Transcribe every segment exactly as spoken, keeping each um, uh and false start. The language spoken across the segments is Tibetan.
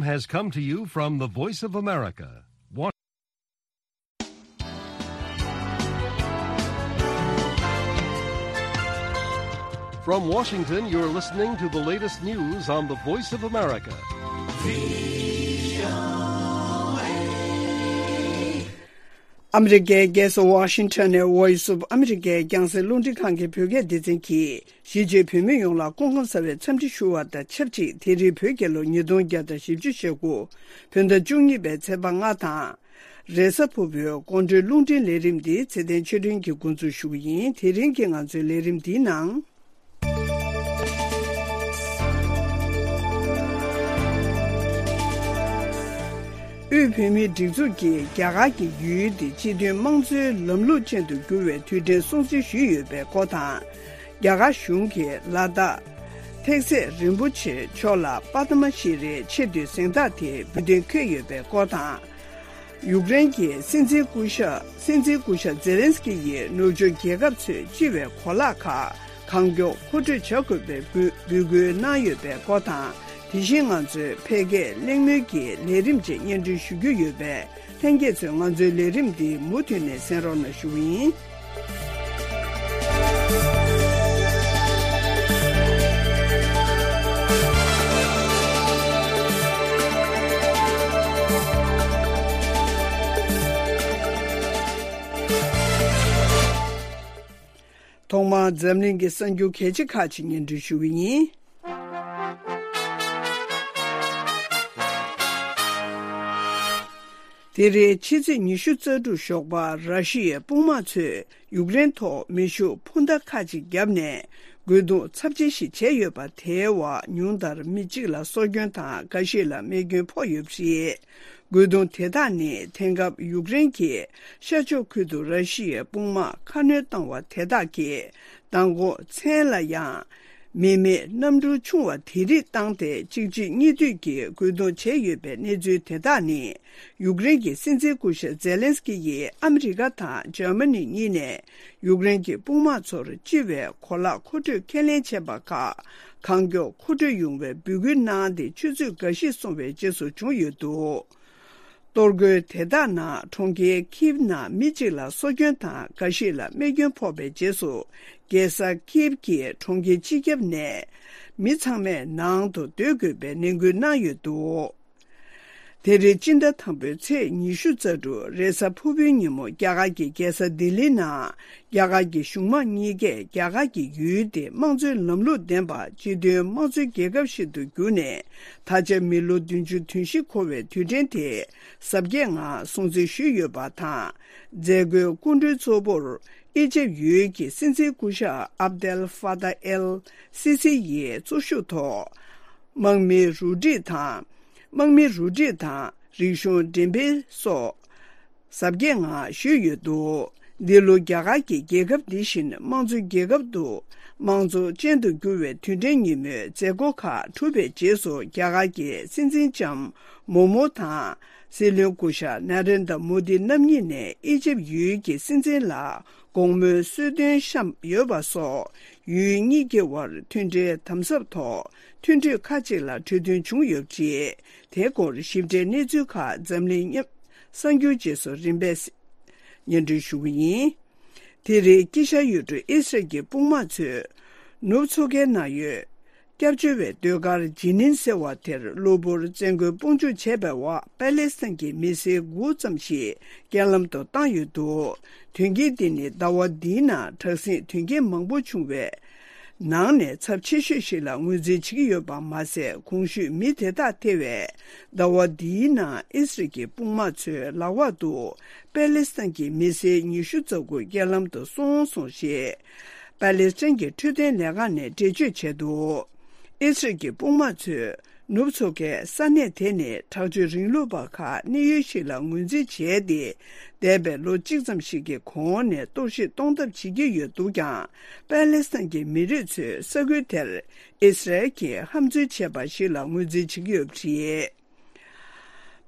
Has come to you from the Voice of America. Wa- From Washington, you're listening to the latest news on the Voice of America. ཨ་མི་རི་ཀའི་རྒྱལ་ས་ཝ་ཤིང་ཊོན་ནས་Voice of America རྒྱང་སྲིང་རླུང་འཕྲིན་ཁང་གི་བོད་སྐད་སྡེ་ཚན་གྱིས། གཞིས་བྱེས་བོད་མི་ཡོངས་ལ་སྐུ་ཁམས་བཟང་བའི་འཚམས་འདྲི་ཞུ་བ་དང་ཆབས་ཅིག་དེ་རིང་བོད་རྒྱལ་ལོ་ཉིས་སྟོང་བརྒྱ་དང་བཞི་བཅུ་ཞེ་དགུ། བོད་ཟླ་བཅུ་གཉིས་པའི་ཚེས་པ་ལྔ་དང་། རེས་གཟའ་ཕུར་བུའི་དགོང་དྲོའི་རླུང་འཕྲིན་ལས་རིམ་འདི་ཚེ་བརྟན་ཆོས་སྒྲོན་གྱིས་འགོ་འཛུགས་ཞུ་གི་ཡིན། དེ་རིང་གི་ང་ཚོའི་ལས་རིམ་འདིའི་ནང་། དབུས་བོད་མིའི་སྒྲིག་འཛུགས་ཀྱིས་རྒྱ་གར་གྱི་ཡུལ་དེ་སྤྱི་མཐུན་དམངས་གཙོའི་ལམ་ལུགས་ཅན་དུ་འགྱུར་བའི་དུས་དྲན་སྲུང་བརྩི་ཞུས་ཡོད་པའི་སྐོར་དང་། རྒྱ་གར་གཞུང་གིས་ལ་དྭགས་ཐེག་སེ་རིན་པོ་ཆེ་མཆོག་ལ་པདྨ་ཤྲི་རིའི་ཆེས་མཐོའི་གཟེངས་རྟགས་དེ་འབུལ་གཏན་འཁེལ་ཡོད་པའི་སྐོར་དང་། ཡུཀ་རེན་གྱི་སྲིད་འཛིན་སྐུ་ཞབས་སྲིད་འཛིན་སྐུ་ཞབས་ཛེ་ལན་སི་ཀི་ཡིས་ནུབ་ཕྱོགས་རྒྱལ་ཁབ་ཚོས་སྤྱི་བའི་གོ་ལག་ཁག་གང་མགྱོགས་མཁོ་སྤྲོད་བྱ་དགོས་པའི་འབོད་འབོད་སྐུལ་གནང་ཡོད་པའི་སྐོར་དང་། དེ་བཞིན་ང་ཚོའི་འཕེལ་རྒྱས་གླེང་མོལ་གྱི་ལས་རིམ་བཅས་སྙན་སྒྲོན་ཞུ་རྒྱུ་ཡོད་པས། ལྷན་རྒྱས་ཚོས་ང་ཚོའི་ལས་རིམ་འདི་མུ་མཐུད་ནས་གསན་རོགས་གནང་ཞུ་གི་ཡིན། ཐོག་མར་འཛམ་གླིང་གི་གསར་འགྱུར་གལ་ཆེ་ཁག་ཅིག་སྙན་སྒྲོན་ཞུ་གི་ཡིན། དེ་རིང་ཕྱི་ཚེས་ཉི་ཤུ་རྩ་དྲུག་ཞོགས་པ་ར་ཤི་ཡའི་དཔུང་དམག་ཚོས་ཡུཀ་རེན་ཐོག་མེ་ཤུགས་འཕུར་མདའ་ཁག་ཅིག་བརྒྱབ་ནས་རྒོལ་རྡུང་ཚབས་ཆེན་ཞིག་བྱས་ཡོད་པ། དེའི་འོག་ཉུང་མཐར་མི་གཅིག་ལ་སྲོག་སྐྱོན་དང་འགའ་ཤས་ལ་རྨས་སྐྱོན་ཕོག་ཡོད་པ་རེད། རྒོལ་རྡུང་དེ་དག་ནི་དེང་སྐབས་ཡུཀ་རེན་གྱི་ཤར་ཕྱོགས་ཁུལ་དུ་ར་ཤི་ཡའི་དཔུང་དམག་ཁ་སྣོན་བཏང་བ་དེ་དག་གིས་མདང་དགོང་མཚན་ལ་ཡང་མི་མེད་གནམ་གྲུ་ཆུང་བ་དེ་རིགས་བཏང་སྟེ་གཅིག་རྗེས་གཉིས་མཐུད་ཀྱིས་རྒོལ་རྡུང་བྱས་ཡོད་པའི་གནས་ཚུལ་དེ་དག་ནི། ཡུཀ་རེན་གྱི་སྲིད་འཛིན་སྐུ་ཞབས་ཛེ་ལན་སི་ཀི་ཡིས་ཨ་མི་རི་ཀ་དང་འཇར་མ་ནི་གཉིས་ནས་ཡུཀ་རེན་གྱི་དཔུང་དམག་ཚོར་སྤྱི་བའི་གོ་ལག་མཁོ་སྤྲོད་ཁས་ལེན་བྱས་པ་ཁག་གང་མགྱོགས་མཁོ་སྤྲོད་ཡོང་བའི་འབོད་སྐུལ་གནང་སྟེ། ཆུ་ཚོད་འགའ་ཤས་སོང་བའི་རྗེས་སུ་བྱུང་ཡོད་འདུག་གཏོར་རྒོལ་དེ་དག་ནང་གྲོང་ཁྱེར་ཁིབ་ནང་མི་གཅིག་ལ་སྲོག་སྐྱོན་དང་འགའ་ཤས་ལ་རྨས་སྐྱོན་ཕོག་པའི་རྗེས་སུ། རྒྱལ་ས་ཁིབ་ཀྱི་གྲོང་ཁྱེར་སྤྱི་ཁྱབ་ནས་མི་ཚང་མས་ནང་དུ་སྡོད་དགོས་པའི་ནན་སྐུལ་གནང་ཡོད་འདུག་དེ་རིང་སྤྱི་ཟླ་དང་པོའི་ཚེས་ཉི་ཤུ་རྩ་དྲུག་རེས་གཟའ་ཕུར་བུའི་ཉིན་མོ། རྒྱ་གར་གྱི་རྒྱལ་ས་ལྡི་ལི་ནང་རྒྱ་གར་གྱི་གཞུང་མང་གཉིས་ཀས་རྒྱ་གར་གྱི་ཡུལ་དེ་དམངས་གཙོའི་ལམ་ལུགས་ལྡན་པ་སྤྱི་མཐུན་དམངས་གཙོའི་རྒྱལ་ཁབ་ཞིག་ཏུ་གྱུར་ནས། ད་ཆ་མི་ལོ་བདུན་ཅུ་དོན་བཞི་འཁོར་བའི་དུས་དྲན་དེ་གཟབ་རྒྱས་ངང་སྲུང་བརྩི་ཞུས་ཡོད་པ་དང་། མཛད་སྒོའི་སྐུ་མགྲོན་གཙོ་བོར་ཨི་ཇེབ་ཡུལ་གྱི་སྲིད་འཛིན་སྐུ་ཞབས་ཨབ་དེལ་ཧྥ་ཏཱ་ཨེལ་སི་སི་ཡིས་གཙོ་ཞུགས་ཐོག་དམག་མིའི་རུ་སྒྲིག་དང་། དམག་མིའི་རུ་སྒྲིག་དང་རིག་གཞུང་འགྲེམས་སྤེལ་སོགས་གཟབ་རྒྱས་ངང་ཞུས་ཡོད་འདུག་འདི་ལོ་རྒྱ་གར་གྱི་རྒྱལ་ཁབ་འདི་བཞིན་དམངས་གཙོའི་རྒྱལ་ཁབ་ཏུ་དམངས་གཙོ་ཅན་དུ་འགྱུར་བའི་དུས་དྲན་ཉིན་མོའི་མཛད་སྒོ་ཁག་གྲུབ་པའི་རྗེས་སུ། རྒྱ་གར་གྱི་སྲིད་འཛིན་ལྕམ་མོ་མོ་དང་། སྲིད་བློན་སྐུ་ཞབས་ན་རེན་དྲ་མོ་དི་རྣམ་གཉིས་ནས་ཨི་ཇེབ་ཡུལ་གྱི་སྲིད་འཛིན་ལ་དགོང་མོའི་གསོལ་སྟོན་བཤམས་ཡོད་པ་སོགས། ཡུལ་གཉིས་ཀྱི་དབར་མཐུན་སྒྲིལ་དམ་ཟབ་ཐོག་མཐུན་གྲོས་ཁག་ཅིག་ལ་གྲོས་མཐུན་བྱུང་ཡོད་པ་རེད། དེའི་སྐོར་ཞིབ་ཕྲའི་གནས་ཚུལ་ཁག་འཛམ་གླིང་གསར་འགྱུར་རྗེས་སུ་རིམ་པས་སྙན་སྒྲོན་ཞུ་གི་ཡིན། དེ་རིང་དཀྱིལ་ཤར་ཡུལ་གྲུ་ཨི་སི་རལ་གྱི་དཔུང་དམག་ཚོས་ནུབ་མཚོ་ཁའི་ནང་ཡོད། སྐྱབས་བཅོལ་བའི་ཟློས་གར་ཇི་ནིན་ཟེར་བ་དེར་གློ་བུར་བཙན་རྒོལ་དཔུང་འཇུག་བྱས་པའི་འོག་པ་ལེ་སི་ཐན་གྱི་མི་སེར་དགུ་ཙམ་ཞིག་རྐྱེན་ལམ་དུ་བཏང་ཡོད་འདུག་དོན་རྐྱེན་འདི་ནི་ཟླ་བ་འདིའི་ནང་དྲག་ཟིང་དོན་རྐྱེན་མང་པོ་བྱུང་བའི་ནང་ནས་ཚབས་ཆེ་ཤོས་ཤིག་ལ་ངོས་འཛིན་བྱེད་ཀྱི་ཡོད་པ་མ་ཟད། གོང་ཞུས་མི་དེ་དག་ཐེ་བའི་ཟླ་བ་འདིའི་ནང་ཨི་སི་རལ་གྱི་དཔུང་དམག་ཚོའི་ལག་འོག་ཏུ་པ་ལེ་སི་ཐན་གྱི་མི་སེར་ཉི་ཤུ་རྩ་དགུ་རྐྱེན་ལམ་དུ་སོང་སོང་ཞེས་པ་ལེ་སི་ཐན་གྱི་འཕྲོད་བསྟེན་ལས་ཁང་ནས་འགྲེལ་བརྗོད་བྱས་འདུག་ཨི་སི་རལ་གྱི་དཔུང་དམག་ཚོས་ནུབ་མཚོ་ཁའི་ས་གནས་དེ་ནི་དྲག་སྤྱོད་རིང་ལུགས་པ་ཁག་གནས་ཡུལ་ཞིག་ལ་ངོས་འཛིན་བྱས་ཏེ། འདས་པའི་ལོ་གཅིག་ཙམ་ཞིག་གི་གོང་ནས་གཏོར་བཤིག་གཏོང་ཐབས་བྱེད་ཀྱི་ཡོད་འདུག་ཀྱང་། པ་ལེ་སི་ཐན་གྱི་མི་རིགས་ཚོས་ས་ཁུལ་དེར་ཨི་སི་རལ་གྱིས་ཧམ་འཛུལ་བྱས་པ་ཞིག་ལ་ངོས་འཛིན་བྱེད་ཀྱི་ཡོད་པ་རེད།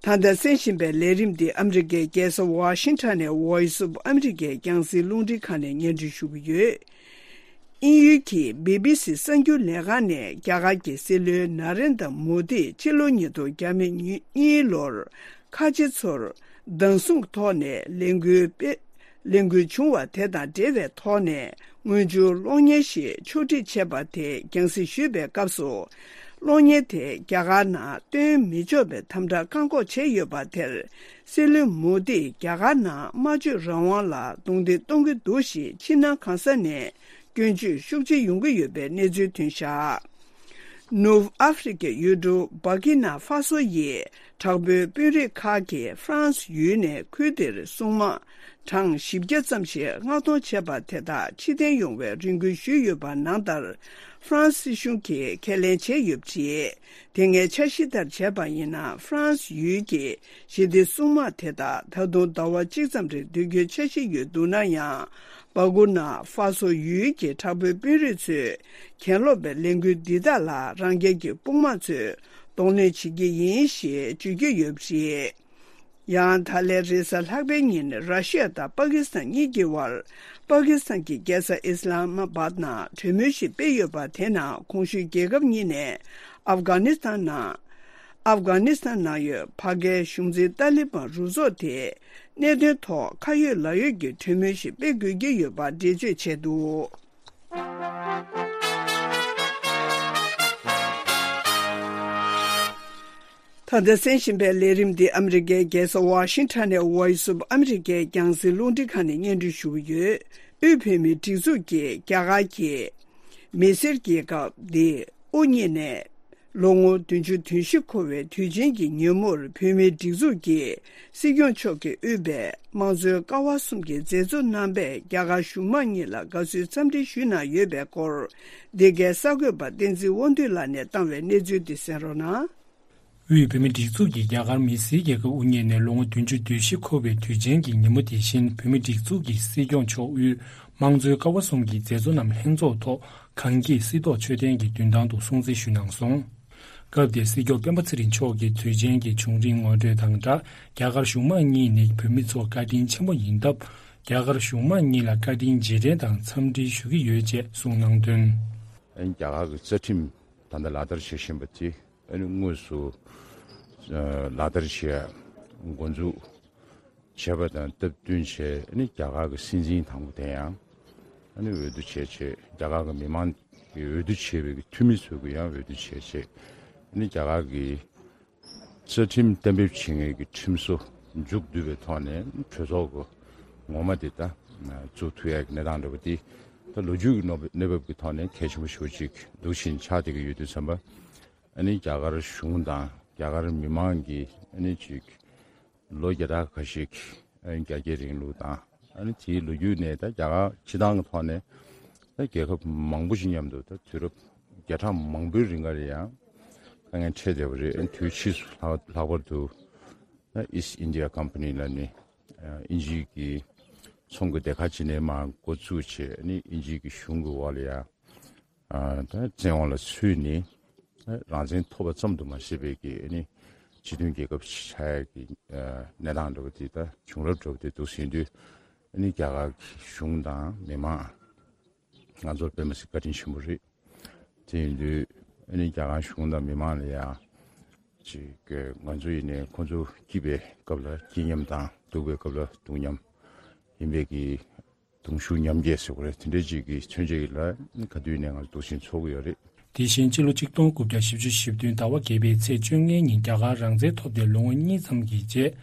ད་ལྟ་གསན་བཞིན་པའི་ལས་རིམ་འདི་ཨ་མི་རི་ཀའི་རྒྱལ་ས་ཝ་ཤིང་ཊོན་ནས་Voice of America རྒྱང་སྲིང་རླུང་འཕྲིན་ཁང་ནས་སྙན་སྒྲོན་ཞུ་གི་ཡོད། དབྱིན་ཡུལ་གྱི་བི་བི་སི་གསར་འགྱུར་ལས་ཁང་ནས་རྒྱ་གར་གྱི་སྲིད་བློན་ན་རེན་དྲ་མོ་དིས་ཕྱི་ལོ་ཉིས་སྟོང་ཉེར་གཉིས་ལོར་ཁ་ཆེ་ཚོར་བདག་བཟུང་ཐོག་ནས་ལས་འགུལ་སྤེལ་ལས་འགུལ་བྱུང་བ་དེ་དང་འབྲེལ་བའི་ཐོག་ནས་དངུལ་འབྱོར་གློག་བརྙན་ཞིག་ཕྱོགས་སྒྲིག་བྱས་པ་དེ་རྒྱང་སྲིང་ཞུས་པའི་སྐབས་སུ། གློག་བརྙན་དེ་རྒྱ་གར་ནང་སྟོན་མི་ཆོག་པའི་དམ་དྲག་བཀག་འགོག་བྱས་ཡོད་པ་དེར། སྲིད་བློན་མོ་དིས་རྒྱ་གར་ནང་སྨྲ་བརྗོད་རང་དབང་ལ་རྡུང་རྡེག་གཏོང་གི་འདུག་ཞེས་ཕྱི་ནང་གང་ས་ནས་སྐྱོན་བརྗོད་ཤུགས་ཆེ་ཡོང་གི་ཡོད་པའི་གནས་ཚུལ་ཐོན་བཞག་ནུབ་ཨ་ཧྥེ་རི་ཁའི་ཡུལ་གྲུ་སྦར་ཀི་ན་ཧྥ་སོ་ཡི་དྲག་པོའི་དཔོན་རིགས་ཁག་གིས་ཧྥ་རན་སི་ཡུལ་ནས་ཁུལ་དེར་སྲུང་དམག་གྲངས་བཞི་བརྒྱ་ཙམ་ཞིག་མངགས་གཏོང་བྱས་པ་དེ་དག་ཕྱིར་འཐེན་ཡོང་བའི་རེ་སྐུལ་ཞུས་ཡོད་པ་ནང་ལྟར། ཧྥ་རན་སི་སྲིད་གཞུང་གིས་ཁས་ལེན་བྱས་ཡོད་པ་རེད། དེ་སྔའི་འཆར་གཞི་ལྟར་བྱས་པ་ཡིན་ན། ཧྥ་རན་སི་ཡུལ་གྱི་ཞི་བདེ་སྲུང་དམག་དེ་དག་ད་དུང་ཟླ་བ་གཅིག་ཙམ་རིང་སྡོད་རྒྱུའི་འཆར་གཞི་ཡོད་འདུག་ན་ཡང་། སྦར་ཀི་ན་ཧྥ་སོ་ཡུལ་གྱི་དྲག་པོའི་དཔོན་རིགས་ཚོས་གྱེན་ལོག་པའི་ལས་འགུལ་འདི་དག་ལ་རང་རྒྱལ་གྱི་དཔུང་དམག་ཚོས་གདོང་ལེན་བྱེད་ཀྱི་ཡིན་ཞེས་བརྗོད་ཀྱི་ཡོད་པ་རེད། ཡང་ད་ལན་རེས་གཟའ་ལྷག་པའི་ཉིན་ར་ཤི་ཡ་དང་པ་ཀི་སི་ཐན་གཉིས་ཀྱི་དབར། པ་ཀི་སི་ཐན་གྱི་རྒྱལ་ས་ཨི་སི་ལ་མ་བཱད་ནང་གྲོས་མོལ་ཞིག་སྤེལ་ཡོད་པ་དེ་ནང་གོང་ཞུས་རྒྱལ་ཁབ་གཉིས་ནས་ཨབ་གྷ་ནི་སི་ཐན་ནང་། ཨབ་གྷ་ནི་སི་ཐན་ནང་ཡོད་ཕ་གིའི་གཞུང་འཛིན་ཏཱ་ལི་བན་རུ་ཚོགས་དེ་གནད་དོན་ཐོག་ཁ་ཡོད་ལག་ཡོད་ཀྱི་གྲོས་མོལ་ཞིག་སྤེལ་དགོས་ཀྱི་ཡོད་པ་འགྲེལ་བརྗོད་བྱས་འདུག་ད་ལྟ་གསན་བཞིན་པའི་ལས་རིམ་འདི་ཨ་མི་རི་ཀའི་རྒྱལ་ས་ཝ་ཤིང་ཊོན་ནས་Voice of America རྒྱང་སྲིང་རླུང་འཕྲིན་ཁང་ནས་སྙན་སྒྲོན་ཞུ་གི་ཡོད། དབུས་བོད་མིའི་སྒྲིག་འཛུགས་ཀྱིས་རྒྱ་གར་གྱི་མི་སེར་རྒྱལ་ཁབ་འདི་དབུ་བརྙེས་ནས་ལོ་ངོ་བདུན་ཅུ་དོན་བཞི་འཁོར་བའི་དུས་ཆེན་གྱི་ཉིན་མོར་བོད་མིའི་སྒྲིག་འཛུགས་ཀྱི་སྲིད་སྐྱོང་མཆོག་གིས་དབུས་པའི་དམངས་གཙོའི་ཀ་བ་གསུམ་གྱི་མཛད་གཙོ་རྣམ་པས་རྒྱ་གར་གཞུང་མང་གཉིས་ལ་དགའ་བསུའི་འཚམས་འདྲི་ཞུས་གནང་ཡོད་པའི་སྐོར། འདི་གའི་གསར་འགོད་པ་བསྟན་འཛིན་དབང་འདུས་ལགས་ནས་བཏང་བའི་གནས་ཚུལ་འདི་གསན་རོགས་གནང་། དབུས་བོད་མིའི་སྒྲིག་འཛུགས་ཀྱིས་རྒྱ་གར་མི་སེར་རྒྱལ་ཁབ་དབུ་བརྙེས་ནས་ལོ་ངོ་བདུན་ཅུ་དོན་བཞི་འཁོར་བའི་དུས་ཆེན་གྱི་ཉིན་མོ་དེ་བཞིན། བོད་མིའི་སྒྲིག་འཛུགས་ཀྱི་སྲིད་སྐྱོང་མཆོག་དབུས་དམངས་གཙོའི་ཀ་བ་གསུམ་གྱི་མཛད་གཙོ་རྣམས་ལྷན་ཚོགས་ཐོག་གངས་སྐྱིད་སྲིད་ཐོག་མཆོད་རྟེན་གྱི་མདུན་ཐང་དུ་སྲུང་བརྩི་ཞུས་གནང་སོང་། སྐབས་དེར་སྲིད་སྐྱོང་སྤེན་པ་ཚེ་རིང་མཆོག་གིས་དུས་ཆེན་གྱི་བྱུང་རིམ་ངོ་སྤྲོད་དང་སྦྲགས། རྒྱ་གར་གཞུང་མང་གཉིས་ནི་བོད་མི་ཚོར་བཀའ་དྲིན་ཆེན་པོ་ཡིན་སྟབས། རྒྱ་གར་གཞུང་མང་གཉིས་ལ་བཀའ་དྲིན་རྗེས་དྲན་དང་འཚམས་འདྲི་ཞུ་གི་ཡོད་ཅེས་གསུངས་གནང་དོན། རྒྱ་གར་གྱི་རྩ་ཁྲིམས་ད་ལྟ་ལག་བསྟར་བྱེད་བཞིན་པ་དེ། ཨ་ནི་དངོས་སུ་ཨ་ལག་བསྟར་བྱེད་འགོ་འཛུགས་བྱས་པ་དང་སྟབས་བསྟུན་བྱས། ཨ་ནི་རྒྱ་གར་གྱི་སྲིད་འཛིན་དང་པོ་དེ་ཡང་ཨ་ནི་འོས་བསྡུ་བྱས་བྱས། རྒྱ་གར་གྱི་མི་མང་གི་འོས་བསྡུ་བྱས་པའི་འཐུས་མི་ཚོ་གི་ཡང་འོས་བསྡུ་བྱས་བྱས། ཨ་ནི་རྒྱ་གར་གྱི་རྩ་ཁྲིམས་གཏན་འབེབས་བྱེད་མཁན་གྱི་ཁྲིམས་བཟོ་མཇུག་བསྡུས་པའི་ཐོག་ནས་གྲོས་ཚོགས་ཀྱི་ངོ་མ་དེ་ད་བཙུགས་ཐུབ་ཡག་གི་གནས་སྟངས་འདྲ་པོ་དེ། ད་ལོ་རྒྱུས་ཀྱི་གནས་བབ་ཀྱི་ཐོག་ནས་གལ་ཆེན་པོ་ཞེ་པོ་ཅིག་འདུག་བཞིན་ཆགས་བསྡད་ཀྱི་ཡོད་དུས་ཙམ་པ། ཨ་ནི་རྒྱ་གར་གཞུང་དང་རྒྱ་གར་མི་མང་གིས་ཨ་ནི་ཅིག་ལོ་བརྒྱ་ཕྲག་ཁ་ཤས་ཨ་ནི་རྒྱ་སྐྱེད་རིང་ལུགས་དང་། ཨ་ནི་དེའི་ལོ་རྒྱུས་ནས་ད་རྒྱ་གར་སྤྱི་བཏང་གི་ཐོག་ནས་ད་རྒྱལ་ཁབ་མང་པོ་ཞིག་མཉམ་དུ་ད་དུས་རབས་བརྒྱ་ཕྲག་མང་པོའི་རིང་ག་ལ་ཡང་དཀའ་ངལ་འཕྲད་བསྡད་པ་རེད། ཨ་ནི་དུས་ཕྱིས་སུ་ལྷག་ལྷག་པར་དུ་ད་East India Company ལབ་ནས་ཨ་དབྱིན་ཇིའི་གི་ཚོང་གི་སྡེ་ཁག་ཅིག་ནས་མར་འགོ་བཙུགས་བྱས། ཨ་ནི་དབྱིན་ཇིའི་གི་གཞུང་གི་འོག་ལ་ཡང་ཨ་ད་བཙན་དབང་ལ་ཚུད་ནས་ཨ་རང་བཙན་ཐོབ་པ་ཙམ་དུ་མ་ཟད་པའི་གི་ཨ་ནི་སྤྱི་མཐུན་རྒྱལ་ཁབ་ཆགས་ཡག་གི་ཨ་གནས་སྟངས་འདྲ་བོ་དེ་ད་བྱུང་རབས་འདྲ་བོ་དེ་འདུག་ཟིན་དུས། ཨ་ནི་རྒྱ་གར་གཞུང་དང་མི་མང་ང་ཚོར་དཔེ་མི་སྲིད་བཀའ་དྲིན་ཆེན་པོ་རེད། དེ་ཡིན་དུས་ཨ་ནི་རྒྱ་གར་གཞུང་དང་མི་མང་ལ་ཡང་ཅིག་ང་ཚོ་ཡིན་ནའི་ཁོང་ཚོ་སྐྱིད་པའི་སྐབས་ལ་སྐྱིད་མཉམ་དང་། སྡུག་པའི་སྐབས་ལ་སྡུག་མཉམ་ཡིན་པའི་གི་གདུང་ཤུགས་མཉམ་སྐྱེད་ཟེར་དགོས་རེད། དེ་འདྲའི་ཅིག་གི་མཚོན་བྱེད་ལ་ག་དུས་ནས་ང་ཚོ་འདུག་སེ་ཚོགས་ཀྱི་ཡོད་རེད། དེ་བཞིན་ཕྱི་ལོ་ཆིག་སྟོང་དགུ་བརྒྱ་བཞི་བཅུ་ཞེ་བདུན་ཟླ་བ་བརྒྱད་པའི་ཚེས་བཅོ་ལྔའི་ཉིན་རྒྱ་གར་རང་བཙན་ཐོབ་སྟེ་ལོ་ངོ་གཉིས་ཙམ་གྱི་རྗེས།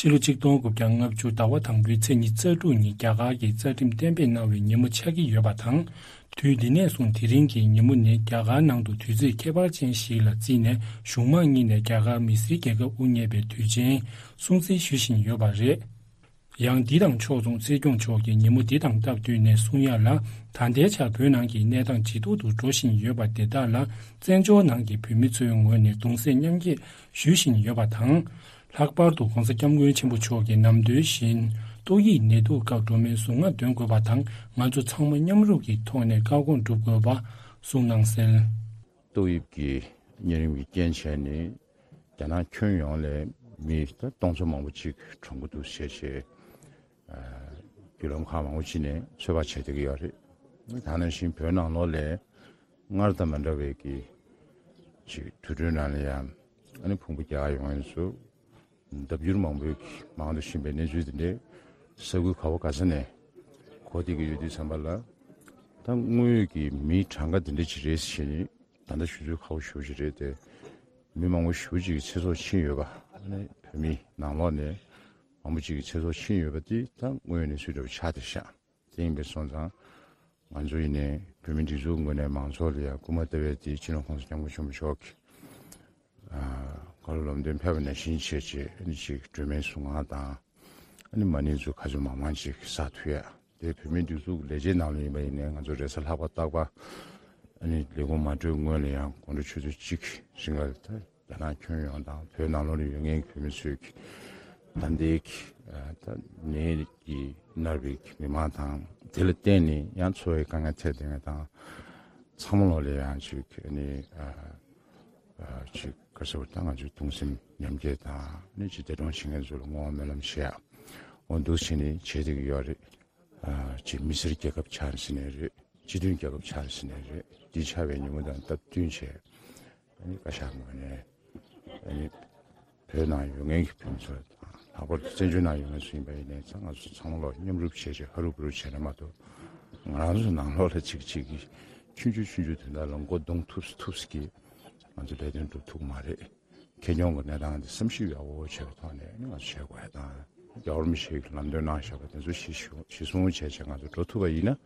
ཕྱི་ལོ་ཆིག་སྟོང་དགུ་བརྒྱ་ལྔ་བཅུ་ཟླ་བ་དང་པོའི་ཚེས་ཉི་ཤུ་རྩ་དྲུག་ཉིན་རྒྱ་གར་གྱི་རྩ་ཁྲིམས་གཏན་འབེབས་གནང་བའི་ཉིན་མོ་ཆགས་ཀྱི་ཡོད་པ་དང་། དུས་འདི་ནས་བཟུང་དེ་རིང་གི་ཉིན་མོ་ནི་རྒྱ་གར་ནང་དུ་དུས་ཚོད་ཁྱད་པར་ཅན་ཞིག་ལ་བརྩིས་ནས་གཞུང་མང་གཉིས་ནས་རྒྱ་གར་མི་སེར་རྒྱལ་ཁབ་དབུ་བརྙེས་པའི་དུས་ཆེན་སྲུང་བརྩི་ཞུ་བཞིན་ཡོད་པ་རེད། ཡང་འདི་དང་ཕྱོགས་མཚུངས་སྲིད་སྐྱོང་མཆོག་གིས་ཉིན་མོ་འདི་དང་སྟབས་བསྟུན་ནས་གསུང་ཡ་ལ། ད་ལྟའི་ཆར་བོད་ནང་གི་གནས་སྟངས་ཇེ་སྡུག་ཏུ་འགྲོ་བཞིན་ཡོད་པ་དེ་དག་ལ། བཙན་བྱོལ་ནང་གི་བོད་མི་ཚོའི་ངོས་ནས་གདུང་སེམས་མཉམ་སྐྱེད་ཞུ་བཞིན་ཡོད་པ་དང་། ལྷག་པར་དུ་༸གོང་ས་༸སྐྱབས་མགོན་ཆེན་པོ་མཆོག་གིས་ནམ་དུས་བཞིན་ཏོག་དབྱིབས་ནད་དུག་སྐབས་འགྲོ་མིའི་གཟུངས་སྔགས་འདོན་དགོས་པ་དང་། ང་ཚོ་ཚང་མ་མཉམ་རུབ་ཀྱི་ཐོག་ནས་བཀའ་དགོངས་སྒྲུབ་དགོས་པ་གསུངས་གནང་གསལ། ཏོག་དབྱིབས་ཀྱི་གཉན་རིམས་ཀྱི་རྐྱེན་བྱས་ནས་རྒྱ་ནག་ཁྱོན་ཡོངས་ལས་མི་ད་སྟོང་ཚོ་མང་པོ་ཅིག་གྲོངས་ཀྱི་འདུག་ཟེར་བྱས། ཨ་བརྒྱུད་ལམ་ཁག་མང་པོ་ཅིག་ནས་ཚོད་དཔག་བྱས་བསྡད་ཀྱི་ཡོད་རེད། ད་ནང་བཞིན་བོད་ནང་ལོགས་ལ་སྔར་དང་མ་འདྲ་བའི་གི་ཅིག་དུས་འགྲོའི་ནང་ལ་ཡང་ཨ་ནི་ཕུང་པོ་རྒྱ་གར་ཡོང་མཁན་ཚོ་ལྡབ་འགྱུར་མང་པོའི་གི་མང་དུ་ཕྱིན་པའི་གནས་ཚུལ་དེ་འདྲའི་ས་ཁུལ་ག་བ་ག་ས་ནས་གོ་བསྡད་ཀྱི་ཡོད་དུས་ཙམ་པ་ལ། ད་དངོས་ཡོད་ཀྱི་མིའི་གྲངས་ཀ་དེ་འདྲ་ཅིག་རེད་ཟེར་ནས་ད་ལྟ་ཞུ་ཚོད་ཁག་པོ་ཞེ་པོ་ཅིག་རེད་དེ། མི་མང་པོ་ཞེ་པོ་ཅིག་གི་ཚེ་སྲོག་ཕྱིན་ཡོད་པ། ཨ་ནི་བོད་མི་ནང་ལོགས་ནས་མང་པོ་ཅིག་གི་ཚེ་སྲོག་ཕྱིན་ཡོད་པ་དེ་ད་དངོས་ཡོད་གནས་ཚུལ་འདྲ་པོ་ཆགས་བསྡད་ཤག་དེ་ཡིན་པས་སོང་ཙང་ང་ཚོ་ཡིན་ནའི་བོད་མིའི་སྒྲིག་འཛུགས་ངོས་ནས་མང་ཚོགས་ལ་ཡང་སྐུལ་མ་བཏབ་པའི་དེ་སྤྱི་ནོར་༸གོང་ས་༸སྐྱབས་མགོན་ཆེན་པོ་མཆོག་གིས་ཨ་བཀའ་སློབ་ལམ་སྟོན་ཕེབས་པ་ནང་བཞིན་བྱས་རྗེས་ཨ་ནི་ཅིག་སྒྲོལ་མའི་གཟུངས་སྔགས་དང་ཨ་ནི་མ་ཎི་ཚོ་ག་ཚོད་མང་མང་ཅིག་བསགས་ཐུབ་ཡ། དེ་བོད་མིའི་སྒྲིག་འཛུགས་ལས་བྱེད་ནང་ལ་ཡིན་པ་ཡིན་ནའི་ང་ཚོ་རེས་གཟའ་ལྷག་པ་རྟག་པར་ཨ་ནི་ལས་ཁུངས་མ་གྲོལ་སྔོན་ལ་ཡང་དགོང་དྲོ་ཆུ་ཚོད་གཅིག་རིང་ལ་ད་རྒྱ་ནག་ཁྱོན་ཡོངས་དང་བོད་ནང་ལོགས་ལ་ཡོད་མཁན་གྱི་བོད་མི་ཚོས་ཀྱི་ད་ལྟའི་གི་ཨ་ད་ནད་ཀྱིས་མནར་བའི་གི་མི་མང་དང་དེ་ལ་བརྟེན་ནས་ཡང་འཚོ་བའི་དཀའ་ངལ་འཕྲད་བསྡད་མཁན་དང་ཚང་མ་ལོགས་ལ་ཡང་ཅིག་ཨ་ནི་ཨ་ཨ་ཅིག་ག་ཟེར་བ་ད་ང་ཚོའི་གདུང་སེམས་མཉམ་སྐྱེད་དང་ཨ་ནི་ཅིག་འདས་གྲོངས་ཕྱིན་མཁན་ཚོ་ལ་བསྔོ་བ་སྨོན་ལམ་བཞེས་ཡ་འོ་འདུག་བྱས་ནས་བྱེད་བསྡད་ཀྱི་ཡོད་རེད། ཨ་ཅིག་མི་སེར་རྒྱལ་ཁབ་ཆགས་ཟིན་ནས་རེད། སྤྱི་མཐུན་རྒྱལ་ཁབ་ཆགས་ཟིན་ནས་རེད། འདི་ཆགས་པའི་ཉིན་མོ་དང་སྟབས་བསྟུན་བྱས་ཨ་ནི་བཀའ་ཤག་ངོས་ནས་ཨ་ནི་བོད་ནང་ཡོད་མཁན་གྱི་བོད་མི་ཚོ་དང་ལྷག་པར་དུ་བཙན་བྱོལ་ནང་ཡོད་མཁན་ཚོ་ཡིན་པ་ཡིན་ནའི་ང་ཚོ་ཚང་མ་ལོག་མཉམ་རུབ་བྱས་བྱས་ཧ་རུ་བུ་རུ་བྱས་ན་མ་གཏོགས་ང་རང་ཚོ་ནང་ལོགས་ལ་གཅིག་གཅིག་གིས་ཆུང་ཆུང་ཆུང་ཆུང་དོན་དག་ལ་མགོ་རྡུང་ཐུབ་ཐུབ་ཀྱིས་ང་ཚོ་ལས་དོན་སྒྲུབ་ཐུབ་ཀྱི་མ་རེད། ཁེ་གྱོང་གི་གནས་སྟངས་འདི་བསམ་ཤེས་ཡག་པོ་བྱས་པའི་ཐོག་ནས་ནི་ང་ཚོ་བྱེད་དགོས་ཡ་དང་རྒྱལ་བ་རིན་པོ་ཆེས་ལམ་སྟོན་གནང་བཞག་པ་དེ་ཚོ་གཞི་གཞི་བཟུང་བྱས་བྱས་ང་ཚོ་འགྲོ་ཐུབ་པ་ཡིན་ན་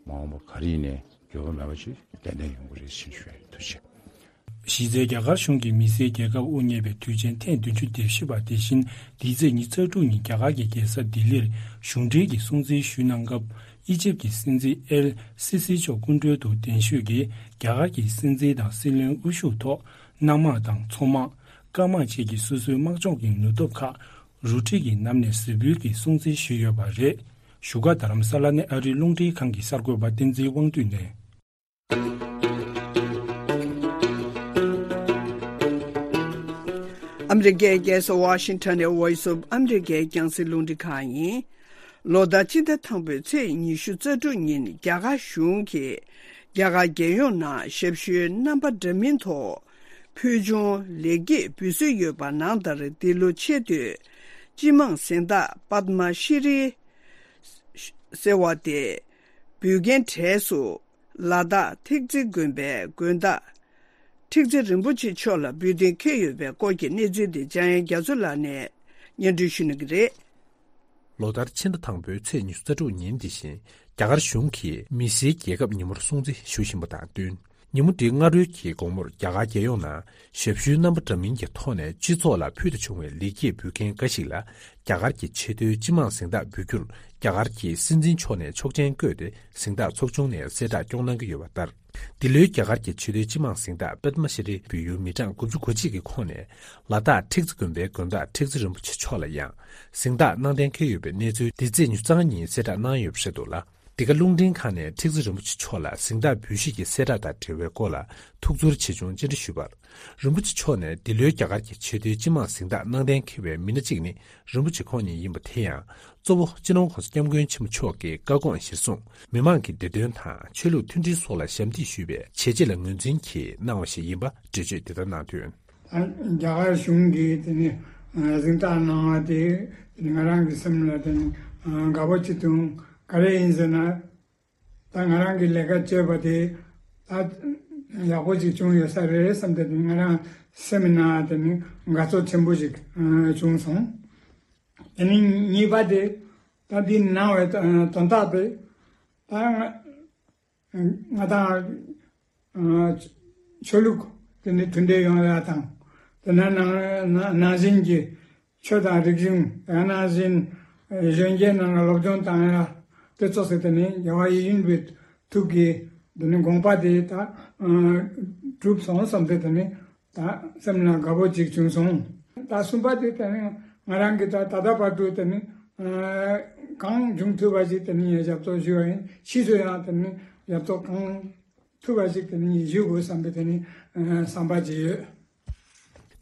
མ་འོངས་པ་ག་རེ་ཡིན་ནའི་འགྱུར་བ་མེད་པ་ཅིག་ཏན་ཏན་ཡོང་གི་རེད་ཟེར་ཞུ་ཡ་ཡིན། ཐུགས་རྗེ་ཆེ། གཞི་རྩའི་རྒྱ་གར་གཞུང་གིས་མི་སེར་རྒྱལ་ཁབ་དབུ་བརྙེས་པའི་དུས་ཆེན་ཐེངས་བདུན་ཅུ་དོན་བཞི་པ་དེ་བཞིན་འདི་ཚེས་ཉི་ཤུ་རྩ་དྲུག་ཉིན་རྒྱ་གར་གྱི་རྒྱལ་ས་ལྡི་ལིར་གཞུང་འབྲེལ་གྱི་སྲུང་བརྩི་ཞུས་གནང་སྐབས་ཨི་ཇིབ་ཀྱི་སྲིད་འཛིན་ཨེལ་སི་སི་མཆོག་སྐུ་མགྲོན་དུ་གདན་ཞུས་ཀྱིས་རྒྱ་གར་གྱི་སྲིད་འཛིན་དང་སྲིད་བློན་དབུ་བཞུགས་ཐོག་གནམ་དམག་དང་མཚོ་དམག་སྐར་དམག་བཅས་ཀྱི་སོ་སོའི་དམག་སྦྱོང་གི་ནུས་སྟོབས་ཁག་རུ་སྒྲིག་གི་ནང་ནས་གཟིགས་འབུལ་གྱིས་སྲུང་བརྩི་ཞུས་ཡོད་པ་རེད། བཞུགས་སྒར་རྡ་རམ་ས་ལ་ནས་ཨ་རིའི་རླུང་འཕྲིན་ཁང་གི་གསར་འགོད་པ་བསྟན་འཛིན་དབང་འདུས་ནས། ཨ་མི་རི་ཀའི་རྒྱལ་ས་ཝ་ཤིང་ཊོན་ནས་Voice of America རྒྱང་སྲིང་རླུང་འཕྲིན་ཁང་ཡིན། ལོ་ལྟར་སྤྱི་ཟླ་དང་པོའི་ཚེས་ཉི་ཤུ་རྩ་དྲུག་ཉིན་རྒྱ་གར་གཞུང་གིས་རྒྱ་གར་རྒྱལ་ཡོངས་ནང་ཞབས་ཞུའི་རྣམ་པ་འདྲ་མིན་ཐོག་ཕུལ་བྱུང་ལེགས་སྐྱེས་འབུལ་སྲོལ་ཡོད་པ་ནང་ལྟར་འདི་ལོ་ཆེས་མཐོའི་སྤྱི་དམངས་གཟེངས་རྟགས་པདྨ་ཤྲི་ཟེར་བ་དེ་འབུལ་མཁན་གྲས་སུ་ལ་དྭགས་ཐེག་ཙི་དགོན་པའི་དགོན་བདག་ཁྲི་ཙི་རིན་པོ་ཆེ་མཆོག་ལ་འབུལ་གཏན་འཁེལ་ཡོད་པའི་སྐོར་གྱི་གནས་ཚུལ་དེ་འཇམ་དབྱངས་རྒྱ་མཚོ་ལགས་ནས་སྙན་སྒྲོན་ཞུ་གནང་གི་རེད། ལོ་ལྟར་ཕྱི་ཟླ་དང་པོའི་ཚེས་ཉི་ཤུ་རྩ་དྲུག་ཉིན་འདི་བཞིན་རྒྱ་གར་གཞུང་གིས་མི་སེར་རྒྱལ་ཁབ་ཉིན་མོར་སྲུང་བརྩི་ཞུ་བཞིན་པ་དང་བསྟུན། ཉིན་མོ་འདིའི་སྔ་དྲོའི་གི་དགོང་མོར་རྒྱ་གར་རྒྱལ་ཡོངས་ནང་ཞབས་ཞུའི་རྣམ་པ་འདྲ་མིན་གྱི་ཐོག་ནས་སྤྱི་ཚོགས་ལ་ཕུལ་དུ་བྱུང་བའི་ལེགས་སྐྱེས་འབུལ་མཁན་འགའ་ཞིག་ལ་རྒྱ་གར་གྱི་ཆེས་མཐོའི་སྤྱི་དམངས་གཟེངས་རྟགས་འབུལ་རྒྱུར་རྒྱ་གར་གྱི་སྲིད་འཛིན་མཆོག་ནས་ཆོག་མཆན་བཀོད་དེ་གཟེངས་རྟགས་ཚོགས་ཆུང་ནས་གསལ་བསྒྲགས་སྐྱོང་གནང་གི་ཡོད་པ་ལྟར། འདི་ལོའི་རྒྱ་གར་གྱི་ཆེས་མཐོའི་སྤྱི་དམངས་གཟེངས་རྟགས་པདྨ་ཤྲི་འབུལ་ཡུལ་མི་གྲངས་དགུ་བཅུ་གོ་གཅིག་གི་ཁོངས་ནས་ལ་དྭགས་ཁྲི་ཙི་དགོན་པའི་དགོན་བདག་ཁྲི་ཙི་རིན་པོ་ཆེ་མཆོག་ལ་ཡང་གཟེངས་རྟགས་གནང་གཏན་འཁེལ་ཡོད་པའི་གནས་ཚུལ་འདི་ཚེས་ཉི་ཤུ་རྩ་ལྔ་ཉིན་གསལ་བསྒྲགས་གནང་ཡོད་པ་རེད་འདུག་ལ། འདི་ག་རླུང་འཕྲིན་ཁང་ནས་ཁྲི་ཙི་རིན་པོ་ཆེ་མཆོག་ལ་གཟེངས་རྟགས་འབུལ་བཞེས་ཀྱི་གསལ་བསྒྲགས་དང་འབྲེལ་བའི་སྐོར་ལ་ཐུགས་ཚོར་ཆེ་ཆུང་བཅར་འདྲི་ཞུས་པར། རིན་པོ་ཆེ་མཆོག་ནས་འདི་ལོའི་རྒྱ་གར་གྱི་ཆེས་མཐོའི་སྤྱི་དམངས་གཟེངས་རྟགས་གནང་གཏན་འཁེལ་བའི་མི་སྣ་གཅིག་ནི་རིན་པོ་ཆེ་ཁོང་ཉིད་ཡིན་པ་དེ་ཡང་གཙོ་བོ་སྤྱི་ནོར་༸གོང་ས་༸སྐྱབས་མགོན་ཆེན་པོ་མཆོག་གི་བཀའ་དགོངས་གཞིར་བཟུང་མི་མང་གི་བདེ་དོན་དང་ཆོས་ལུགས་མཐུན་སྒྲིལ་སོགས་ལ་ཞབས་འདེགས་ཞུས་པའི་བྱས་རྗེས་ལ་ངོས་འཛིན་གྱིས་གནང་བ་ཞིག་ཡིན་པ་འགྲེལ་བརྗོད་དེ་ལྟར་གནང་དོན། རྒྱ་གར་གཞུང་གིས་དེ་ནི་གཟེངས་རྟགས་གནང་བ་དེ་ང་རང་གི་སེམས་ལ་དེ་ནི་དགའ་པོ་ཅིག་འདུག་ག་རེ་ཡིན་ཟེར་ན། ད་ང་རང་གི་ལས་ཀ་བྱས་པ་དེ་ད་ཡག་པོ་ཅིག་བྱུང་ཡོད་ས་རེད་བསམ་སྟེ་ང་རང་སེམས་ནང་དེ་ནི་དགའ་ཚོར་ཆེན་པོ་ཞིག་བྱུང་སོང་། དེ་ནི་གཉིས་པ་དེ་ད་འདི་གནང་བའི་དོན་དག་དེ་ད་ང་ང་དང་ཆོས་ལུགས་དེ་ནི་མཐུན་འབྲེལ་ཡོང་ཡ་དང་དེ་ནང་ནང་བཞིན་གྱི་ཆོས་དང་རིག་གཞུང་ཡང་ན་གཞན་གཞོན་སྐྱེས་རྣམས་ལ་སློབ་སྦྱོང་བཏང་ཡ་དེ་ཚོ་ཟེར་ཏེ་ནི་རྒྱལ་བ་ཡིད་བཞིན་པའི་ཐུགས་ཀྱི་དེ་ནི་དགོངས་པ་དེ་ད་གྲུབ་སོང་བསམ་སྟེ་དེ་ནི་ད་སེམས་ལ་དགའ་པོ་ཅིག་བྱུང་སོང་། ད་གསུམ་པ་དེ་དེ་ནི་ང་རང་གི་ད་ད་ལྟ་བར་དུ་དེ་ནི་གང་བྱུང་ཐུབ་པ་ཞིག་དེ་ནི་ཞབས་ཏོག་ཞུ་བ་ཡིན། ཕྱིས་སུ་ཡང་དེ་ནི་ཞབས་ཏོག་གང་ཐུབ་པ་ཞིག་དེ་ནི་ཞུ་དགོས་བསམ་པའི་དེ་ནི་བསམ་པ་ཅིག་ཡོད།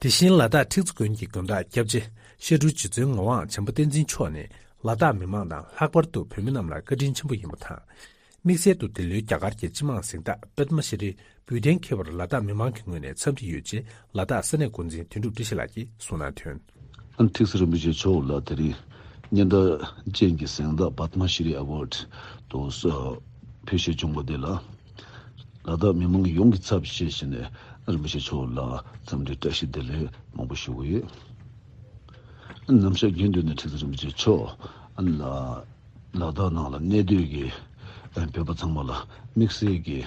དེ་བཞིན་ལ་དྭགས་ཁྲི་ཙི་དགོན་གྱི་དགོན་བདག་སྐྱབས་རྗེ་བཤད་སྒྲུབ་རྗེ་བཙུན་ངག་དབང་བྱམས་པ་བསྟན་འཛིན་མཆོག་ནས་ལ་དྭགས་མི་མང་དང་ལྷག་པར་དུ་བོད་མི་རྣམས་ལ་བཀའ་དྲིན་ཆེན་པོ་ཡིན་པ་དང་ དམིགས་བསལ་དུ་འདི་ལོའི་རྒྱ་གར་གྱི་སྤྱི་དམངས་གཟེངས་རྟགས་པདྨ་ཤྲི་འབུལ་གཏན་འཁེལ་བར་ལ་དྭགས་མི་མང་གི་ངོས་ནས་འཚམས་འདྲི་ཡོད་ཅེས་ལ་དྭགས་ས་གནས་འགོ་འཛིན་དོན་གྲུབ་བཀྲ་ཤིས་ལགས་ཀྱིས་གསུངས་གནང་དོན། ཨ་ནི་ཐེག་ས་རིན་པོ་ཆེ་མཆོག་ལ་དེ་རིང་སྙན་གྲགས་ཅན་གྱི་གཟེངས་རྟགས་པདྨ་ཤྲི་ཨ་ཝརཌ་དུ་ཕུལ་བཞེས་བྱུང་བ་དེ་ལ། ལ་དྭགས་མི་མང་ཡོངས་ཀྱི་ཚབ་བྱས་བྱས་ནས་རིན་པོ་ཆེ་མཆོག་ལ་འཚམས་འདྲི་བཀྲ་ཤིས་བདེ་ལེགས་མང་པོ་ཞུ་གི་ཡོད། ནམ་ཞག་རྒྱུན་དུ་ནས་ཁྲི་ཟུར་རིན་པོ་ཆེ་མཆོག་ལ་ལ་དྭགས་ནང་ལ་གནས་སྡོད་ཀྱི་བོད་པ་ཚང་མ་ལ་དམིགས་བསལ་གྱི་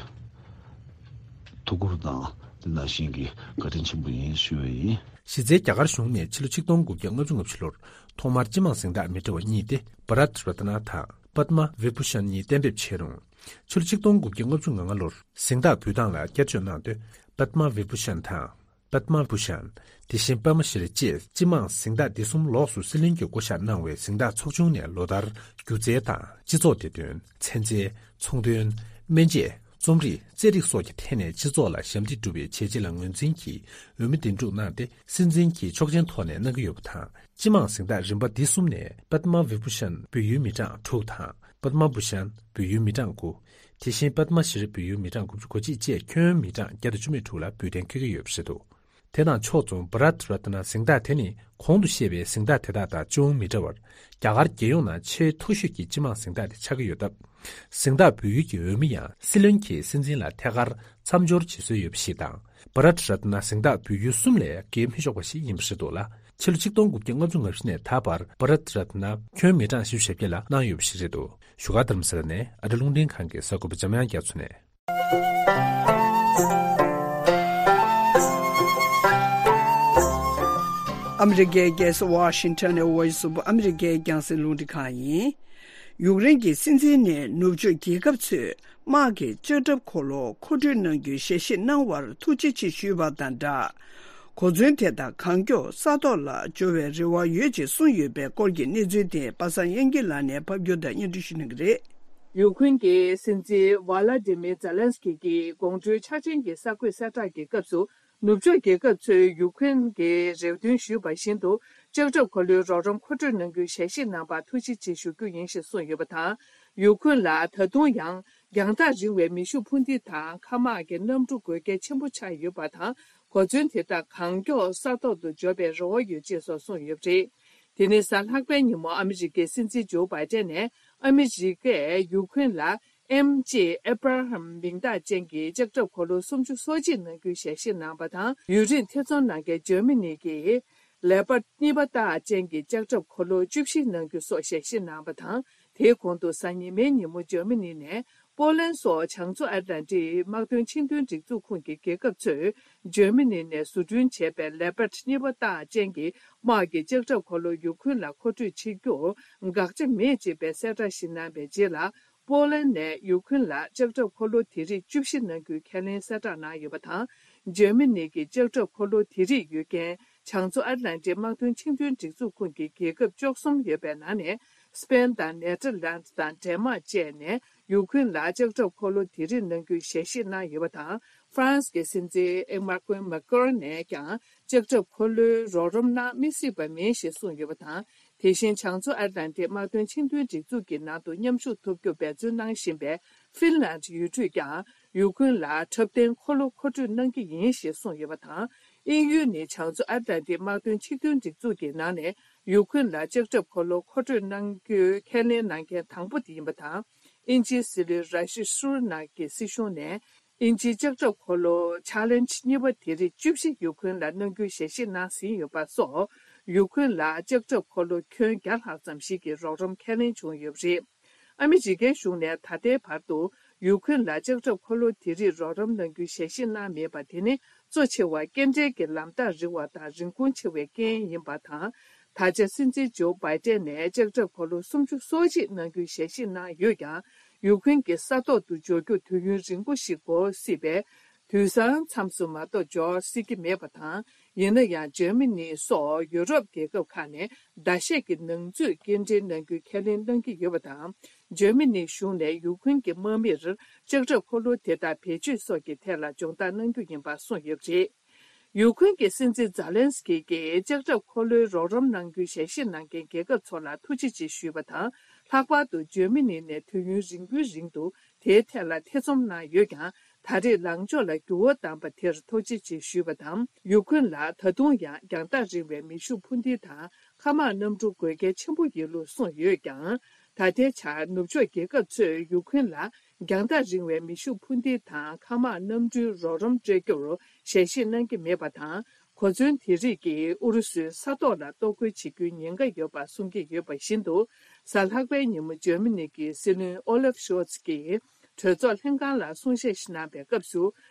ཐུགས་ཁུར་དང་དེ་ནང་བཞིན་གྱི་བཀའ་དྲིན་ཆེན་པོ་ཡིན་ཞུ་བ་ཡིན། གཞི་རྩའི་རྒྱ་གར་གཞུང་ནས་ཕྱི་ལོ་ཆིག་སྟོང་དགུ་བརྒྱ་ལྔ་བཅུ་ང་བཞི་ལོར་ཐོག་མར་སྤྱི་དམངས་གཟེངས་རྟགས་མི་འདྲ་བ་གཉིས་ཏེ་བྷ་རཏ་རཏ་ན་དང་པདྨ་བི་བྷུ་ཤན་གཉིས་གཏན་འབེབས་བྱས་རུང་། ཕྱི་ལོ་ཆིག་སྟོང་དགུ་བརྒྱ་ལྔ་བཅུ་ང་ལྔ་ལོར་གཟེངས་རྟགས་འབུལ་སྟངས་ལ་བསྐྱར་བཅོས་གནང་དུས་པདྨ་བི་བྷུ་ཤན་དང་། པདྨ་བྷུ་ཤན། དེ་བཞིན་པདྨ་ཤྲི་བཅས་སྤྱི་དམངས་གཟེངས་རྟགས་འདི་གསུམ་ལོགས་སུ་སྲིད་བློན་གྱིས་བསྐོ་བཞག་གནང་བའི་གཟེངས་རྟགས་ཚོགས་ཆུང་ནས་ལོ་ལྟར་སྒྱུ་རྩལ་དང་སྤྱི་ཚོགས་བདེ་དོན། ཚན་རྩལ། ཚོང་དོན། སྨན་དཔྱད། རྩོམ་རིག་རྩེད་རིགས་སོགས་ཀྱི་ཐད་ནས་སྤྱི་ཚོགས་ལ་ཞབས་འདེགས་སྒྲུབ་པའི་བྱས་རྗེས་ལ་ངོས་འཛིན་གྱིས་འོས་མི་འདེམས་སྒྲུག་གནང་སྟེ་སྲིད་འཛིན་གྱིས་ཆོག་མཆན་ཐོག་ནས་གནང་གི་ཡོད་པ་དང་། སྤྱི་དམངས་གཟེངས་རྟགས་རིམ་པ་འདི་གསུམ་ནས་པདྨ་བི་བྷུ་ཤན་འབུལ་ཡུལ་མི་གྲངས་དྲུག་དང་། པདྨ་བྷུ་ཤན་འབུལ་ཡུལ་མི་གྲངས་དགུ། དེ་བཞིན་པདྨ་ཤྲི་འབུལ་ཡུལ་མི་གྲངས་དགུ་བཅུ་གོ་གཅིག་བཅས་ཁྱོན་མི་གྲངས་བརྒྱ་དང་བཅུ་མེད་དྲུག་ལ་འབུལ་གཏན་འཁེལ་གྱི་ཡོད་པ་རེད་འདུག་དེ་དང་ཕྱོགས་མཚུངས་བྷ་རཏ་རཏ་ན་གཟེངས་རྟགས་དེ་ནི་གོང་དུ་བཤད་པའི་གཟེངས་རྟགས་དེ་དག་དང་ཅུང་མི་འདྲ་བར། རྒྱ་གར་རྒྱལ་ཡོངས་ནང་ཆེས་མཐོ་ཤོས་ཀྱི་སྤྱི་དམངས་གཟེངས་རྟགས་དེ་ཆགས་ཀྱི་ཡོད་སྟབས། གཟེངས་རྟགས་འབུལ་ཡུལ་གྱི་འོས་མི་ཡང་སྲིད་བློན་གྱིས་སྲིད་འཛིན་ལ་ཐད་ཀར་མཚམས་སྦྱོར་བྱེད་སྲོལ་ཡོད་པ་ཞིག་དང་། བྷ་རཏ་རཏ་ན་གཟེངས་རྟགས་འབུལ་ཡུལ་གསུམ་ལས་བརྒལ་མི་ཆོག་པ་ཞིག་ཡིན་པ་རེད་འདུག་ལ། ཕྱི་ལོ་ཆིག་སྟོང་དགུ་བརྒྱ་ལྔ་བཅུ་ང་བཞི་ནས་ད་བར་བྷ་རཏ་རཏ་ན་ཁྱོན་མི་གྲངས་བཞི་བཅུ་ཞེ་བརྒྱད་ལ་གནང་ཡོད་པ་ཞིག་རེད་འདུག་བཞུགས་སྒར་རྡ་རམ་ས་ལ་ནས་ཨ་རི་རླུང་འཕྲིན་ཁང་གི་གསར་འགོད་པ་འཇམ་དབྱངས་རྒྱ་མཚོ་ནས། ཨ་མི་རི་ཀའི་རྒྱལ་ས་ཝ་ཤིང་ཊོན་ནས་Voice of America རྒྱང་སྲིང་རླུང་འཕྲིན་ཁང་ཡིན། ཡུཀ་རེན་གྱི་སྲིད་འཛིན་ནས་ནུབ་ཕྱོགས་རྒྱལ་ཁབ་ཚོས་དམག་གི་ལྕགས་ཁྲབ་འཁོར་ལོ་མཁོ་སྤྲོད་གནང་རྒྱུའི་ཞལ་བཞེས་གནང་བར་ཐུགས་རྗེ་ཆེ་ཞུས་པ་དང་སྦྲགས། གོ་མཚོན་དེ་དག་གང་མགྱོགས་ས་ཐོག་ལ་འབྱོར་བའི་རེ་བ་ཡོད་ཅེས་གསུངས་ཡོད་པའི་སྐོར་གྱི་གནས་ཚུལ་དེ་པ་སངས་དབྱངས་སྐྱིད་ལགས་ནས་ཕབ་སྒྱུར་དང་སྙན་སྒྲོན་ཞུ་གནང་གི་རེད། ཡུཀ་རེན་གྱི་སྲིད་འཛིན་ཝ་ལ་ཏི་མིར་ཛེ་ལན་སི་ཀི་གིས་དགོང་དྲོའི་འཆར་ཅན་གྱི་གསར་འགོད་གསལ་བསྒྲགས་ཀྱི་སྐབས་སུ། ནུབ་ཕྱོགས་རྒྱལ་ཁབ་ཚོས་ཡུཀ་རེན་གྱི་རེ་འདུན་ཞུས་པ་བཞིན་དུ་ལྕགས་ཁྲབ་འཁོར་ལོའི་རོགས་རམ་མཁོ་སྤྲོད་གནང་རྒྱུའི་ཞལ་བཞེས་གནང་བར་ཐུགས་རྗེ་ཆེ་ཞུ་རྒྱུ་ཡིན་ཞེས་གསུངས་ཡོད་པ་དང་། ཡུཀ་རེན་ལ་ད་དུང་ཡང་རྒྱང་ཐག་རིང་བའི་མེ་ཤུགས་འཕུར་མདེལ་དང་མཁའ་དམག་གི་གནམ་གྲུ་དགོས་གལ་ཆེན་པོ་ཆགས་ཡོད་པ་དང་། གོ་མཚོན་དེ་དག་གང་མགྱོགས་ས་ཐོག་ཏུ་འབྱོར་བའི་རེ་བ་ཡོད་ཅེས་སོགས་གསུངས་ཡོད་པ་རེད། དེ་ནི་གཟའ་ལྷག་པའི་ཉིན་མོ་ཨ་མི་རི་ཀའི་སྲིད་འཛིན་ཇོ་བྷའི་ཏན་ནས་ཨ་མི་རི་ཀས་ཡུཀ་རེན་ལ་ཨེམ་ཇེ་ཨེབ་ར་ཧམ་མིང་རྟགས་ཅན་གྱི་ལྕགས་ཁྲབ་འཁོར་ལོ་སུམ་ཅུ་སོ་གཅིག་གནང་རྒྱུའི་ཞལ་བཞེས་གནང་བ་དང་། ཡུན་རིང་ཐེ་ཚོམ་གནང་མཁན་འཇར་མ་ནི་གིས་ལེ་པར་ཌ་གཉིས་པ་རྟགས་ཅན་གྱི་ལྕགས་ཁྲབ་འཁོར་ལོ་བཅུ་བཞི་གནང་རྒྱུ་སོགས་ཞལ་བཞེས་གནང་བ་དང་། དེའི་གོང་དུ་གཟའ་ཉི་མའི་ཉིན་མོ་འཇར་མ་ནི་ནས་པོ་ལན་སོགས་བྱང་མཚོ་ཨེཊ་ལན་ཊིག་དམག་དོན་ཆིངས་དོན་སྒྲིག་འཛུགས་ཁོངས་ཀྱི་རྒྱལ་ཁབ་ཚོས་འཇར་མ་ནི་ནས་བཟོ་སྐྲུན་བྱས་པའི་ལེ་པར་ཌ་གཉིས་པ་རྟགས་ཅན་གྱི་དམག་གི་ལྕགས་ཁྲབ་འཁོར་ལོ་ཡུ་ཁུན་ལ་མཁོ་སྤྲོད་བྱེད་རྒྱུར་དགག་བྱ་མེད་ཅེས་པའི་གསལ་བསྒྲགས་ཤིག་གནང་བའི་རྗེས་ལ། པོ་ལན་ནས་ཡུ་ཁུན་ལ་ལྕགས་ཁྲབ་འཁོར་ལོ་དེ་རིགས་བཅུ་བཞི་གནང་རྒྱུའི་ཁས་ལེན་གསལ་བསྒྲགས་གནང་ཡོད་པ་དང་། འཇར་མ་ནི་གི་ལྕགས་ཁྲབ་འཁོར་ལོ་དེ་རིགས་ཡོད་མཁན་བྱང་མཚོ་ཨེཊ་ལན་ཊིག་དམག་དོན་ཆིངས་དོན་སྒྲིག་འཛུགས་ཁོངས་ཀྱི་རྒྱལ་ཁབ་བཅུ་གསུམ་ཡོད་པའི་ནང་ནས། སི་པེན་དང་ནེ་ཐར་ལན་དང་ཌེན་མཱག་བཅས་ནས་ཡུ་ཁུན་ལ་ལྕགས་ཁྲབ་འཁོར་ལོ་དེ་རིགས་གནང་རྒྱུའི་ཞལ་བཞེས་གནང་ཡོད་པ་དང་། ཧྥ་རན་སི་གི་སྲིད་འཛིན་ཨེ་མར་ཀུན་མེག་ཀོན་ནས་ཀྱང་ལྕགས་ཁྲབ་འཁོར་ལོའི་རོགས་རམ་གནང་མི་སྲིད་པ་མིན་ཞེས་གསུངས་ཡོད་པ་དང་། དེ་བཞིན་བྱང་མཚོ་ཨེཊ་ལན་ཊིག་དམག་དོན་ཆིངས་དོན་སྒྲིག་འཛུགས་ཀྱི་ནང་དུ་མཉམ་ཞུགས་ཐུབ་རྒྱུར་འབད་བརྩོན་གནང་བཞིན་པའི་ཧྥིན་ལན་ཡུལ་གྲུས་ཀྱང་ཡུ་ཁུན་ལ་འཁྲབ་སྟོན་འཁོར་ལོ་མཁོ་སྤྲོད་གནང་གི་ཡིན་ཞེས་གསུངས་ཡོད་པ་དང་། དབྱིན་ཡུལ་ནི་བྱང་མཚོ་ཨེཊ་ལན་ཊིག་དམག་དོན་ཆིངས་དོན་སྒྲིག་འཛུགས་ཀྱི་ནང་ནས་ཡུ་ཁུན་ལ་ལྕགས་ཁྲབ་འཁོར་ལོ་མཁོ་སྤྲོད་གནང་རྒྱུའི་ཁས་ལེན་གནང་མཁན་དང་པོ་དེ་ཡིན་པ་དང་། དབྱིན་ཇིའི་སྲིད་བློན་ར་ཤི་སུར་ནག་གི་སྲིད་གཞུང་ནས། དབྱིན་ཇིའི་ལྕགས་ཁྲབ་འཁོར་ལོ་ཆེ་ལེན་ཇི་གཉིས་པ་དེ་རིགས་བཅུ་བཞི་ཡུ་ཁུན་ལ་གནང་རྒྱུའི་ཞལ་བཞེས་གནང་ཟིན་ཡོད་པ་སོགས། ཡུ་ཁུན་ལ་ལྕགས་ཁྲབ་འཁོར་ལོ་ཁྱོན་བརྒྱ་ལྷག་ཙམ་ཞིག་གི་རོགས་རམ་ཁས་ལེན་བྱུང་ཡོད་པ་རེད། ཨ་མི་རི་ཀའི་གཞུང་ནས་ད་ལྟའི་བར་དུ་ཡུ་ཁུན་ལ་ལྕགས་ཁྲབ་འཁོར་ལོ་དེ་རིགས་རོགས་རམ་གནང་རྒྱུའི་ཞལ་བཞེས་གནང་མེད་པ་དེ་ནི་གཙོ་ཆེ་བ་སྐྱེལ་འདྲེན་གྱི་ལམ་ཐག་རིང་བ་དང་རིན་གོང་ཆེ་བའི་རྐྱེན་ཡིན་པ་དང་། ད་ཆ་སྲིད་འཛིན་ཇོ་བྷའི་ཏན་ནས་ལྕགས་ཁྲབ་འཁོར་ལོ་སུམ་ཅུ་སོ་གཅིག་གནང་རྒྱུའི་ཞལ་བཞེས་གནང་ཡོད་ཀྱང་། ཡུ་ཁུན་གྱི་ས་ཐོག་ཏུ་འབྱོར་རྒྱུར་དུས་ཡུན་རིང་པོ་ཞིག་འགོར་སྲིད་པས། དུས་སང་མཚམས་སུ་མ་གཏོགས་འབྱོར་སྲིད་ཀྱི་མེད་པ་དང་། ཡིན་ན་ཡང་འཇར་མ་ནི་སོགས་ཡུ་རོབ་རྒྱལ་ཁབ་ཁག་ནས་ཟླ་ཤས་ཀྱི་ནང་ཚུད་སྐྱེལ་འདྲེན་གནང་རྒྱུའི་ཁས་ལེན་གནང་གི་ཡོད་པ་དང་། འཇར་མ་ནིའི་གཞུང་ནས་ཡུ་ཁུན་གྱི་དམག་མིར་ལྕགས་ཁྲབ་འཁོར་ལོ་དེ་དག་བེད་སྤྱོད་སོགས་ཀྱི་ཐད་ལ་སྦྱོང་བརྡར་གནང་རྒྱུ་ཡིན་པ་གསུངས་ཡོད་པ་རེད། ཡུ་ཁུན་གྱི་སྲིད་འཛིན་ཛ་ལན་སི་ཀི་གིས་ལྕགས་ཁྲབ་འཁོར་ལོའི་རོགས་རམ་གནང་རྒྱུའི་ཞལ་བཞེས་གནང་མཁན་རྒྱལ་ཁབ་ཚོ་ལ་ཐུགས་རྗེ་ཆེ་ཞུས་པ་དང་། ལྷག་པར་དུ་འཇར་མ་ནི་ནས་དུས་ཡུན་རིང་པོའི་རིང་དུ་ དེའི་ཐད་ལ་ཐེ་ཚོམ་གནང་ཡོད་ཀྱང་། ད་རེས་ལངས་ཕྱོགས་ལ་འགྱུར་བ་བཏང་པ་དེར་ཐུགས་རྗེ་ཆེ་ཞུས་པ་དང་། ཡུ་ཁུན་ལ་ད་དུང་ཡང་རྒྱང་ཐག་རིང་བའི་མེ་ཤུགས་འཕུར་མདེལ་དང་མཁའ་དམག་གནམ་གྲུ་དགོས་གལ་ཆེན་པོ་ཡིན་ལུགས་གསུངས་ཡོད་ཀྱང་། ད་ལྟའི་ཆར་ནུབ་ཕྱོགས་རྒྱལ་ཁབ་ཚོས་ཡུ་ཁུན་ལ་རྒྱང་ཐག་རིང་བའི་མེ་ཤུགས་འཕུར་མདེལ་དང་མཁའ་དམག་གནམ་གྲུའི་རོགས་རམ་སྤྲད་རྒྱུར་ཞལ་བཞེས་གནང་གི་མེད་པ་དང་། གོ་མཚོན་དེ་རིགས་ཀྱིས་ཨུ་རུ་སུའི་ས་ཐོག་ལ་གཏོར་རྒོལ་བྱེད་རྒྱུའི་ཉེན་ཁ་ཡོད་པ་གསུང་གི་ཡོད་པ་བཞིན་དུ། གཟའ་ལྷག་པའི་ཉིན་མོ་འཇར་མ་ནི་གི་སྲིད་བློན་ཨོ་ལེབ་ཤོལ་ཚ་གིས་གྲོས་ཚོགས་ལྷན་ཁང་ལ་གསུང་བཤད་ཞིག་གནང་པའི་སྐབས་སུ།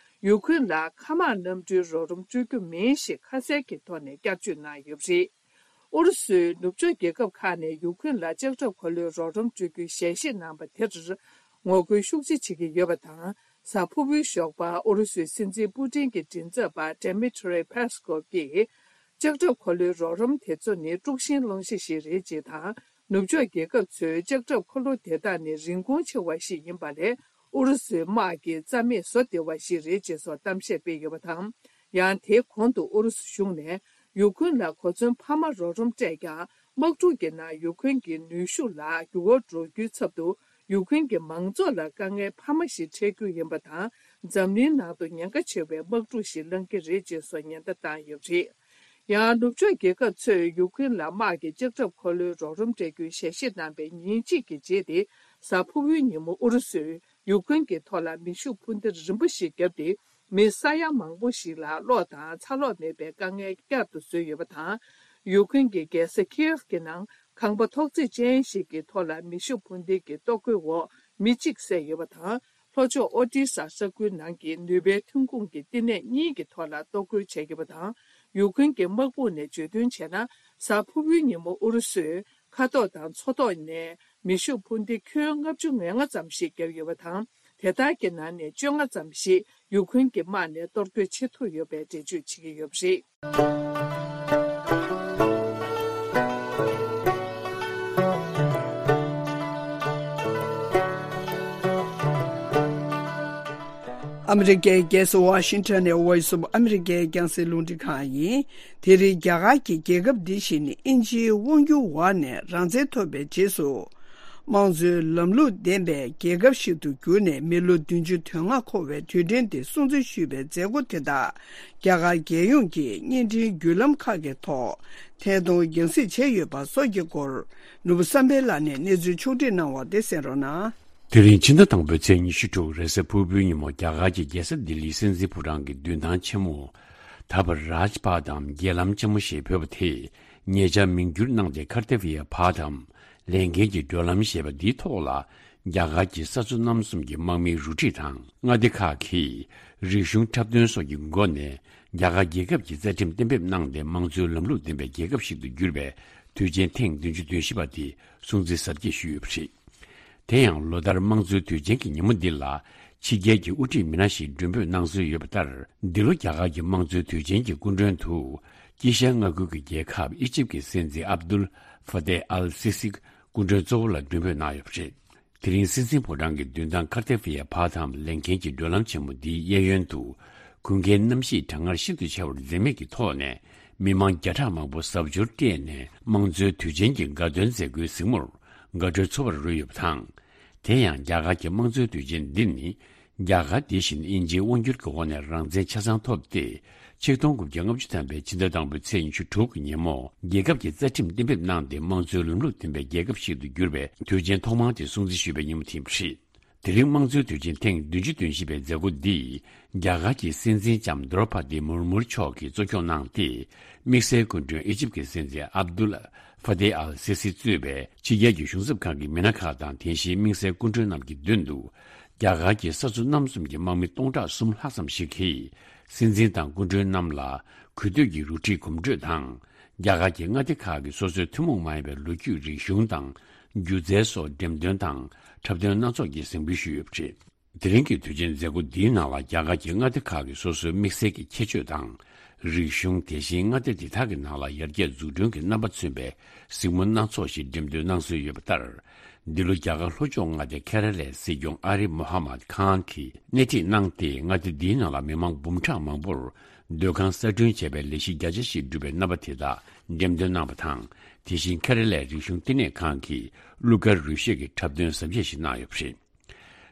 ཡུ་ཁུན་ལ་མཁའ་དམག་གནམ་གྲུའི་རོགས་རམ་སྤྲོད་རྒྱུ་མིན་ཞེས་ཁ་གསལ་གྱི་ཐོག་ནས་བསྐྱར་བརྗོད་གནང་ཡོད་པ་རེད། ཨུ་རུ་སུའི་ནུབ་ཕྱོགས་རྒྱལ་ཁབ་ཁག་ནས་ཡུ་ཁུན་ལ་ལྕགས་ཁྲབ་འཁོར་ལོའི་རོགས་རམ་སྤྲོད་རྒྱུའི་ཞལ་བཞེས་གནང་པ་དེར་ངོ་རྒོལ་ཤུགས་ཆེ་བྱེད་ཀྱི་ཡོད་པ་དང་། གཟའ་ཕུར་བུའི་ཞོགས་པ་ཨུ་རུ་སུའི་སྲིད་འཛིན་པུ་ཏིན་གྱི་མགྲིན་ཚབ་པ་Dmitry Peskov གིས། ལྕགས་ཁྲབ་འཁོར་ལོའི་རོགས་རམ་དེ་ཚོ་ནི་དཀྲུག་ཤིང་སློང་གཞི་ཞིག་རེད་ཅེས་དང་། ནུབ་ཕྱོགས་རྒྱལ་ཁབ་ཚོས་ལྕགས་ཁྲབ་འཁོར་ལོ་དེ་དག་ནི་རིན་གོང་ཆེ་བ་ཞིག་ཡིན་པ་ལས། ཨུ་རུ་སུའི་དམག་གི་རྩ་མེད་བཟོ་བདེ་བ་ཞིག་རེད་ཅེས་སོགས་གཏམ་བཤད་སྤེལ་ཡོད་པ་དང་། ཡང་དེའི་གོང་དུ་ཨུ་རུ་སུ་གཞུང་ནས་ཡུ་ཁུན་ལ་གོ་མཚོན་འཕར་མ་རོགས་རམ་སྤྲད་ཀྱང་། དམག་འཁྲུག་གི་ནང་ཡུ་ཁུན་གྱི་ནུས་ཤུགས་ལ་འགྱུར་བ་འགྲོ་རྒྱུའི་ཚབ་ཏུ། ཡུ་ཁུན་གྱི་མང་ཚོགས་ལ་དཀའ་ངལ་འཕར་མ་ཞིག་འཕྲད་རྒྱུ་ཡིན་པ་དང་། འཛམ་གླིང་ནང་དུ་ཉེན་ཁ་ཆེ་བའི་དམག་འཁྲུག་ཞིག་ལངས་ཀྱི་རེད་ཅེས་སོགས་ཉེན་བརྡ་བཏང་ཡོད་པ་རེད། ཡང་ནུབ་ཕྱོགས་རྒྱལ་ཁབ་ཚོས་ཡུ་ཁུན་ལ་དམག་གི་ལྕགས་ཁྲབ་འཁོར་ལོའི་རོགས་རམ་སྤྲད་རྒྱུའི་ཞལ་བཞེས་གནང་པའི་ཉིན་གཅིག་གི་རྗེས་ཏེ། གཟའ་ཕུར་བུའི་ཉིན་མོ་ཨུ་རུ་སུས་ཡུ་ཁུན་གྱི་ཐོག་ལ་མེ་ཤུགས་འཕུར་མདེལ་རིམ་པ་ཞིག་བརྒྱབ་སྟེ། མི་ས་ཡ་མང་པོ་ཞིག་ལ་གློག་དང་ཚ་གློག་མེད་པའི་དཀའ་ངལ་བསྐྱར་དུ་བཟོས་ཡོད་པ་དང་། ཡུ་ཁུན་གྱི་རྒྱལ་ས་ཁིའེབ་ཀྱི་ནང་ཁང་པ་ཐོག་བརྩེགས་ཅན་ཞིག་གི་ཐོག་ལ་མེ་ཤུགས་འཕུར་མདེལ་གྱི་གཏོར་རྒོལ་འོག་མི་གཅིག་བསད་ཡོད་པ་དང་། ལྷོ་ཕྱོགས་ཨོ་ཏི་ས་ས་ཁུལ་ནང་གི་ནུས་པའི་ཐོན་ཁུངས་ཀྱི་བསྟི་གནས་གཉིས་ཀྱི་ཐོག་ལ་གཏོར་རྒོལ་བྱས་ཡོད་པ་དང་། ཡུ་ཁུན་གྱི་དམག་དཔུང་ནས་བརྗོད་དོན་བྱས་ན། གཟའ་ཕུར་བུའི་ཉིན་མོ་ཨུ་རུ་སུས་མཁའ་ཐོག་དང་མཚོ་ཐོག་ནས་མེ་ཤུགས་འཕུར་མདེལ་ཁྱོན་ལྔ་བཅུ་ང་ལྔ་ཙམ་ཞིག་བརྒྱབ་ཡོད་པ་དང་། དེ་དག་གི་ནང་ནས་བཅོ་ལྔ་ཙམ་ཞིག་ཡུ་ཁུན་གྱི་དམག་ནས་གཏོར་རྒོལ་བྱེད་ཐུབ་ཡོད་པའི་འགྲེལ་བརྗོད་བྱེད་ཀྱི་ཡོད་པ་རེད། ཨ་མི་རི་ཀའི་རྒྱལ་ས་ཝ་ཤིང་ཊོན་ནས་Voice of America རྒྱང་སྲིང་རླུང་འཕྲིན་ཁང་ཡིན། དེ་རིང་རྒྱ་གར་གྱི་རྒྱལ་ཁབ་འདི་ཞིག་ནི་དབྱིན་ཇིའི་དབང་སྒྱུར་འོག་ནས་རང་བཙན་ཐོབ་པའི་རྗེས་སུ། དམངས་གཙོའི་ལམ་ལུགས་ལྡན་པའི་རྒྱལ་ཁབ་ཞིག་ཏུ་གྱུར་ནས་མི་ལོ་བདུན་ཅུ་དོན་ལྔ་འཁོར་བའི་དུས་དྲན་འདི་སྲུང་བརྩི་ཞུས་པའི་མཛད་སྒོ་དེ་དག་རྒྱ་གར་རྒྱལ་ཡོངས་ཀྱི་བརྙན་འཕྲིན་བརྒྱུད་ལམ་ཁག་གི་ཐོག་ཐད་གཏོང་རྒྱང་སྲིང་བྱས་ཡོད་པ་སོགས་ཀྱི་སྐོར། ནོར་བུ་བསམ་འཕེལ་ལགས་ནས་གནས་ཚུལ་ཕྱོགས་སྒྲིག་གནང་བ་དེ་གསན་རོགས་གནང་། དེ་རིང་ཕྱི་ཟླ་དང་པོའི་ཚེས་ཉི་ཤུ་དྲུག་རེས་གཟའ་ཕུར་བུའི་ཉིན་མོ་རྒྱ་གར་གྱི་རྒྱལ་ས་ལྡི་ལིའི་སྲིད་འཛིན་ཕོ་བྲང་གི་མདུན་ཐང་ཆེན་མོ། ད་བར་རཱཇ་པཱཐ་འམ་རྒྱལ་ལམ་ཆེན་མོ་ཞེས་འབོད་པ་དེས་ཉེ་ཆར་མིང་བསྒྱུར་གནང་སྟེ་ཀར་ཏེ་བི་ཡ་པཱཐ་འམ་ལས་འགན་གྱི་བགྲོད་ལམ་ཞེས་པ་འདིའི་ཐོག་ལ་རྒྱ་གར་གྱི་ས་མཚོ་གནམ་གསུམ་གྱི་དམག་མིའི་རུ་ཁྲིད་དང་མངའ་སྡེ་ཁག་གིས་རིག་གཞུང་འཁྲབ་སྟོན་སོགས་ཀྱི་སྒོ་ནས་རྒྱ་གར་རྒྱལ་ཁབ་ཀྱི་རྩ་ཁྲིམས་གཏན་འབེབས་གནང་སྟེ་དམངས་གཙོའི་ལམ་ལུགས་ལྡན་པའི་རྒྱལ་ཁབ་ཞིག་ཏུ་གྱུར་པའི་དུས་ཆེན་ཐེངས་བདུན་ཅུ་དོན་བཞི་པ་དེ་སྲུང་བརྩི་གཟབ་རྒྱས་ཞུས་ཡོད་པ་རེད། དེ་ཡང་ལོ་ལྟར་དམངས་གཙོའི་དུས་ཆེན་གྱི་ཉིན་མོ་འདི་ལ་ཕྱི་རྒྱལ་གྱི་དབུ་ཁྲིད་མི་སྣ་ཞིག་མགྲོན་འབོད་གནང་སྲོལ་ཡོད་པ་ལྟར། འདི་ལོ་རྒྱ་གར་གྱི་དམངས་གཙོའི་དུས་ཆེན་གྱི་སྐུ་མགྲོན་དུ་དཀྱིལ་ཤར་མངའ་ཁུལ་གྱི་རྒྱལ་ཁབ་ཨི་ཇིབ་ཀྱི་སྲིད་འཛིན་ཨབ་དུལ་ཧྥ་ཏེ་ཨལ་སི་སི་སྐུ་མགྲོན་གཙོ་བོ་ལ་མགྲོན་འབོད་གནང་ཡོད་པ་རེད། དེ་རིང་སྲིད་འཛིན་ཕོ་བྲང་གི་མདུན་ཐང་ཀར་ཏེ་ཕི་ཡ་པཱ་ཐམ་ལས་འགན་གྱི་བགྲོད་ལམ་ཆེན་མོ་འདིའི་གཡས་གཡོན་དུ་དགུན་ཁའི་གནམ་གཤིས་གྲང་ངར་ཤིན་ཏུ་ཆེ་བར་འཛེམ་མེད་ཀྱི་ཐོག་ནས་མི་མང་བརྒྱ་ཕྲག་མང་པོ་གཟབ་མཆོར་སྤྲས་ནས་དམངས་གཙོའི་དུས་ཆེན་གྱི་དགའ་སྟོན་མཛད་སྒོའི་གཟིགས་མོར་དགའ་སྤྲོའི་ཚོར་བ་རོལ་ཡོད་པ་དང་། དེ་ཡང་རྒྱ་གར་གྱི་དམངས་གཙོའི་དུས་ཆེན་འདི་ནི་རྒྱ་གར་དེ་བཞིན་དབྱིན་ཇིའི་དབང་སྒྱུར་གྱི་འོག་ནས་རང་བཙན་ཆ་ཚང་ཐོབ་སྟེ་ཆིག་སྟོང་དགུ་བརྒྱ་ལྔ་བཅུ་ཐམ་པའི་ཕྱི་ཟླ་དང་པོའི་ཚེས་ཉི་ཤུ་དྲུག་གི་ཉིན་མོ་རྒྱལ་ཁབ་ཀྱི་རྩ་ཁྲིམས་གཏན་འབེབས་གནང་སྟེ་དམངས་གཙོའི་ལམ་ལུགས་ལྡན་པའི་རྒྱལ་ཁབ་ཞིག་ཏུ་གྱུར་བའི་དུས་ཆེན་ཐོག་མ་དེ་སྲུང་བརྩི་ཞུས་པའི་ཉིན་མོ་དེ་ཡིན་པ་རེད། དེ་རིང་དམངས་གཙོའི་དུས་ཆེན་ཐེངས་བདུན་ཅུ་དོན་བཞི་པའི་མཛད་སྒོ་འདི་རྒྱ་གར་གྱི་སྲིད་འཛིན་ལྕམ་དྲོ་པ་དི་མུར་མུར་མཆོག་གིས་གཙོ་སྐྱོང་གནང་སྟེ། དམིགས་བསལ་སྐུ་མགྲོན་ཨི་ཇིབ་ཀྱི་སྲིད་འཛིན་ཨབ་དུལ་ཧྥ་ཏེ་ཨལ་སི་སི་གཙོས་པའི་ཕྱི་རྒྱལ་གྱི་གཞུང་ཚབ་ཁང་གི་མི་སྣ་ཁག་དང་། དེ་བཞིན་དམིགས་བསལ་སྐུ་མགྲོན་རྣམས་ཀྱི་མདུན་དུ་རྒྱ་གར་གྱི་ས་མཚོ་གནམ་གསུམ་གྱི་དམག་མི་སྟོང་ཕྲག་གསུམ་ལྷག་ཙམ་ཞིག་གིས་སྲིད་འཛིན་དང་སྐུ་མགྲོན་རྣམས་ལ་གུས་འདུད་ཀྱི་རུ་ཁྲིད་གོམ་བགྲོད་དང་། རྒྱ་གར་གྱི་མངའ་སྡེ་ཁག་གི་སོ་སོའི་ཐུན་མོང་མ་ཡིན་པའི་ལོ་རྒྱུས། རིག་གཞུང་དང་སྒྱུ་རྩལ་སོགས་འགྲེམས་སྟོན་དང་འཁྲབ་སྟོན་སྣ་ཚོགས་ཀྱིས་གཟིགས་འབུལ་ཞུས་ཡོད་པ་རེད། དེ་རིང་གི་དུས་ཆེན་མཛད་སྒོ་འདིའི་ནང་ལ་རྒྱ་གར་གྱི་མངའ་སྡེ་ཁག་གི་སོ་སོའི་དམིགས་བསལ་གྱི་ཁྱད་ཆོས་དང་། རིག་གཞུང་། དེ་བཞིན་མངའ་སྡེ་འདི་དག་གི་ནང་ལ་ཡར་རྒྱས་འཛུགས་སྐྲུན་གྱི་རྣམ་པ་མཚོན་པའི་གཟིགས་མོ་སྣ་ཚོགས་ཤིག་འགྲེམས་སྟོན་གནང་སྲོལ་ཡོད་པ་ལྟར། འདི་ལོ་རྒྱ་གར་ལྷོ་ཕྱོགས་མངའ་སྡེ་ཁེ་ར་ལའི་སྲིད་སྐྱོང་ཨ་རིབ་མོ་ཧ་མད་ཁཱན་གྱིས་སྣེ་ཁྲིད་གནང་སྟེ། མངའ་སྡེ་འདིའི་ནང་ལ་མི་མང་འབུམ་ཕྲག་མང་པོར་སྡོད་ཁང་གསར་སྐྲུན་བྱས་པའི་ལས་གཞི་བརྒྱ་ཆ་ཞིག་བསྒྲུབས་པའི་རྣམ་པ་དེ་དག་འགྲེམས་སྟོན་གནང་བ་དང་། དེ་བཞིན་ཁེ་ར་ལའི་རིག་གཞུང་བསྟི་གནས་ཁང་གིས་གླུ་གར་རོལ་གཞས་ཀྱི་འཁྲབ་སྟོན་གཟབ་རྒྱས་ཤིག་གནང་ཡོད་པ་རེད།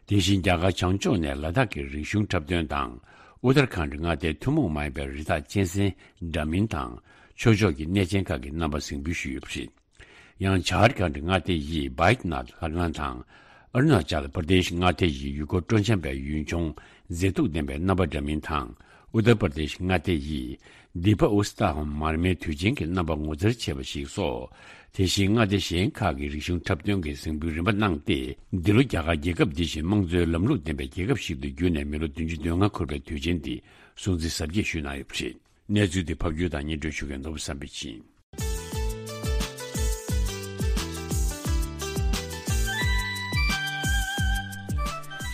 དེ་བཞིན་རྒྱ་གར་བྱང་ཕྱོགས་ནས་ལ་དྭགས་ཀྱི་རིག་གཞུང་འཁྲབ་སྟོན་དང་། ཨུ་ཏར་ཁཱན་ཌི་མངའ་སྡེའི་ཐུན་མོང་མ་ཡིན་པའི་རི་དྭགས་གཅན་གཟན་འདྲ་མིན་དང་། ཆོས་ཕྱོགས་ཀྱི་གནས་ཆེན་ཁག་གི་རྣམ་པ་གཟིགས་འབུལ་ཞུས་ཡོད་པ་རེད། ཡང་ཇཱར་ཁཱན་ཌི་མངའ་སྡེ་ཡི་བྷའི་ཏི་ནཱཐ་ལྷ་ཁང་དང་། ཨ་རུ་ན་ཅལ་པར་དེཤ་མངའ་སྡེ་ཡི་ཡུལ་སྐོར་སྤྲོ་འཆམ་པའི་ཡུལ་ལྗོངས་མཛེས་སྡུག་ལྡན་པའི་རྣམ་པ་འདྲ་མིན་དང་། ཨུ་ཏར་པར་དེཤ་མངའ་སྡེ་ཡི་དི་པ་ཨུ་སྟ་ཧོམ་མར་མེའི་དུས་ཆེན་གྱི་རྣམ་པ་ངོ་མཚར་ཆེ་བ་ཞིག་སོགས། དེ་བཞིན་མངའ་སྡེ་གཞན་ཁག་གི་རིག་གཞུང་འཁྲབ་སྟོན་གྱི་གཟིགས་འབུལ་རིམ་པ་གནང་སྟེ། འདི་ལོ་རྒྱ་གར་རྒྱལ་ཁབ་འདི་བཞིན་དམངས་གཙོའི་ལམ་ལུགས་ལྡན་པའི་རྒྱལ་ཁབ་ཞིག་ཏུ་བསྒྱུར་ནས་མི་ལོ་བདུན་ཅུ་དོན་ལྔ་འཁོར་བའི་དུས་ཆེན་འདི་སྲུང་བརྩི་གཟབ་རྒྱས་ཞུས་གནང་ཡོད་པ་རེད། གནས་ཚུལ་འདི་ཕབ་སྒྱུར་དང་སྙན་སྒྲོན་ཞུ་མཁན་ནོར་བུ་བསམ་འཕེལ་ཡིན།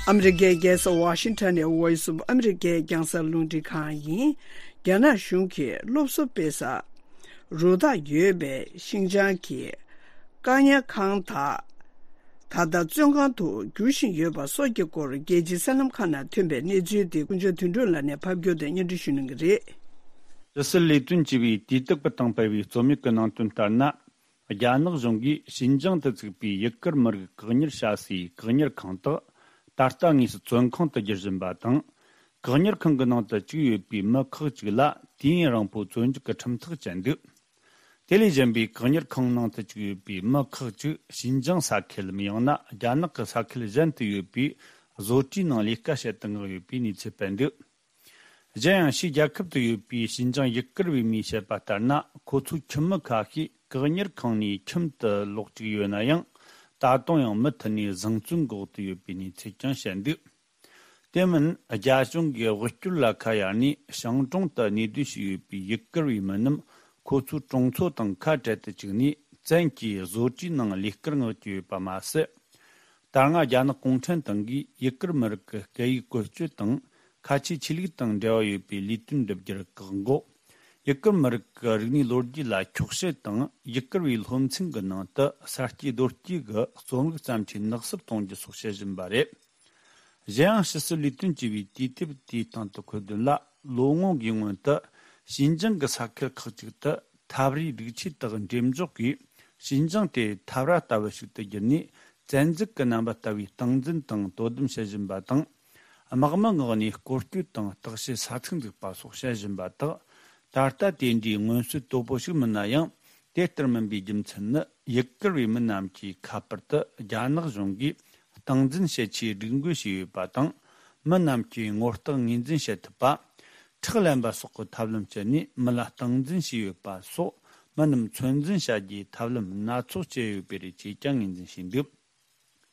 ཨ་མི་རི་ཀའི་རྒྱལ་ས་ཝ་ཤིང་ཊོན་ནས་Voice of America རྒྱང་སྲིང་རླུང་འཕྲིན་ཁང་ཡིན། རྒྱ་ནག་གཞུང་གིས་སློབ་གསོ་སྤེལ་ས་རུ་ཐག་ཡོད་པའི་ཤིན་ཅང་གི་ཀ་ཉ་ཁང་དག་ད་ལྟ་བཙོན་ཁང་དུ་བསྒྱུར་བཞིན་ཡོད་པ་སོགས་ཀྱི་སྐོར་རྒྱལ་སྤྱིའི་གསར་ལམ་ཁག་ནང་ཐོན་པའི་གནས་ཚུལ་དེ་ཀུན་མཆོག་དོན་གྲུབ་ལགས་ནས་ཕབ་སྒྱུར་དང་སྙན་སྒྲོན་ཞུ་གནང་གི་རེད། ཕྱི་སྲིད་ལས་དོན་ཅེས་པའི་དུས་དེབ་ཀྱིས་བཏང་སྤེལ་བའི་རྩོམ་ཡིག་གི་ནང་དོན་ལྟར་ན། རྒྱ་ནག་གཞུང་གིས་ཤིན་ཅང་དུ་བཙུགས་པའི་ཡུ་གུར་མི་རིགས་བཀག་ཉར་བྱ་སའི་བཀག་ཉར་ཁང་དག་ད་ལྟ་དངོས་སུ་བཙོན་ཁང་དུ་བསྒྱུར་བཞིན་པ་དང་། བཀག་ཉར་ཁང་གི་ནང་དུ་བཅུག་ཡོད་པའི་མི་ཁག་ཅིག་ལ་དུས་ཡུན་རིང་པོའི་བཙོན་འཇུག་གི་ཁྲིམས་ཐག་བཅད་འདུག་དེ་ལས་གཞན་པའི་བཀག་ཉར་ཁང་ནང་དུ་བཅུག་ཡོད་པའི་མི་ཁག་ཅིག་ཤིན་ཅང་ས་ཁུལ་ལམ་ཡང་ན་རྒྱ་ནག་གི་ས་ཁུལ་གཞན་དུ་ཡོད་པའི་བཟོ་གྲྭའི་ནང་ལས་ཀ་བྱེད་དུ་མངགས་ཡོད་པའི་གནས་ཚུལ་སྤེལ་འདུག་གཞན་ཡང་ཕྱིའི་རྒྱལ་ཁབ་ཏུ་ཡོད་པའི་ཤིན་ཅང་ཡུ་གུར་བའི་མིས་བཤད་པ་ལྟར་ན། ཁོ་ཚོའི་ཁྱིམ་མི་ཁ་ཤས་བཀག་ཉར་ཁང་ནས་ཁྱིམ་དུ་ལོག་བཅུག་ཡོད་ན་ཡང་། ད་དུང་ཡང་མུ་མཐུད་ནས་བཟང་བཙོན་འགོག་ཏུ་ཡོད་པའི་གནས་ཚུལ་ཀྱང་བཤད་འདུག་དེ་མིན་རྒྱ་གཞུང་གིས་དབུལ་སྐྱོར་ལ་ཁ་གཡར་ནས་ཤང་ཀྲོང་དུ་གནས་སྡོད་བྱས་ཡོད་པའི་ཡུ་གུར་བའི་མི་རྣམས་ཁོ་ཚོའི་གྲོང་ཚོ་དང་ཁ་བྲལ་དུ་བཅུག་ནས་བཙན་གྱིས་བཟོ་གྲྭའི་ནང་ལས་ཀར་མངགས་ཀྱི་ཡོད་པ་མ་ཟད། ད་སྔ་རྒྱ་ནག་གུང་ཁྲན་ཏང་གིས་ཡུ་གུར་མི་རིགས་ཀྱི་སྐད་ཡིག་བཀོལ་སྤྱོད་དང་ཁ་ཆེའི་ཆོས་ལུགས་དང་འབྲེལ་བ་ཡོད་པའི་ལས་དོན་སྒྲུབ་རྒྱུར་བཀག་འགོག་ཡུ་གུར་མི་རིགས་ཀྱི་རིག་གནས་ལོ་རྒྱུས་ལ་འཁྱོག་བཤད་དང་། ཡུ་གུར་བའི་སློབ་ཚན་གྱི་ནང་དུ་ས་སྐྱེས་རྡོ་སྐྱེས་ཀྱི་རྩོམ་རིག་བརྩམས་ཆོས་ནག་བསུབ་གཏོང་རྒྱུ་སོགས་བྱེད་བཞིན་པ་རེད། གཞན་ཡང་ཕྱི་སྲིད་ལས་དོན་ཅེས་པའི་དུས་དེབ་དེའི་སྟེང་དུ་འཁོད་དོན་ལ། ལོ་ངོ་འགའི་སྔོན་དུ་ཤིན་ཅང་གི་ས་ཁུལ་ཁག་ཅིག་ཏུ་ཐབས་རེས་སྒྲིག་ཆས་དག་འགྲེམས་འཇོག་གིས་ཤིན་ཅང་དེ་འཐབ་ར་ལྟ་བུ་ཞིག་ཏུ་བསྒྱུར་ནས། བཙན་འཛུལ་གྱི་རྣམ་པ་ལྟ་བུའི་སྟངས་འཛིན་དང་དོ་དམ་བྱེད་བཞིན་པ་དང་། དམག་མི་མངགས་ནས་སྐོར་སྐྱོད་དང་བརྟག་དཔྱད་ས་ཚིགས་འཛུགས་པ་སོགས་བྱེད་བཞིན་པ་དག་ད་ལྟ་དེ་འདྲའི་མངོན་གསལ་དོད་པོ་ཞིག་མིན་ན་ཡང་། དེ་ལྟར་མིན་པའི་རྒྱུ་མཚན་ནི། ཡུ་གུར་བའི་མི་རྣམས་ཀྱིས་ཁ་པར་དུ་རྒྱ་ནག་གཞུང་གིས་སྟངས་འཛིན་བྱེད་ཆེད་སྒྲིག་འགོད་བྱས་ཡོད་པ་དང་། མི་རྣམས་ཀྱིས་ངོ་རྟགས་ངོས་འཛིན་བྱེད་ཐུབ་པ། ཁྲག་ལེན་པ་སོགས་ཀྱི་ཐབས་ལམ་སྤྱད་ནས་མི་ལ་སྟངས་འཛིན་བྱས་ཡོད་པ་སོགས། མི་རྣམས་ཚོད་འཛིན་བྱ་རྒྱུའི་ཐབས་ལམ་སྣ་ཚོགས་སྤྱད་ཡོད་པའི་རེད་ཅེས་ཀྱང་ངོས་འཛིན་བྱས་འདུག་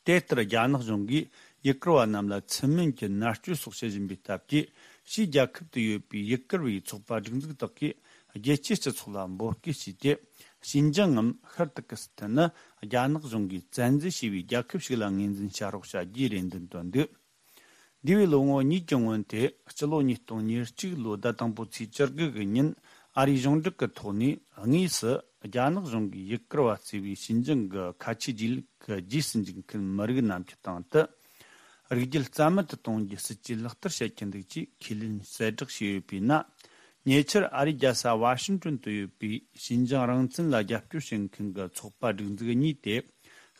དེ་ལྟར་རྒྱ་ནག་གཞུང་གིས་ཡུ་གུར་བ་རྣམས་ལ་ཚུལ་མིན་གྱི་མནར་གཅོད་སོགས་བྱེད་བཞིན་པའི་སྟབས་ཀྱིས། ཕྱིའི་རྒྱལ་ཁབ་ཏུ་ཡོད་པའི་ཡུ་གུར་བའི་ཚོགས་པ་སྒྲིག་འཛུགས་དག་གིས་རྒྱལ་སྤྱིའི་སྤྱི་ཚོགས་ལ་འབོད་སྐུལ་བྱས་ཏེ། ཤིན་ཅང་ངམ་ཤར་ཏུར་ཀི་སི་ཐན་ནི་རྒྱ་ནག་གཞུང་གིས་བཙན་འཛུལ་བྱས་པའི་རྒྱལ་ཁབ་ཞིག་ལ་ངོས་འཛིན་བྱ་རོགས་བྱ་རྒྱུའི་རེ་འདུན་བཏོན་འདུག་འདས་པའི་ལོ་ངོ་གཉིས་ཀྱི་སྔོན་དེ། སྤྱི་ལོ་ཉིས་སྟོང་ཉེར་གཅིག་ལོའི་ཟླ་དང་པོའི་ཚེས་བཅུ་དགུ་གི་ཉིན། ཨ་རིའི་གཞུང་འབྲེལ་གྱི་ཐོག་ནས་དངོས་སུ་རྒྱ་ནག་གཞུང་གིས་ཡུ་གུར་བ་གཙོས་པའི་ཤིན་ཅང་གི་ཁ་ཆེའི་རྗེས་ལུས་ཀྱི་རྗེས་སུ་འཇུག་མཁན་མི་རིགས་རྣམས་ཀྱི་སྟེང་དུ། རིགས་རྒྱུད་རྩ་མེད་དུ་གཏོང་རྒྱུའི་སྲིད་ཇུས་ལག་བསྟར་བྱེད་ཀྱི་འདུག་ཅེས་ཁས་ལེན་གསལ་བསྒྲགས་བྱས་ཡོད་པས་ན། ཉེ་ཆར་ཨ་རིའི་རྒྱལ་ས་ཝ་ཤིང་ཏོན་དུ་ཡོད་པའི་ཤིན་ཅང་རང་བཙན་ལ་རྒྱབ་སྐྱོར་བྱེད་མཁན་གྱི་ཚོགས་པ་སྒྲིག་འཛུགས་གཉིས་ཏེ།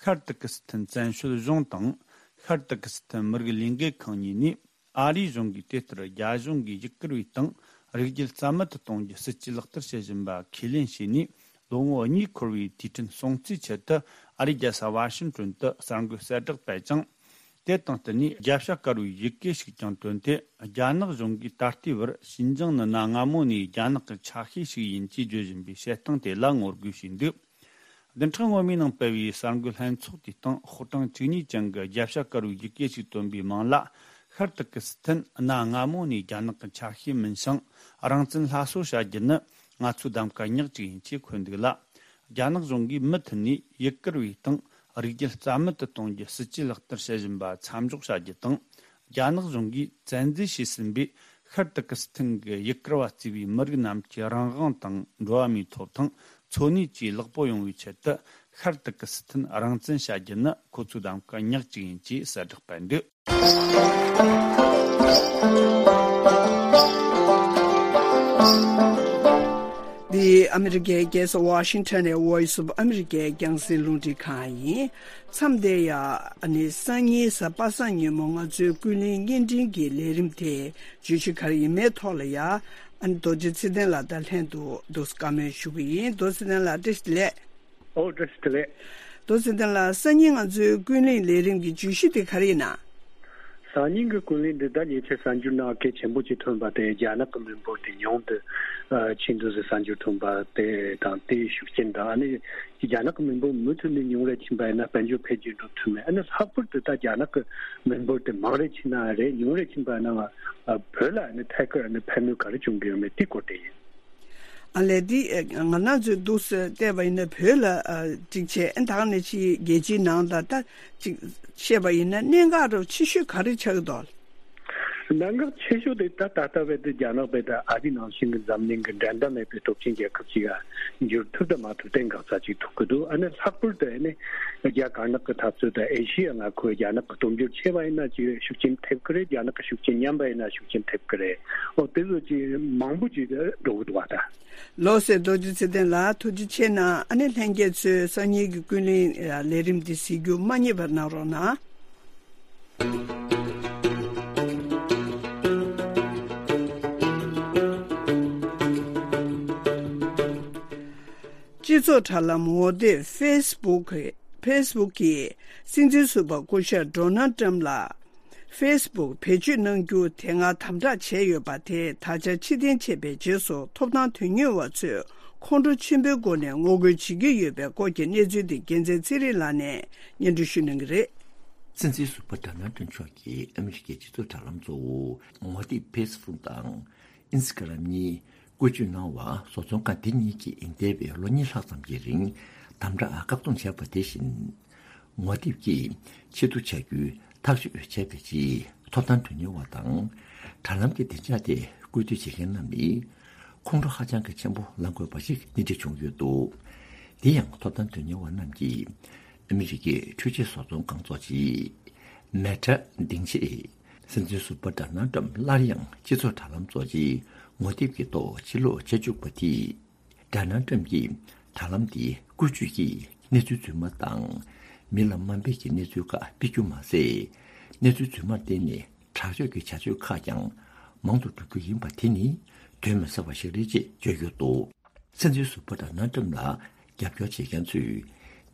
ཤར་ཏུར་ཀི་སི་ཐན་བཙན་བྱོལ་གཞུང་དང་། ཤར་ཏུར་ཀི་སི་ཐན་མི་རིགས་ལས་འགུལ་ཁང་གཉིས་ནས། ཨ་རིའི་གཞུང་གིས་དེ་ལྟར་རྒྱ་གཞུང་གིས་ཡུ་གུར་བའི་སྟེང་རིགས་རྒྱུད་རྩ་མེད་དུ་གཏོང་རྒྱུའི་སྲིད་ཇུས་ལག་བསྟར་བྱེད་བཞིན་པ་ཁས་ལེན་བྱས་ནས་ལོ་ངོ་གཉིས་འཁོར་བའི་དུས་དྲན་སྲུང་བརྩིའི་ཆེད་དུ། ཨ་རིའི་རྒྱལ་ས་ཝ་ཤིང་ཏོན་དུ་གསར་འགོད་གསལ་བསྒྲགས་སྤེལ་ཅིང་། དེ་དང་བསྟུན་ནས་རྒྱལ་བྱ་དཀར་པོའི་ཡི་གེ་ཞིག་ཀྱང་བཏོན་ཏེ། རྒྱ་ནག་གཞུང་གིས་ད་ལྟའི་བར་ཤིན་ཅང་ནི་གནའ་སྔ་མོ་ནས་རྒྱ་ནག་གི་ཆ་ཤས་ཤིག་ཡིན་ཅེས་བརྗོད་བཞིན་པའི་བཤད་སྟངས་དེ་ལ་ངོ་རྒོལ་བྱས་འདུག་བདུན་ཕྲག་སྔོན་མའི་ནང་སྤེལ་བའི་གསར་འགོད་ལྷན་ཚོགས་དེའི་སྟེང་ཤོག་གྲངས་བཅུ་གཉིས་ཅན་གྱི་རྒྱལ་བྱ་དཀར་པོའི་ཡི་གེ་ཞིག་བཏོན་པའི་མིང་ལ། ཤར་ཏུར་ཀི་སི་ཐན་གནའ་སྔ་མོ་ནས་རྒྱ་ནག་གི་ཆ་ཤས་མིན་ཞིང་། རང་བཙན་སླར་གསོ་བྱ་རྒྱུ་ནི་ང་ཚོའི་གདམ་ག་ཉག་གཅིག་ཡིན་ཅེས་འཁོད་འདུག་ལ། རྒྱ་ནག་གཞུང་གིས་མུ་མཐུད་ནས་ཡུ་གུར་བའི་སྟེང་རིགས་རྒྱུད་རྩ་མེད་དུ་གཏོང་རྒྱུའི་སྲིད་ཇུས་ལག་བསྟར་བྱེད་བཞིན་པ་མཚམས་འཇོག་བྱ་རྒྱུ་དང་། རྒྱ་ནག་གཞུང་གིས་བཙན་འཛུལ་བྱས་ཟིན་པའི་ཤར་ཏུར་ཀི་སི་ཐན་གྱི་ཡུ་གུར་བ་གཙོས་པའི་མི་རིགས་རྣམས་ཀྱི་རང་དབང་དང་འགྲོ་བ་མིའི་ཐོབ་ཐང་འཚོ་གནས་བཅས་ལེགས་པོ་ཡོང་བའི་ཆེད་དུ། ཤར་ཏུར་ཀི་སི་ཐན་རང་བཙན་བྱ་རྒྱུ་ནི་ཁོ་ཚོའི་གདམ་ག་ཉག་གཅིག་ཡིན་ཅེས་གསལ་བསྒྲགས་སྤེལ་འདུག་འདི་ ཨ་མི་རི་ཀའི་རྒྱལ་ས་ཝ་ཤིང་ཊོན་ནས་Voice of America་རྒྱང་སྲིང་རླུང་འཕྲིན་ཁང་ཡིན། མཚམས་འདིར་ཡང་ཨ་ནི་སང་ཉིན་གཟའ་པ་སངས་ཉིན་མོ་ང་ཚོའི་ཀུན་གླེང་བརྙན་འཕྲིན་གྱི་ལས་རིམ་དེ་བརྗོད་གཞི་ག་རེ་ཡིན་མིན་ཐོག་ལ་ཡང་ཨ་ནི་རྡོ་རྗེ་ཚེ་བརྟན་ལགས་དང་ལྷན་དུ་འདུག་སེ་བཀའ་མོལ་ཞུ་གི་ཡིན། རྡོ་རྗེ་ཚེ་བརྟན་ལགས་བཀྲ་ཤིས་བདེ་ལེགས། ཨོ་བཀྲ་ཤིས་བདེ་ལེགས། རྡོ་རྗེ་ཚེ་བརྟན་ལགས། སང་ཉིན་ང་ཚོའི་ཀུན་གླེང་ལས་རིམ་གྱི་བརྗོད་གཞི་དེ་ག་རེ་ཡིན་ན། སང་ཉིན་གྱི་ཀུན་གླེང་འདི་ད་ཉེ་ཆར་གསར་འགྱུར་ནང་གལ་ཆེན་པོ་ཅིག་ཐོན་པ་དེ་རྒྱ་ནག་གི་མི་འབོར་དེ་ཉུང་དུ་ཕྱིན་འདུག་ཟེར་གསར་འགྱུར་ཐོན་པ་དེ་དང་དེའི་ཤུགས་རྐྱེན་དང་ཨ་ནི་རྒྱ་ནག་གི་མི་འབོར་མུ་མཐུད་ནས་ཉུང་རུ་ཕྱིན་པ་ཡིན་ན་དཔལ་འབྱོར་འཕེལ་རྒྱས་འགྲོ་ཐུབ་མེད། ཨ་ནི་ལྷག་པར་དུ་ད་རྒྱ་ནག་གི་མི་འབོར་དེ་མང་རུ་ཕྱིན་ན་རེད་ཉུང་རུ་ཕྱིན་པ་ཡིན་ན་བོད་ལ་ཨ་ནི་ཐད་ཀར་ཨ་ནི་ཕན་ནུས་ག་རེ་བྱུང་གི་ཡོད་མེད་དེའི་སྐོར་དེ་ཡིན། ཨ་ལས་འདི་ང་རང་ཚོས་འདུག་སེ་བལྟས་པ་ཡིན་ན་བོད་ལ་ཨ་གཅིག་བྱས་ཨ་ད་ག་ནང་བཞིན་རྒྱལ་སྤྱིའི་ནང་ལ་ད་གཅིག་བཤད་པ་ཡིན་ན་གནད་འགག་རུ་ཆེ་ཤོས་ག་རེ་ཆགས་ཀྱི་འདུག་གནད་འགག་ཆེ་ཤོས་དེ་ད་ད་ལྟ་བར་དུ་རྒྱ་ནག་བས་ད་ཨ་རི་ནང་བཞིན་གྱི་འཛམ་གླིང་གི་འགྲན་ཟླ་མེད་པའི་སྟོབས་ཆེན་རྒྱལ་ཁབ་ཅིག་ལ་འགྱུར་ཐུབ་དང་མ་ཐུབ་གནད་འགག་རྩ་ཅིག་ཐུག་གི་འདུག་ཨ་ནི་ལྷག་པར་དུ་ཨ་ནི་རྒྱ་དཀར་ནག་གི་འཐབ་རྩོད་དང་ཨེ་ཤི་ཡ་མངའ་ཁུལ་རྒྱ་ནག་གི་སྟོབས་འབྱོར་ཆེ་བ་ཡིན་ན་ཅིག་ཤུགས་རྐྱེན་ཐེབས་ཀྱི་རེད། རྒྱ་ནག་གི་ཤུགས་རྐྱེན་ཉམས་པ་ཡིན་ན་ཤུགས་རྐྱེན་ཐེབས་ཀྱི་རེད། ཨོ་དེ་ཚོ་ཅིག་མང་པོ་ཅིག་འགྲོ་གི་འདུག་བ་ད། ལགས་སོ། རྡོ་རྗེ་ཚེ་བརྟན་ལགས་ཐུགས་རྗེ་ཆེ་གནང་། ཨ་ནི་ལྷན་རྒྱས་ཚོས་སང་ཉིན་གྱི་ཀུན་གླེང་ལས་རིམ་འདི་གཟིགས་རྒྱུ་མ་བསྙེལ་བར་གནང་རོགས་གནང་། སྤྱི་ཚོགས་དྲ་ལམ་ངོ་དེབ་ཕེ་སི་བུག་གི་ཕེ་སི་བུག་གིས་སྲིད་འཛིན་ཟུར་པ་སྐུ་ཞབས་ཌོ་ནལ་ཊམ་ལ། ཕེ་སི་བུག་བེད་སྤྱོད་གནང་རྒྱུ་དེ་སྔ་དམ་དྲག་བྱས་ཡོད་པ་དེ་ད་ཆ་ཕྱིར་འཐེན་བྱས་པའི་རྗེས་སུ་ཐོབ་ཐང་དོན་གཉེར་བ་ཚོས་ཁོང་ཁྲོ་ཆེན་པོའི་སྒོ་ནས་ངོ་རྒོལ་བྱེད་ཀྱི་ཡོད་པའི་སྐོར་གྱི་གནས་ཚུལ་དེ་རྒྱལ་མཚན་ཚེ་རིང་ལགས་ནས་སྙན་སྒྲོན་ཞུ་གནང་གི་རེད། སྲིད་འཛིན་ཟུར་པ་ཌོ་ནལ་ཊམ་མཆོག་གིས་ཨ་མི་རི་ཀའི་སྤྱི་ཚོགས་དྲ་ལམ་གཙོ་བོ་ངོ་དེབ་ཕེ་སི་བུག་དང་ཨིན་སི་ཀ་རམ་གཉིས་བཀོལ་སྤྱོད་གནང་བར་བཟོ་ཚོང་ཁང་དེ་གཉིས་ཀྱིས་འདས་པའི་ལོ་གཉིས་ལྷག་ཙམ་གྱི་རིང་དམ་དྲག་བཀག་སྡོམ་བྱས་པ་དེ་བཞིན། ངོ་དེབ་ཀྱིས་ཕྱིར་བསྡུ་བྱ་རྒྱུའི་ཐག་གཅོད་བྱས་པའི་རྗེས་ཐོབ་ཐང་དོན་གཉེར་བ་དང་དྲ་ལམ་གྱི་བདེ་འཇགས་ཐད་བཀོད་སྡུད་བྱེད་མཁན་རྣམས་ནི་ཁོང་ཁྲོ་ཧ་ཅང་གི་ཆེན་པོ་ལངས་དགོས་པ་ཞིག་སྣེ་ཁྲིད་བྱུང་ཡོད་འདུག་དེ་ཡང་ཐོབ་ཐང་དོན་གཉེར་བ་རྣམས་ཀྱིས་ཨ་མི་རི་ཀའི་འཕྲུལ་ཆས་བཟོ་ཚོང་ཁང་གཙོ་ཆེ་མེ་ཊ་སྡིངས་ཆའི་སྲིད་འཛིན་ཟུར་པ་ཌོ་ནལ་ཊམ་སླར་ཡང་སྤྱི་ཚོགས་དྲ་ལམ་གཙོ་ཆེའི་ངོ་དེབ་ཀྱི་ཐོག་ཕྱིར་ལོག་བྱེད་བཅུག་པ་དེས། ཌོ་ནལ་ཊམ་གྱིས་དྲ་ལམ་དེའི་བཀོལ་སྤྱོད་ཀྱིས་གནས་ཚུལ་རྫུན་མ་དང་། མི་ལ་དམའ་འབེབས་ཀྱི་གནས་ཚུལ་ཁག་སྤེལ་རྒྱུ་མ་ཟད། གནས་ཚུལ་རྫུན་མར་བརྟེན་ནས་དྲག་སྤྱོད་ཀྱི་བྱ་སྤྱོད་ཁག་ཀྱང་མང་དུ་འགྲོ་རྒྱུ་ཡིན་པ་དེ་ནི་དོན་མི་གསལ་བ་ཞིག་རེད་ཅེས་བརྗོད་ཡོད་འདུག་སྲིད་འཛིན་ཟུར་པ་ཌོ་ནལ་ཊམ་ལ་རྒྱབ་སྐྱོར་བྱེད་མཁན་ཚོས་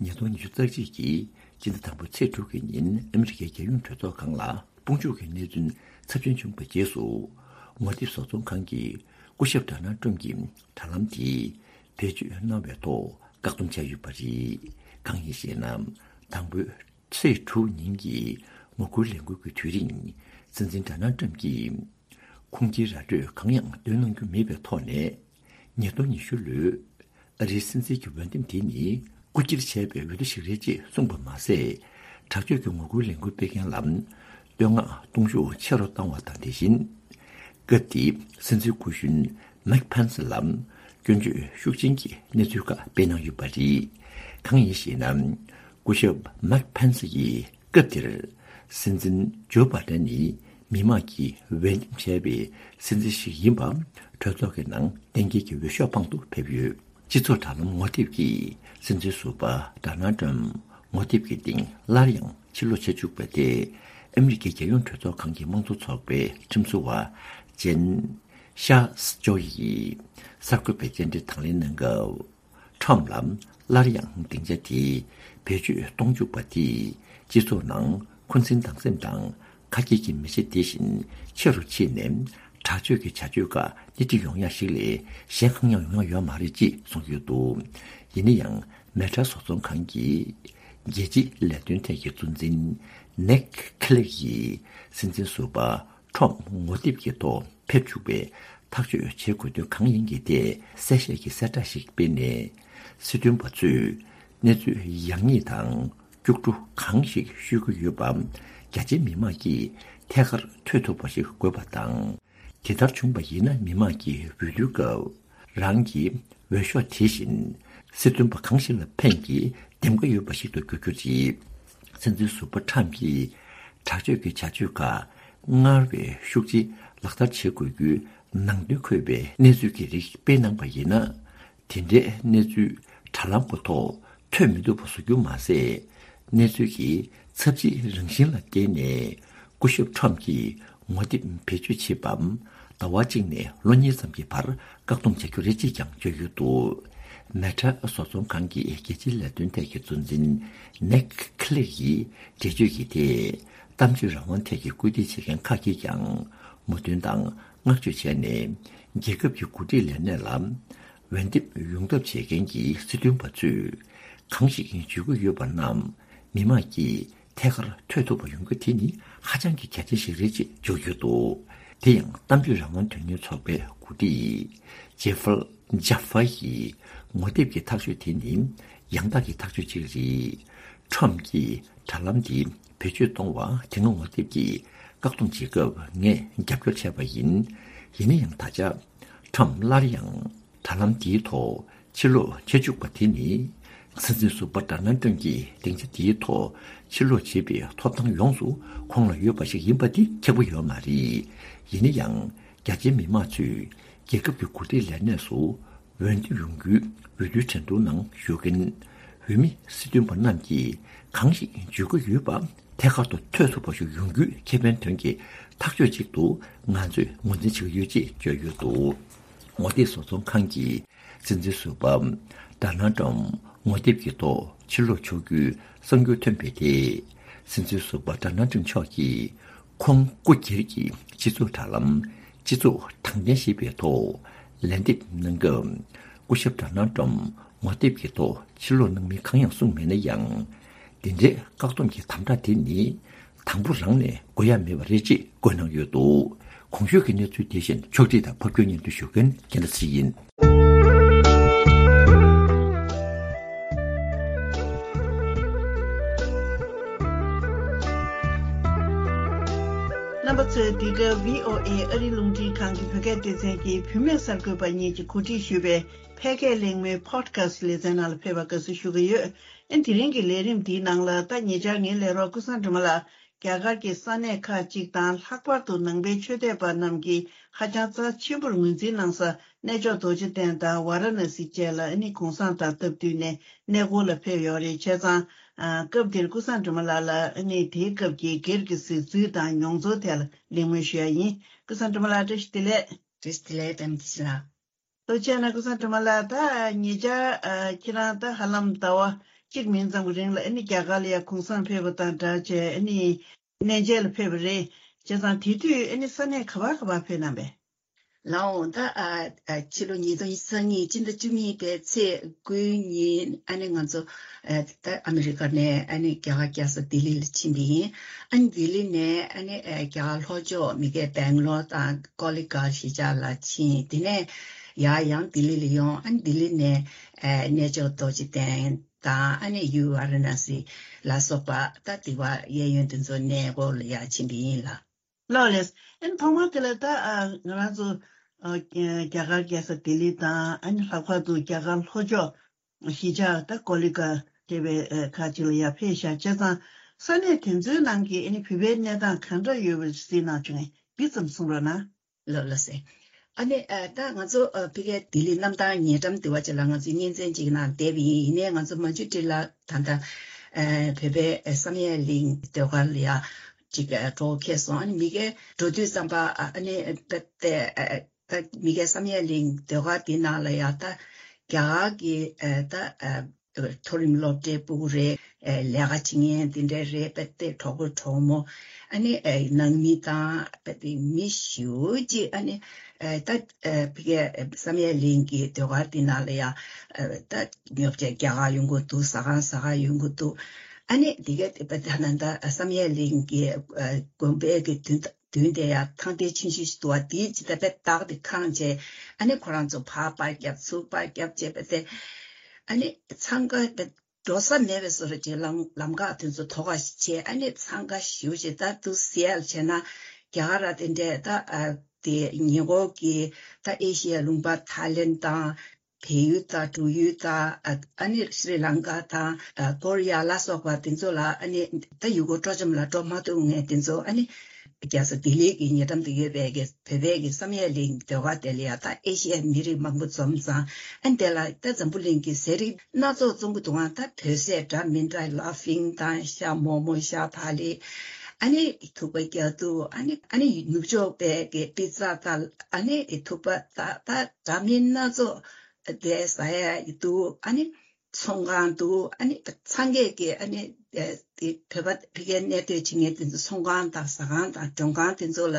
ཉིས་སྟོང་ཉི་ཤུ་རྩ་གཅིག་གི་སྤྱི་ཟླ་དང་པོའི་ཚེས་དྲུག་གི་ཉིན་ཨ་མི་རི་ཀའི་རྒྱལ་ཡོངས་གྲོས་ཚོགས་ཁང་ལ། དཔུང་འཇུག་གི་གནས་ཚུལ་ཚབས་ཆེན་བྱུང་བའི་རྗེས་སུ། ངོ་དེབ་བཟོ་ཚོང་ཁང་གིས་སྐུ་ཞབས་ཌོ་ནལ་ཊམ་གྱི་དྲ་ལམ་དེ་བེད་སྤྱོད་གནང་བའི་ཐོག་བཀག་སྡོམ་བྱས་ཡོད་པ་རེད། གང་ཡིན་ཞེ་ན། དང་པོའི་ཚེས་དྲུག་ཉིན་གྱི་ངོ་རྒོལ་ལས་འགུལ་གྱི་དུས་རིང་། སྲིད་འཛིན་ཌོ་ནལ་ཊམ་གྱིས། ཁུངས་སྐྱེལ་ར་སྤྲོད་གང་ཡང་འདོན་གནང་རྒྱུ་མེད་པའི་ཐོག་ནས། ཉིས་སྟོང་ཉི་ཤུ་ལོའི་ཨ་རིའི་སྲིད་འཛིན་གྱི་འོས་འདེམས་དེ་ནི་རྐུ་འཁྱེར་བྱས་པའི་འོས་བསྡུ་ཞིག་རེད་ཅེས་གསུངས་པ་མ་ཟད། དྲག་སྤྱོད་ཀྱི་ངོ་རྒོལ་ལས་འགུལ་སྤེལ་མཁན་ལ་བསྟོད་བསྔགས་གཏོང་ཤུགས་ཆེ་རུ་བཏང་བ་དང་དེ་བཞིན། སྐབས་དེའི་སྲིད་འཛིན་སྐུ་གཞོན་མེག་ཕན་སི་ལ་སྐྱོན་བརྗོད་ཤུགས་ཆེན་གྱི་གནས་ཚུལ་ཁག་སྤེལ་གནང་ཡོད་པ་རེད། གང་ཡིན་ཞེ་ན། སྐུ་ཞབས་མེག་ཕན་སི་ཡིས། སྐབས་དེར། སྲིད་འཛིན་ཇོ་བྷ་ཌེན་ནི་མི་མང་གིས་འོས་འདེམས་བྱས་པའི་སྲིད་འཛིན་ཞིག་ཡིན་པ། གྲོས་ཚོགས་ཀྱི་ནང་གཏན་འཁེལ་གྱི་འོས་ཤོག་དཔང་དུ་ཕེབས་ཡོད། སྤྱི་ཚོགས་དྲ་ལམ་ངོ་དེབ་ཀྱིས་སྲིད་འཛིན་ཟུར་པ་ཌོ་ནལ་ཊམ་ངོ་དེབ་ཀྱི་སྟེང་སླར་ཡང་ཕྱིར་ལོག་བྱེད་བཅུག་པ་དེ། ཨ་མི་རི་ཀའི་རྒྱལ་ཡོངས་གྲོས་ཚོགས་ཁང་གི་དམངས་གཙོ་ཚོགས་པའི་ཁྲིམས་བཟོ་བ་ཇེན་ཤཱ་ཇོ་ཡིས་གསར་འགོད་པའི་བཅར་འདྲི་དང་ལེན་གནང་སྐབས། ཁྲོམ་ལ་སླར་ཡང་སྡིངས་ཆ་དེ་བེད་སྤྱོད་གཏོང་བཅུག་པ་དེས་སྤྱི་ཚོགས་ནང་འཁོན་འཛིན་སྡང་སེམས་དང་ཁ་སྐྱེལ་གྱི་མེ་ལྕེ་དེ་བཞིན་ཆེ་རུ་ཕྱིན་ནས་དྲག་སྤྱོད་ཀྱི་བྱ་སྤྱོད་ཁག་སྣེ་ཁྲིད་ཡོང་ཡ་ཞིག་ལས་གཞན་གང་ཡང་ཡོང་ཡ་ཡོད་མ་རེད་ཅེས་གསུངས་ཡོད་འདུག་ཡིན་ན་ཡང་མེ་ཊ་བཟོ་ཚོང་ཁང་གིས་རྒྱལ་སྤྱིའི་ལས་དོན་ཐད་ཀྱི་གཙོ་འཛིན་ནེག་ཁི་ལེག་གིས་སྲིད་འཛིན་ཟུར་པ། ཁྲོམ་ངོ་དེབ་ཀྱི་ཐོག་ཕེབས་བཅུག་པའི་ཐག་གཅོད་བྱེད་དགོས་དོན་གང་ཡིན་གྱི་ཐད་གསལ་བཤད་ཀྱི་གསལ་བསྒྲགས་ཤིག་སྤེལ་ནས། སྲིད་དོན་པ་ཚོས་གནས་ཚུལ་ཡག་ཉེས་དང་སྐྱུག་བྲོ་གང་ཞིག་ཤོད་ཀྱི་ཡོད་པ་རྒྱ་ཆེའི་མི་མང་གིས་ཐད་ཀར་ཐོས་ཐུབ་པ་ཞིག་དགོས་པ་དང་། དེ་ལྟར་བྱུང་བ་ཡིན་ན་མི་མང་གིས་འོས་བསྡུའི་སྐབས། རང་གི་འོས་ཤོག་དེ་བཞིན་སྲིད་དོན་པ་གང་ཞིག་ལ་ཕན་གྱི་འདེམས་ཀ་ཡོད་པ་ཞིག་ཏུ་འགྱུར་རྒྱུ་རེད། སྲིད་འཛིན་ཟུར་པ་ཁྲམ་གྱིས་དྲག་སྤྱོད་ཀྱི་བྱ་སྤྱོད་ཁག་སྔར་བས་ཤུགས་ཆེ་ལག་བསྟར་བྱེད་དགོས་རྒྱུའི་ནང་དོན་འཁོད་པའི་གནས་ཚུལ་གྱི་རིགས་སྤེལ་གནང་པ་ཡིན་ན། དེ་འདྲའི་གནས་ཚུལ་དྲ་ལམ་གྱི་ཐོག་ཐོན་མི་ཐུབ་པ་བཟོ་རྒྱུ་མ་ཟད། གནས་ཚུལ་གྱི་ཚབས་ཆེའི་རང་བཞིན་ལ་བརྟེན་ནས། སྐུ་ཞབས་ཁྲོམ་གྱིས་ངོ་དེབ་བེད་སྤྱོད་བྱེད་པའམ། ཟླ་བ་གཅིག་ནས་ལོ་གཉིས་ཙམ་གྱི་བར་བཀག་སྡོམ་བྱ་རྒྱུ་རེད་ཅེས་ཀྱང་བརྗོད་ཡོད་འདུག་མེ་ཊ་བཟོ་ཚོང་ཁང་གི་རྒྱལ་སྤྱིའི་ལས་དོན་ཐད་ཀྱི་གཙོ་འཛིན་ནེག་ཁི་ལེ་ཡིས་འགྲེལ་བརྗོད་ཀྱིས་ཏེ། གཏམ་བརྗོད་རང་དབང་ཐད་ཀྱི་སྐུལ་འདེད་བྱེད་མཁན་ཁག་ཅིག་ཀྱང་མོས་མཐུན་དང་བསྔགས་བརྗོད་བྱས་ནས། རྒྱལ་ཁབ་ཀྱི་འགོ་ཁྲིད་ལས་གནས་ལ་འོས་འདེམས་ཡོང་ཐབས་བྱེད་མཁན་གྱི་སྲིད་དོན་པ་ཚོས་གང་ཞིག་བརྗོད་ཀྱི་ཡོད་པ་རྣམས་མི་མང་གིས་ཐད་ཀར་ཐོས་ཐུབ་པ་ཡོང་རྒྱུ་དེ་ནི་ཧ་ཅང་གི་གལ་ཆེན་ཞིག་རེད་ཅེས་བརྗོད་ཡོད་འདུག་དེ་ཡང་གཏམ་བརྗོད་རང་དབང་དོན་གཉེར་ཚོགས་པའི་འགོ་ཁྲིད་ཇེ་ཧྥལ་ཇཱ་ཧྥ་ཡིས་ངོ་དེབ་ཀྱི་ཐག་གཅོད་དེ་ནི་ཡང་དག་གི་ཐག་གཅོད་ཅིག་རེད། ཁྲོམ་གྱིས་དྲ་ལམ་འདི་བེད་སྤྱོད་གཏོང་བ་དེ་སྔ་ངོ་དེབ་ཀྱིས་བཀག་སྡོམ་བྱེད་སྐབས་ངས་རྒྱབ་སྐྱོར་བྱས་པ་ཡིན། ཡིན་ན་ཡང་ད་ཆ་ཁྲོམ་སླར་ཡང་དྲ་ལམ་འདིའི་ཐོག་ཕྱིར་ལོག་བྱེད་བཅུག་པ་དེ་ནི། སྲིད་འཛིན་ཟུར་པ་ཌོ་ནལ་ཊམ་གྱི་སྡིངས་ཆ་འདིའི་ཐོག་ཕྱིར་ལོག་བྱེད་པའི་ཐོབ་ཐང་ཡོངས་སུ་ཁོང་ལ་ཡོད་པ་ཞིག་ཡིན་པ་དེ་ཁྱབ་ཀྱི་ཡོད་མ་རེད། ཡིན་ན་ཡང་རྒྱ་ཆེའི་མི་མང་ཚོས་རྒྱལ་ཁབ་ཀྱི་འགོ་ཁྲིད་ལས་གནས་སུ་འོས་འདེམས་ཡོང་རྒྱུའི་འོས་བསྡུའི་འགྲན་བསྡུར་ནང་ཞུགས་མཁན་འོས་མི་སྲིད་དོན་པ་རྣམས་ཀྱིས་གང་ཞིག་བརྗོད་ཀྱི་ཡོད་པ་ཐད་ཀར་དུ་ཐོས་ཐུབ་པ་ཞིག་ཡོང་རྒྱུའི་ཁེ་ཕན་དོན་གྱི་ཐག་གཅོད་ཅིག་ཏུ་ང་ཚོས་ངོས་འཛིན་བྱེད་ཀྱི་ཡོད་ཅེས་བརྗོད་ཡོད་འདུག་ངོ་དེབ་བཟོ་ཚོང་ཁང་གིས་སྲིད་འཛིན་ཟུར་པ་ཌོ་ནལ་ཊམ་ངོ་དེབ་ཀྱི་ཐོག་ཕྱིར་ལོག་ཆོག་རྒྱུའི་གསར་འགྱུར་ཐོན་པའི་ཐད། སྲིད་འཛིན་ཟུར་པ་ཌོ་ནལ་ཊམ་མཆོག་གིས་ཁོང་སྐུ་སྒེར་གྱི་སྤྱི་ཚོགས་དྲ་ལམ་སྤྱི་ཚོགས་དྲང་བདེན་ཞེས་པའི་ཐོག་ལན་འདེབས་གནང་སྐབས། སྐུ་ཞབས་ཌོ་ནལ་ཊམ་ངོ་དེབ་ཀྱི་ཐོག་ཕྱིར་ལོག་གནང་མིན་གང་ཡང་གསུངས་མེད་ན་ཡང་། འདི་འདྲའི་བཀག་སྡོམ་གྱི་དམ་དྲག་དེ་ནི་དང་པོ་རང་ནས་དགོས་ཡ་མེད་པ་རེད་ཅེས་བཀོད་གནང་ཡོད་འདུག་གོང་ཞུས་ཀྱི་གནས་ཚུལ་དེ་བཞིན་ཕྱོགས་སྒྲིག་དང་ཕབ་སྒྱུར་སྙན་སྒྲོན་ཞུ་མཁན་རྒན་ལགས་ཚེ་རིང་ཡིན། རྣམ་པ་ཚོས་འདི་ག་བྷི་ཨོ་ཨེ་ཨ་རིའི་རླུང་འཕྲིན་ཁང་གི་བོད་སྐད་སྡེ་ཚན་གྱི་བུད་མེད་གསར་འགོད་པ་གཉིས་ཀྱིས་གོ་སྒྲིག་ཞུས་པའི་ཕལ་སྐད་གླེང་མོལ་Podcast ལེ་ཚན་ནང་ལ་ཕེབས་པར་དགའ་བསུ་ཞུ་གི་ཡོད། ཨ་ནི་དེ་རིང་གི་ལས་རིམ་འདིའི་ནང་ལ་ད་ཉེ་ཆར་ངའི་ལས་རོགས་ཀུན་བཟང་སྒྲོལ་མ་ལགས་རྒྱ་གར་གྱི་ས་གནས་ཁག་ཅིག་དང་ལྷག་པར་དུ་ནང་པའི་ཆོས་དད་པ་རྣམས་ཀྱིས་ཧ་ཅང་རྩ་ཆེན་པོར་ངོས་འཛིན་གནང་ས་གནས་མཆོག་རྡོ་རྗེ་གདན་དང་ཝཱ་ར་ཎ་སི་བཅས་ལ་ཨ་ནི་གུང་སེང་དང་སྟབས་བསྟུན་ནས་གནས་སྐོར་ལ་ཕེབས་ཡོད་རེད། བྱས་ཙང་ཨ་སྐབས་འདིར་ཀུན་བཟང་སྒྲོལ་མ་ལགས་ལ་ཨ་ནི་དེའི་སྐབས་ཀྱི་སྒེར་གྱི་གཟིགས་ཚུལ་དང་མྱོང་ཚོར་ཐད་ལ་གླེང་མོལ་ཞུ་ཡ་ཡིན། ཀུན་བཟང་སྒྲོལ་མ་ལགས་བཀྲ་ཤིས་བདེ་ལེགས། བཀྲ་ཤིས་བདེ་ལེགས། པད་མ་བདེ་ཆེན་ལགས། ལྟོ་ཆས་ན་ཀུན་བཟང་སྒྲོལ་མ་ལགས། ད་ཉེ་ཆར་ཨ་ཁྱེད་རང་ད་ཧ་ལམ་ཟླ་བ་གཅིག་མིན་ཙམ་གྱི་རིང་ལ་ཨ་ནི་རྒྱ་གར་ལ་ཡ་གུང་སེང་ཕེབས་པ་དང་སྦྲགས་བྱས་ཨ་ནི་གནས་མཇལ་ལ་ཕེབས་པ་རེད། བྱས་ཙང་དེ་དུས་ཨ་ནི་ས་གནས་ག་པར་ག་པར་ཕེབས་གནང་པས། ལའོ། ད་ཨ་ཨ་ཕྱི་ལོ་ཉིས་སྟོང་ཉི་ཤུ་རྩ་གཉིས་སྤྱི་ཟླ་བཅུ་གཉིས་པའི་ཚེས་དགུའི་ཉིན་ཨ་ནི་ང་ཚོ་ཨ་ད་ཨ་མི་རི་ཀ་ནས་ཨ་ནི་རྒྱ་གར་རྒྱལ་ས་ལྡི་ལི་ལ་ཕྱིན་པ་ཡིན། ཨ་ནི་ལྡི་ལི་ནས་ཨ་ནི་ཨ་རྒྱ་གར་ལྷོ་ཕྱོགས་མི་སྒེར་སྦེང་ལོར་དང་ཀོ་ལི་གྷལ་གཞིས་ཆགས་ལ་ཕྱིན། དེ་ནས་ཡར་ཡང་ལྡི་ལི་ལ་ཡོང་། ཨ་ནི་ལྡི་ལི་ནས་ཨ་གནས་མཆོག་རྡོ་རྗེ་གདན་དང་ཨ་ནི་ཡུལ་ཝཱ་ར་ཎ་སི་ལ་སོགས་པ་ད་དེ་བ་གཡས་གཡོན་དེ་ཚོ་གནས་སྐོར་ལ་ཡར་ཕྱིན་པ་ཡིན་ལགས། ལགས་ལགས། ཨ་ནི་ཐོག་མར་དེ་ལ་ད་ཨ་ང་རང་ཚོ་ཨ་རྒྱ་གར་རྒྱལ་ས་ལྡི་ལི་དང་ཨ་ནི་ལྷག་པར་དུ་རྒྱ་གར་ལྷོ་ཕྱོགས་གཞིས་ཆགས་ད་ཀོ་ལི་གྷལ་ཞེས་པའི་ཨ་ཁག་ཅིག་ལ་ཡར་ཕེབས་ཤག་བྱས་ཙང་ས་གནས་དེ་ཚོའི་ནང་གི་ཨ་ནི་བོད་པའི་གནས་སྟངས་གང་འདྲ་ཡོད་པ་གཟིགས་གནང་བྱུང་ངས་འདི་ཙམ་གསུང་རོགས་གནང་། ལགས་ལགས་སེ། ཨ་ནི་ཨ་ད་ང་ཚོ་ཨ་ཕ་གིའི་ལྡི་ལི་གནམ་ཐང་ཉེ་འགྲམ་དེ་བ་ཅིག་ལ་ང་ཚོས་གཉེན་ཚན་ཅིག་ནང་བསྡད་པ་ཡིན། ཡིན་ནའི་ང་ཚོ་མ་འཇུ་ཏི་ལ་ད་ལྟ་ཨ་བོད་པའི་ཨ་བསམ་ཡས་གླིང་ཟློས་གར་ལ་ཡ་ཅིག་ཨ་འགྲོ་འཁེལ་སོང་། ཨ་ནི་མི་སྒེར་འགྲོ་དུས་ཙམ་པ་ཨ་ཨ་ནི་ཨ་ད་ཨ་ད་མི་སྒེར་བསམ་ཡས་གླིང་ཟློས་གར་དེ་ནང་ལ་ཡ་ད་རྒྱ་གར་གྱི་ཨ་ད་ཨ་མཐོ་རིམ་སློབ་གྲྭའི་སྤུ་གུ་རེད། ཨེ་ལས་ཀ་བྱེད་མཁན་དེ་འདྲ་རེད། དཔེ་དེ་གྲོགས་པོ་གྲོགས་མོ་ཨ་ནི་ཨེ་ནང་མི་དང་དཔེ་དེ་མི་ཞེ་པོ་ཅིག་ཨ་ནི་ཨེ་ད་ཨེ་ཕ་གིའི་བསམ་ཡས་གླིང་གི་ཟློས་གར་དེ་ནང་ལ་ཡ་ཨེ་ད་ཉོ་ཆ་རྒྱག་ག་ཡོང་གི་འདུག་ཟ་ཁང་ཟ་ག་ཡོང་གི་འདུག་ཨ་ནི་དེ་ག་དཔེ་ད་ནང་ད་བསམ་ཡས་གླིང་གི་ཨེ་དགོན་པའི་གི་མདུན་མདུན་དེ་ཡ་ཐང་དེ་ཆུང་ཆུང་ཞིག་འདུག་བ། དེའི་ཇི་ལྟར་དཔེ་བདག་དེ་ཁེངས་བྱས་ཨ་ནི་ཁོ་རང་ཚོ་ཕར་པར་རྒྱབ་ཚུར་པར་རྒྱབ་བྱས་པ་དེ་ཨ་ནི་འཚང་ཁ་དཔེ་འགྲོ་ས་མེད་པའི་བཟོ་འདྲ་ཅིག་ལམ་ལམ་ཁ་དེ་ཚོ་དོགས་པ་ཞིག་བྱས། ཨ་ནི་འཚང་ཁ་ཞེ་པོ་ཅིག་ད་དུ་ཟེར་ཡ་བྱས་ན་རྒྱ་གར་ར་དེ་འདྲས་ད་ཨ་དེ་ཉེ་འཁོར་གྱི་ད་ཨེ་ཤི་ཡའི་ལུང་པ་ཐའི་ལེན་དང་བལ་ཡུལ་དང་འབྲུག་ཡུལ་དང་ཨ་ཨ་ནི་ཤྲི་ལང་ཀ་དང་ཨ་ཀོ་རི་ཡ་ལ་སོགས་པ་དེ་ཚོ་ལ་ཨ་ནི་ད་ཡུལ་སྐོར་སྤྲོ་འཆམ་ལ་འགྲོ་མ་ཐུབ་མཁན་དེ་ཚོ་ཨ་ནི། རྒྱལ་ས་ལྡི་ལི་གི་ཉེ་འགྲམ་དུ་ཡོད་པའི་གི་བོད་པའི་གི་བསམ་ཡས་གླིང་ཟློས་གར་དེ་ལ་ཡང་ད་ཨེ་ཤི་ཡའི་མི་རིགས་མང་པོ་འཛོམས་ཙང་། ཨ་ནི་དེ་ལ་ད་འཛམ་བུ་གླིང་གི་ཟས་རིགས་སྣ་ཚོགས་བཙོང་གི་འདུག་ཨང་། ད་བོད་ཟས་འདྲ་མི་འདྲ་ལ་ཕིང་དང་ཤ་མོག་མོག་ཤ་ཐ་ལི། ཨ་ནི་ཐུག་པ་རྒྱ་ཐུག་ཨ་ནི་ཨ་ནི་ནུབ་ཕྱོགས་པའི་གི་པི་ཛ་དང་ཨ་ནི་ཐུག་པ་ད་ད་འདྲ་མིན་སྣ་ཚོགས་དེ་ཟ་ཡ་འདུག་ཨ་ནི། ཚོང་ཁང་འདུག་ཨ་ནི་སངས་རྒྱས་ཀྱི་ཨ་ནི་ཨེ་དེ་བོད་པ་ཕ་གིར་གནས་སྡོད་བྱེད་མཁན་དེ་ཚོ་ཚོང་ཁང་དང་ཟ་ཁང་དང་མགྲོན་ཁང་དེ་ཚོ་ལ་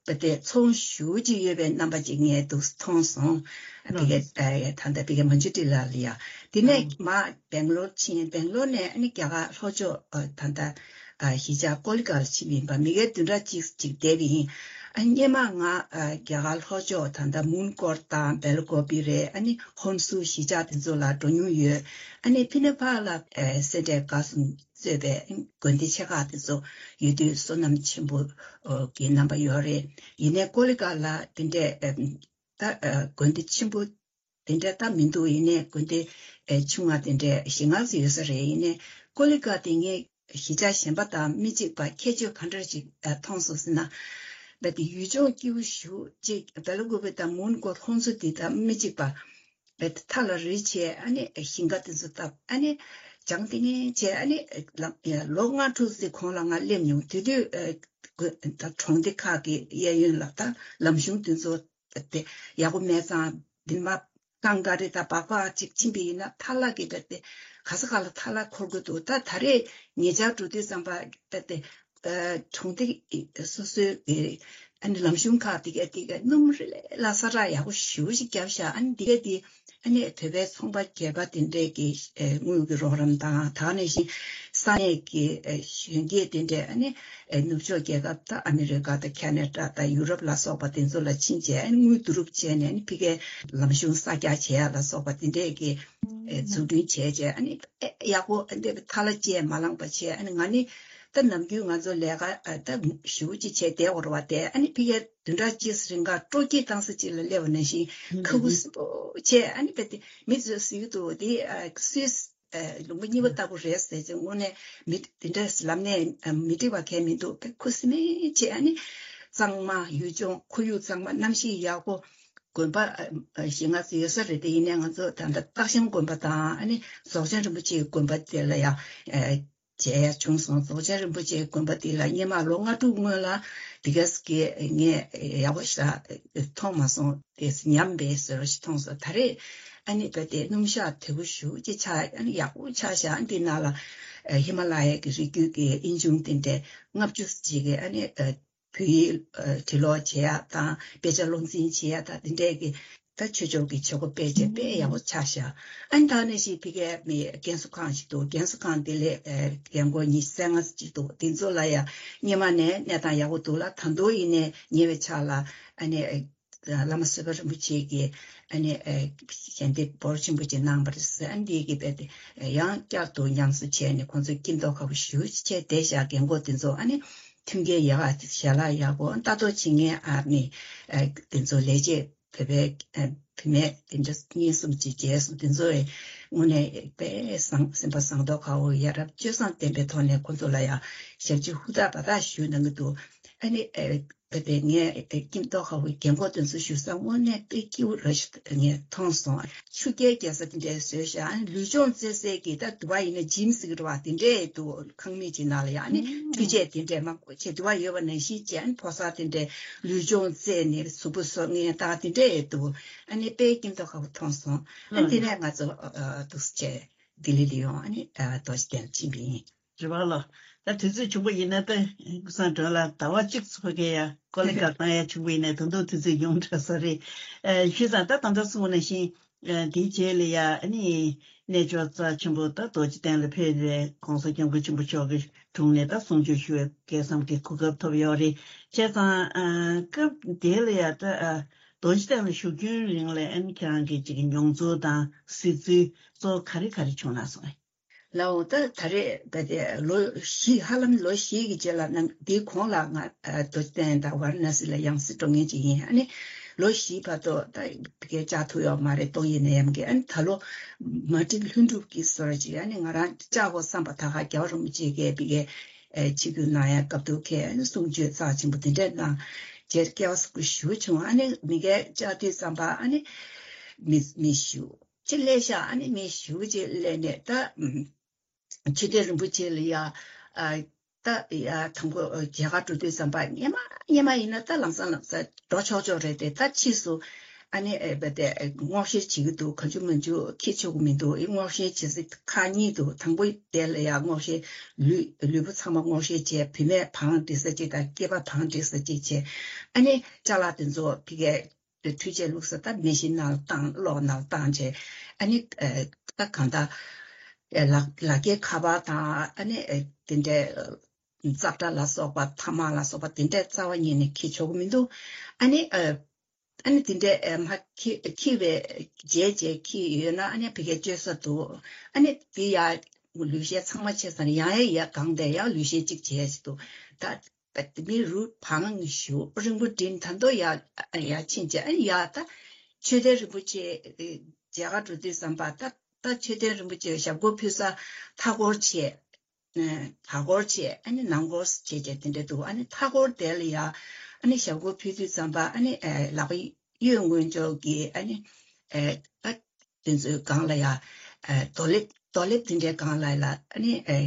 བ་དེ་ཚོང་ཞེ་པོ་ཅིག་ཡོད་པའི་རྣམ་པ་ཅིག་ངས་འདུག་མཐོང་སོང་། ཨ་ཕ་གིར་ཨེ་ད་ལྟ་ཕ་གིར་མ་འཇུ་ཏི་ལ་ལ་ཡ། དེ་ནས་མ་སྦེང་ལོར་ཕྱིན། སྦེང་ལོར་ནས་ཨ་ནི་རྒྱ་གར་ལྷོ་ཕྱོགས་ཨ་ད་ལྟ་ཨ་གཞིས་ཆགས་ཀོ་ལི་གྷལ་ཕྱིན་པ་ཡིན་པ། མི་ཁ་བདུན་ཕྲག་གཅིག་ཅིག་བསྡད་པ་ཡིན། ཨ་སྔོན་མ་ང་ཨ་རྒྱ་གར་ལྷོ་ཕྱོགས་ད་ལྟ་མུན་གོར་དང་སྦེལ་ཀོབ་པི་རེད། ཨ་ནི་ཧོན་སུར་གཞིས་ཆགས་དེ་ཚོ་ལ་འགྲོ་མྱོང་ཡོད། ཨ་ནི་ཕི་ནེ་པཱལ་ལ་ཨ་སེ་འབྲས་དགའ་གསུམ་གཙོས་པའི་དགོན་སྡེ་ཆེ་ཁག་དེ་ཚོ་ཡོད་དུས་བསོད་ནམས་ཆེན་པོ་གི་རྣམ་པ་ཡོད་རེད། ཡིན་ནའི་ཀོ་ལི་གྷལ་ལ་དེ་འདྲའི་ཨ་ད་ཨ་དགོན་སྡེ་ཆེན་པོ་དེ་འདྲ་ད་མི་འདུག་ཡིན་ནའི་དགོན་སྡེ་ཨེ་ཆུང་བ་དེ་འདྲ་བཞི་ལྔ་ཙམ་ཡོད་ས་རེད། ཡིན་ནའི་ཀོ་ལི་གྷལ་དེ་ངས་གཞིས་ཆགས་གཞན་པ་དང་མི་གཅིག་པ་ཁྱད་ཆོས་ག་འདྲ་ཞིག་ཨ་མཐོང་སོང་ཟེར་ན། རྦད་དེ་ཡུལ་ལྗོངས་སྐྱིད་པོ་ཞེ་པོ་ཅིག་སྦེལ་ཀོབ་པི་དང་མུན་གོར་ཧོན་སུར་དེ་དང་མི་གཅིག་པ། རྦད་དེ་མཐའ་ལ་རི་བྱས་ཨ་ནི་ཞིང་ཁ་དེ་ཚོ་བཏབ་ཨ་ནི་བྱང་ཏིང་ངེ་བྱས་ཨ་ནི་ལམ་ལོ་ལྔ་དྲུག་ཙམ་གོང་ལ་ང་སླེབས་མྱོང་། དེ་དུས་ཨ་ད་གྲོང་སྡེ་ཁག་གི་གཡས་གཡོན་ལ་ད་ལམ་གཞུང་དེ་ཚོ་དེ་ཡག་པོ་མེད་ཙང་། འདི་མ་རྐང་ག་རེ་དང་སྦག་སྦག་ཅིག་ཕྱིན་པ་ཡིན་ན་ཐལ་བ་གི་རྦད་དེ་ག་ས་ག་ལ་ཐལ་བ་འཁོར་གྱི་འདུག་ད་ད་རེས་ཉེ་ཆར་འགྲོ་དུས་ཙམ་པ་རྦད་དེ་ཨ་གྲོང་སྡེ་སོ་སོའི་གི་ཨ་ནི་ལམ་གཞུང་ཁག་དེ་ག་དེ་ག་སྣུམ་རིལ་ལ་ས་ར་ཡག་པོ་ཞེ་པོ་ཞིག་བརྒྱབ་ཤག་ཨ་ནི་དེ་ག་དེ་ཨ་ནི་བོད་པའི་ཚོང་པ་སྒེར་པ་དེ་འདྲས་ཀྱི་ཨ་དངུལ་གྱི་རོགས་རམ་དང་། ད་ག་ནང་བཞིན་ས་གནས་ཀྱི་ཨ་གཞོན་སྐྱེས་དེ་འདྲས་ཨ་ནི་ཨ་ནུབ་ཕྱོགས་རྒྱལ་ཁབ་ད་ཨ་མི་རི་ཀ་དང་ཁེ་ན་ཌ་དང་ཡུ་རོབ་ལ་སོགས་པ་དེ་ཚོ་ལ་ཕྱིན་བྱས་ཨ་ནི་དངུལ་བསྡུ་རུབ་བྱས་ནས་ཨ་ནི་ཕ་གིའི་ལམ་གཞུང་གསར་རྒྱག་བྱེད་ཡ་ལ་སོགས་པ་དེ་འདྲས་ཀྱི་ཨ་འཛུགས་སྐྲུན་བྱས་བྱས་ཨ་ནི་ཨེ་ཡག་པོ་ཨ་འདྲས་ཐལ་བ་ཅན་མ་ལངས་པ་བྱས། ཨ་ནི་ང་ནི་ད་ནམ་རྒྱུན་ང་ཚོ་ལས་ཀ་ཨ་ད་ཞེ་པོ་ཅིག་བྱས་བསྡད་ཡོད་རེད་པ། དེ་ཨ་ནི་ཕ་གིར་བདུན་ཕྲག་གཅིག་རིང་ག་སྤྲོ་སྐྱིད་བཏང་ས་ཅིག་ལ་སླེབས་པ་ནང་བཞིན་ཁ་ཁུ་སིམ་པོ་བྱས། ཨ་ནི་རྦད་དེ་མི་ཚོས་ཟེར་གྱི་འདུག་དེ་ཨ་སུད་སི་ཨ་ལུང་པ་གཉིས་པ་ལྟ་བུ་རེད་ཟེར་ཅིག་དངོས་གནས་མི་དེ་འདྲ་ལབ་ནས་ཨ་མི་འགྲིག་པ་གང་ཡང་མི་འདུག་དཔེ་ཁུ་སིམ་མེར་བྱས། ཨ་ནི་གཙང་མ་ཡུལ་ལྗོངས་ཁོར་ཡུག་གཙང་མ་གནམ་གཤིས་ཡག་པོ། དགོན་པ་ཨ་ཨ་བཞི་ལྔ་ཙམ་ཡོད་ས་རེད། དེ་ཡིན་ནའི་ང་ཚོ་ད་ལྟ་སྟག་ཤམ་དགོན་པ་དང་ཨ་ནི་རྫོགས་ཆེན་རིན་པོ་ཆེའི་དགོན་པ་དེ་ལ་ཡང་ཨ་མཇལ་ཡ་བྱུང་སོང་། རྫོགས་ཆེན་རིན་པོ་ཆེའི་དགོན་པ་དེ་ལ་སྔོན་མ་ལོ་ལྔ་དྲུག་སྔོན་ལ་དེ་ག་ཙམ་གྱི་ངས་ཡག་པོ་ཞིག་མཐོང་མ་སོང་། དེ་ཉམས་པའི་བཟོ་འདྲ་ཞིག་མཐོང་སོང་། ད་རེས་ཨ་ནི་རྦད་དེ་སྣུམ་ཞག་དོད་པོ་ཞེ་པོ་ཅིག་ཆགས། ཨ་ནི་ཡག་པོ་ཆགས་ཤག་ཨ་ནི་དེ་ནང་ལ་ཨ་ཧི་མ་ལ་ཡའི་གི་རི་རྒྱུད་ཀྱི་ཨེ་ཆུང་དེ་འདྲའི་ལྔ་བཅུ་ཙམ་ཅིག་གི་ཨ་ནི་ཨ་བོད་ཡིག་ཨ་འབྲི་ཀློག་བྱེད་ཡ་དང་དཔེ་ཆ་བློ་འཛིན་བྱེད་ཡ་དང་དེ་འདྲས་ཀྱི་ད་ཆོས་ཕྱོགས་ཀྱི་བྱེད་སྒོ་སྤེལ་བྱས་དཔེ་ཡག་པོ་ཆགས་ཤག་ཨ་ནི་ད་ནང་བཞིན་ཕ་གིའི་མི་རྒན་གསོ་ཁང་ཞིག་འདུག་རྒན་གསོ་ཁང་དེ་ལ་ཨ་རྒན་འཁོགས་ཉི་ཤུ་རྩ་ལྔ་ཅིག་འདུག་དེ་ཚོ་ལ་ཡང་སྔོན་མ་ནས་གནས་སྟངས་ཡག་པོ་འདུག་ལ། ད་དུང་ཡིན་ནའི་ཉེ་བའི་ཆར་ལ་ཨ་ནི་ཨ་བླ་མ་བསོད་པ་རིན་པོ་ཆེ་གིས་ཨ་ནི་ཨ་ཞལ་འདེབས་འབོར་ཆེན་པོ་ཅིག་གནང་བ་རེད་ཟེར། ཨ་ནི་དེ་གི་རྦད་དེ་ཡང་བསྐྱར་དུ་ཉམས་གསོ་བྱས་ནས་ཁོང་ཚོ་སྐྱིད་མདོག་ཁ་པོ་ཞེ་པོ་ཅིག་བྱས་བསྡད་ཤག་རྒན་འཁོགས་དེ་ཚོ་ཨ་ནི་མཐུན་རྐྱེན་ཡག་ག་ཞལ་ལག་ཡག་པོ་ལྟ་རྟོག་བྱེད་མཁན་ཨ་ནི་ཨ་དེ་ཚོ་ལས་བྱེད་བོད་པའི་ཨ་བུད་མེད་དེ་འདྲ་གཉིས་གསུམ་ཅིག་མཇལ་སོང་། དེ་ཚོ་ཨེ་དངོས་གནས་དཔེ་བཟང་སེམས་པ་བཟང་མདོག་ཁ་པོ་ཡ་རབས་སྤྱོད་བཟང་ལྡན་པའི་ཐོག་ནས་ཁོང་ཚོ་ལ་ཡང་ཞབས་ཕྱི་ཧུར་ཐག་འབད་ཐག་ཞུས་གནང་གི་འདུག་ཨ་ནི་ཨེ་རྦད་དེ་ངས་ཨེ་སྐྱིད་མདོག་ཁ་པོའི་རྒན་འཁོགས་དེ་ཚོ་ཞུ་ས་དངོས་གནས་དཔེ་སྐྱིད་པོ་ར་ཞིག་ངས་མཐོང་སོང་། ཆུ་རྐྱལ་རྒྱག་ས་དེ་འདྲའི་བཟོས་ཤག་ཨ་ནི་ལུས་སྦྱོང་རྩེད་སའི་གི་ད་དུ་བ་ཡིན་ན་ཇིམ་ཟེར་གི་རེད་པ། དེ་འདྲའི་འདུག་ཁང་མིག་ཅིག་ནང་ལ་ཡང་ཨ་ནི་འཕྲུལ་ཆས་དེ་འདྲའི་མང་པོ་བྱས་དུ་བ་ཡོད་པ་ནང་བཞིན་བྱས། ཨ་ནི་ཕོ་གསར་དེ་འདྲའི་ལུས་སྦྱོང་རྩེད་ནས་གཟུགས་པོ་བཟོ་མཁན་ད་དེ་འདྲའི་འདུག་ཨ་ནི་དཔེ་སྐྱིད་མདོག་ཁ་པོ་མཐོང་སོང་། ཨ་ནི་དེ་ནས་ང་ཚོ་ཨ་ཨ་འདུག་སེ་བྱས་ལྡི་ལི་ལ་ཡོང་། ཨ་ནི་ཨ་རྡོ་རྗེ་གདན་ལ་ཕྱིན་པ་ཡིན། རེད་པ་ལགས། ད་དུས་ཚོད་བྱུང་པ་ཡིན་ན་ད་ཀུན་བཟང་སྒྲོན་ལགས་ཟླ་བ་གཅིག་ཙམ་ཕ་གིར་ཡ་ཀོ་ལི་གྷལ་གཏོང་ཡ་བྱུང་པ་ཡིན་ན་ད་དུང་དུས་ཚོད་ཡོང་འདྲ་ས་རེད། ཨ་ཞུས་ཙང་ད་ད་ལྟ་གསུངས་པ་ནང་བཞིན་ཨ་དེའི་རྗེས་ལ་ཡ་ཨ་ནི་གནས་མཆོག་རྩ་ཆེན་པོ་ད་རྡོ་རྗེ་གདན་ལ་ཕེབས་ཏེ་༸གོང་ས་༸སྐྱབས་མགོན་ཆེན་པོ་མཆོག་གི་དྲུང་ནས་ད་གསུང་ཆོས་ཞུ་བའི་སྐལ་བཟང་གི་གོ་སྐབས་ཐོབ་ཡོད་རེད། བྱས་ཙང་ཨ་སྐབས་དེ་ལ་ཡ་ད་ཨ་རྡོ་རྗེ་གདན་ལ་བཞུགས་རྒྱུན་རིང་ལ་ཨ་ནི་ཁྱེད་རང་གི་ཅིག་མྱོང་ཚོར་དང་གཟིགས་ཚུལ་གཙོ་བོ་ག་རེ་ག་རེ་བྱུང་ན་སོང་ཨེ། ལའོ་ད་ད་རེས་ད་དེ་ལོ་བཞི་ཧ་ལམ་ལོ་བཞི་གི་རྗེས་ལ་ནང་འདིའི་གོང་ལ་ང་ཨ་རྡོ་རྗེ་གདན་དང་ཝཱ་ར་ཎ་སི་ལ་ཡང་སེ་འགྲོ་མཁན་ཅིག་ཡིན། ཨ་ནི་ལོ་བཞིའི་བར་དུ་ད་བི་གའི་བཅར་ཐུབ་ཡོད་མ་རེད། ཏོག་དབྱིབས་ནད་ཡམས་ཀྱིས། ཨ་ནི་ད་ལོ་མ་ཏི་ལྷུན་གྲུབ་ཀྱི་སྐོར་ཅིག་ཨ་ནི་ང་རང་བཅར་དགོས་བསམ་པ་ད་ག་རྒྱལ་བ་རིན་པོ་ཆེ་གིས་བི་གའི་ ཨེ་ཆིབས་བསྒྱུར་གནང་ཡ་སྐབས་དུ་ཁས་ཨ་ནི་གསུང་ཆོས་རྩ་ཆེན་པོ་དེ་འདྲས་གནང་། རྗེས་སྐལ་བ་བཟང་པོ་ཞེ་པོ་བྱུང་། ཨ་ནི་མི་རྒན་བཅར་དུས་ཙམ་པ་ཨ་ནི་མི་མི་ཞུ། ཕྱིར་སླེབས་ཤག་ཨ་ནི་མི་ཞུ་རྗེས་སླེབས་ནས་ད་ཨམ་ཆོས་སྡེ་རིན་པོ་ཆེ་ལ་ཡ་ཨ་ད་ཡ་དང་པོ་མཇལ་ཁ་འགྲོ་དུས་ཙམ་པ་སྔན་མ་སྔན་མ་ཡིན་ན་ད་ལམ་སང་ལམ་སང་འགྲོ་ཆོག་ཆོག་རེད་དེ། ད་ཕྱིས་སུ་ཨ་ནི་ཨེ་བ་དེ་སྔོག་བཤེར་བྱེད་ཀྱི་འདུག་གང་བྱུང་མང་བྱུང་ཁྱེར་ཆོག་གི་མི་འདུག་ཨེ་སྔོག་བཤེར་བྱེད་ས་ཁག་གཉིས་འདུག་དང་པོ་དེ་ལ་ཡ་སྔོག་བཤེར་ལུས་ལུས་པོ་ཚང་མ་སྔོག་བཤེར་བྱས། བུད་མེད་བང་སྒྲིག་ས་གཅིག་དང་སྐྱེས་པ་བང་སྒྲིག་ས་གཅིག་བྱས། ཨ་ནི་ཅ་ལག་དེ་ཚོ་ཕ་གིའི་འཕྲུལ་ཆས་བླུགས་ས་ད་མེ་ཤིན་ནང་ལ་བཏང་གློག་ནང་ལ་བཏང་བྱས། ཨ་ནི་ཨེ་ད་གང་ལྟར་ཨེ་ལག་ལག་འཁྱེར་ཁ་པར་དང་ཨ་ནི་ཨེ་དེ་འདྲའི་ཙག་སྒྲ་ལ་སོགས་པ་ཐ་མག་ལ་སོགས་པ་དེ་འདྲའི་རྩ་བ་ཉིད་ནས་འཁྱེར་ཆོག་གི་མི་འདུག་ཨ་ནི་ཨ་ཨ་ནི་དེ་འདྲའི་ཨ་མ་འཁྱེར་འཁྱེར་བའི་རྗེས་རྗེས་འཁྱེར་ཡོད་ན་ཨ་ནི་ཕ་གིའི་སྤྱོད་ས་འདུག་ཨ་ནི་དེ་ཡ་ལུས་ཤེས་ཚང་མ་ཆད་ཙང་ཡང་ཡ་ཡ་གང་དེ་ཡ་ལུས་ཤེས་གཅིག་བྱས་ཅིག་འདུག་ད་ད་མི་རུ་བང་ཞུ་རིང་པོ་འགྲིམ་ད་མདོ་ཡ་ཡ་ཕྱིན་བྱས་ཨ་ནི་ཡ་ད་ཆོས་སྡེ་རིན་པོ་ཆེ་མཇལ་ཁ་འགྲོ་དུས་ཙམ་པ་ད་ད་མཆོད་རྟེན་རིན་པོ་ཆེ་ཞབས་སྐོར་ཕུལ་ས་མཐའ་སྐོར་བྱས། ཨ་བར་སྐོར་བྱས། ཨ་ནི་ནང་སྐོར་བྱས་བྱས་དེ་འདྲ་འདུག་ཨ་ནི་མཐའ་སྐོར་དེ་ལ་ཡ་ཨ་ནི་ཞབས་སྐོར་ཕུལ་དུས་ཙམ་པ་ཨ་ནི་ཨེ་ལག་པ་གཡས་དངོས་ཕྱོགས་ཀྱི་ཨ་ནི་ཨེ་ཨ་དེ་ཚོའི་སྒང་ལ་ཡ་ཨེ་རྡོ་ལེབ་རྡོ་ལེབ་དེ་འདྲའི་སྒང་ལ་ཡ་ལ་ཨ་ནི་ཨེ་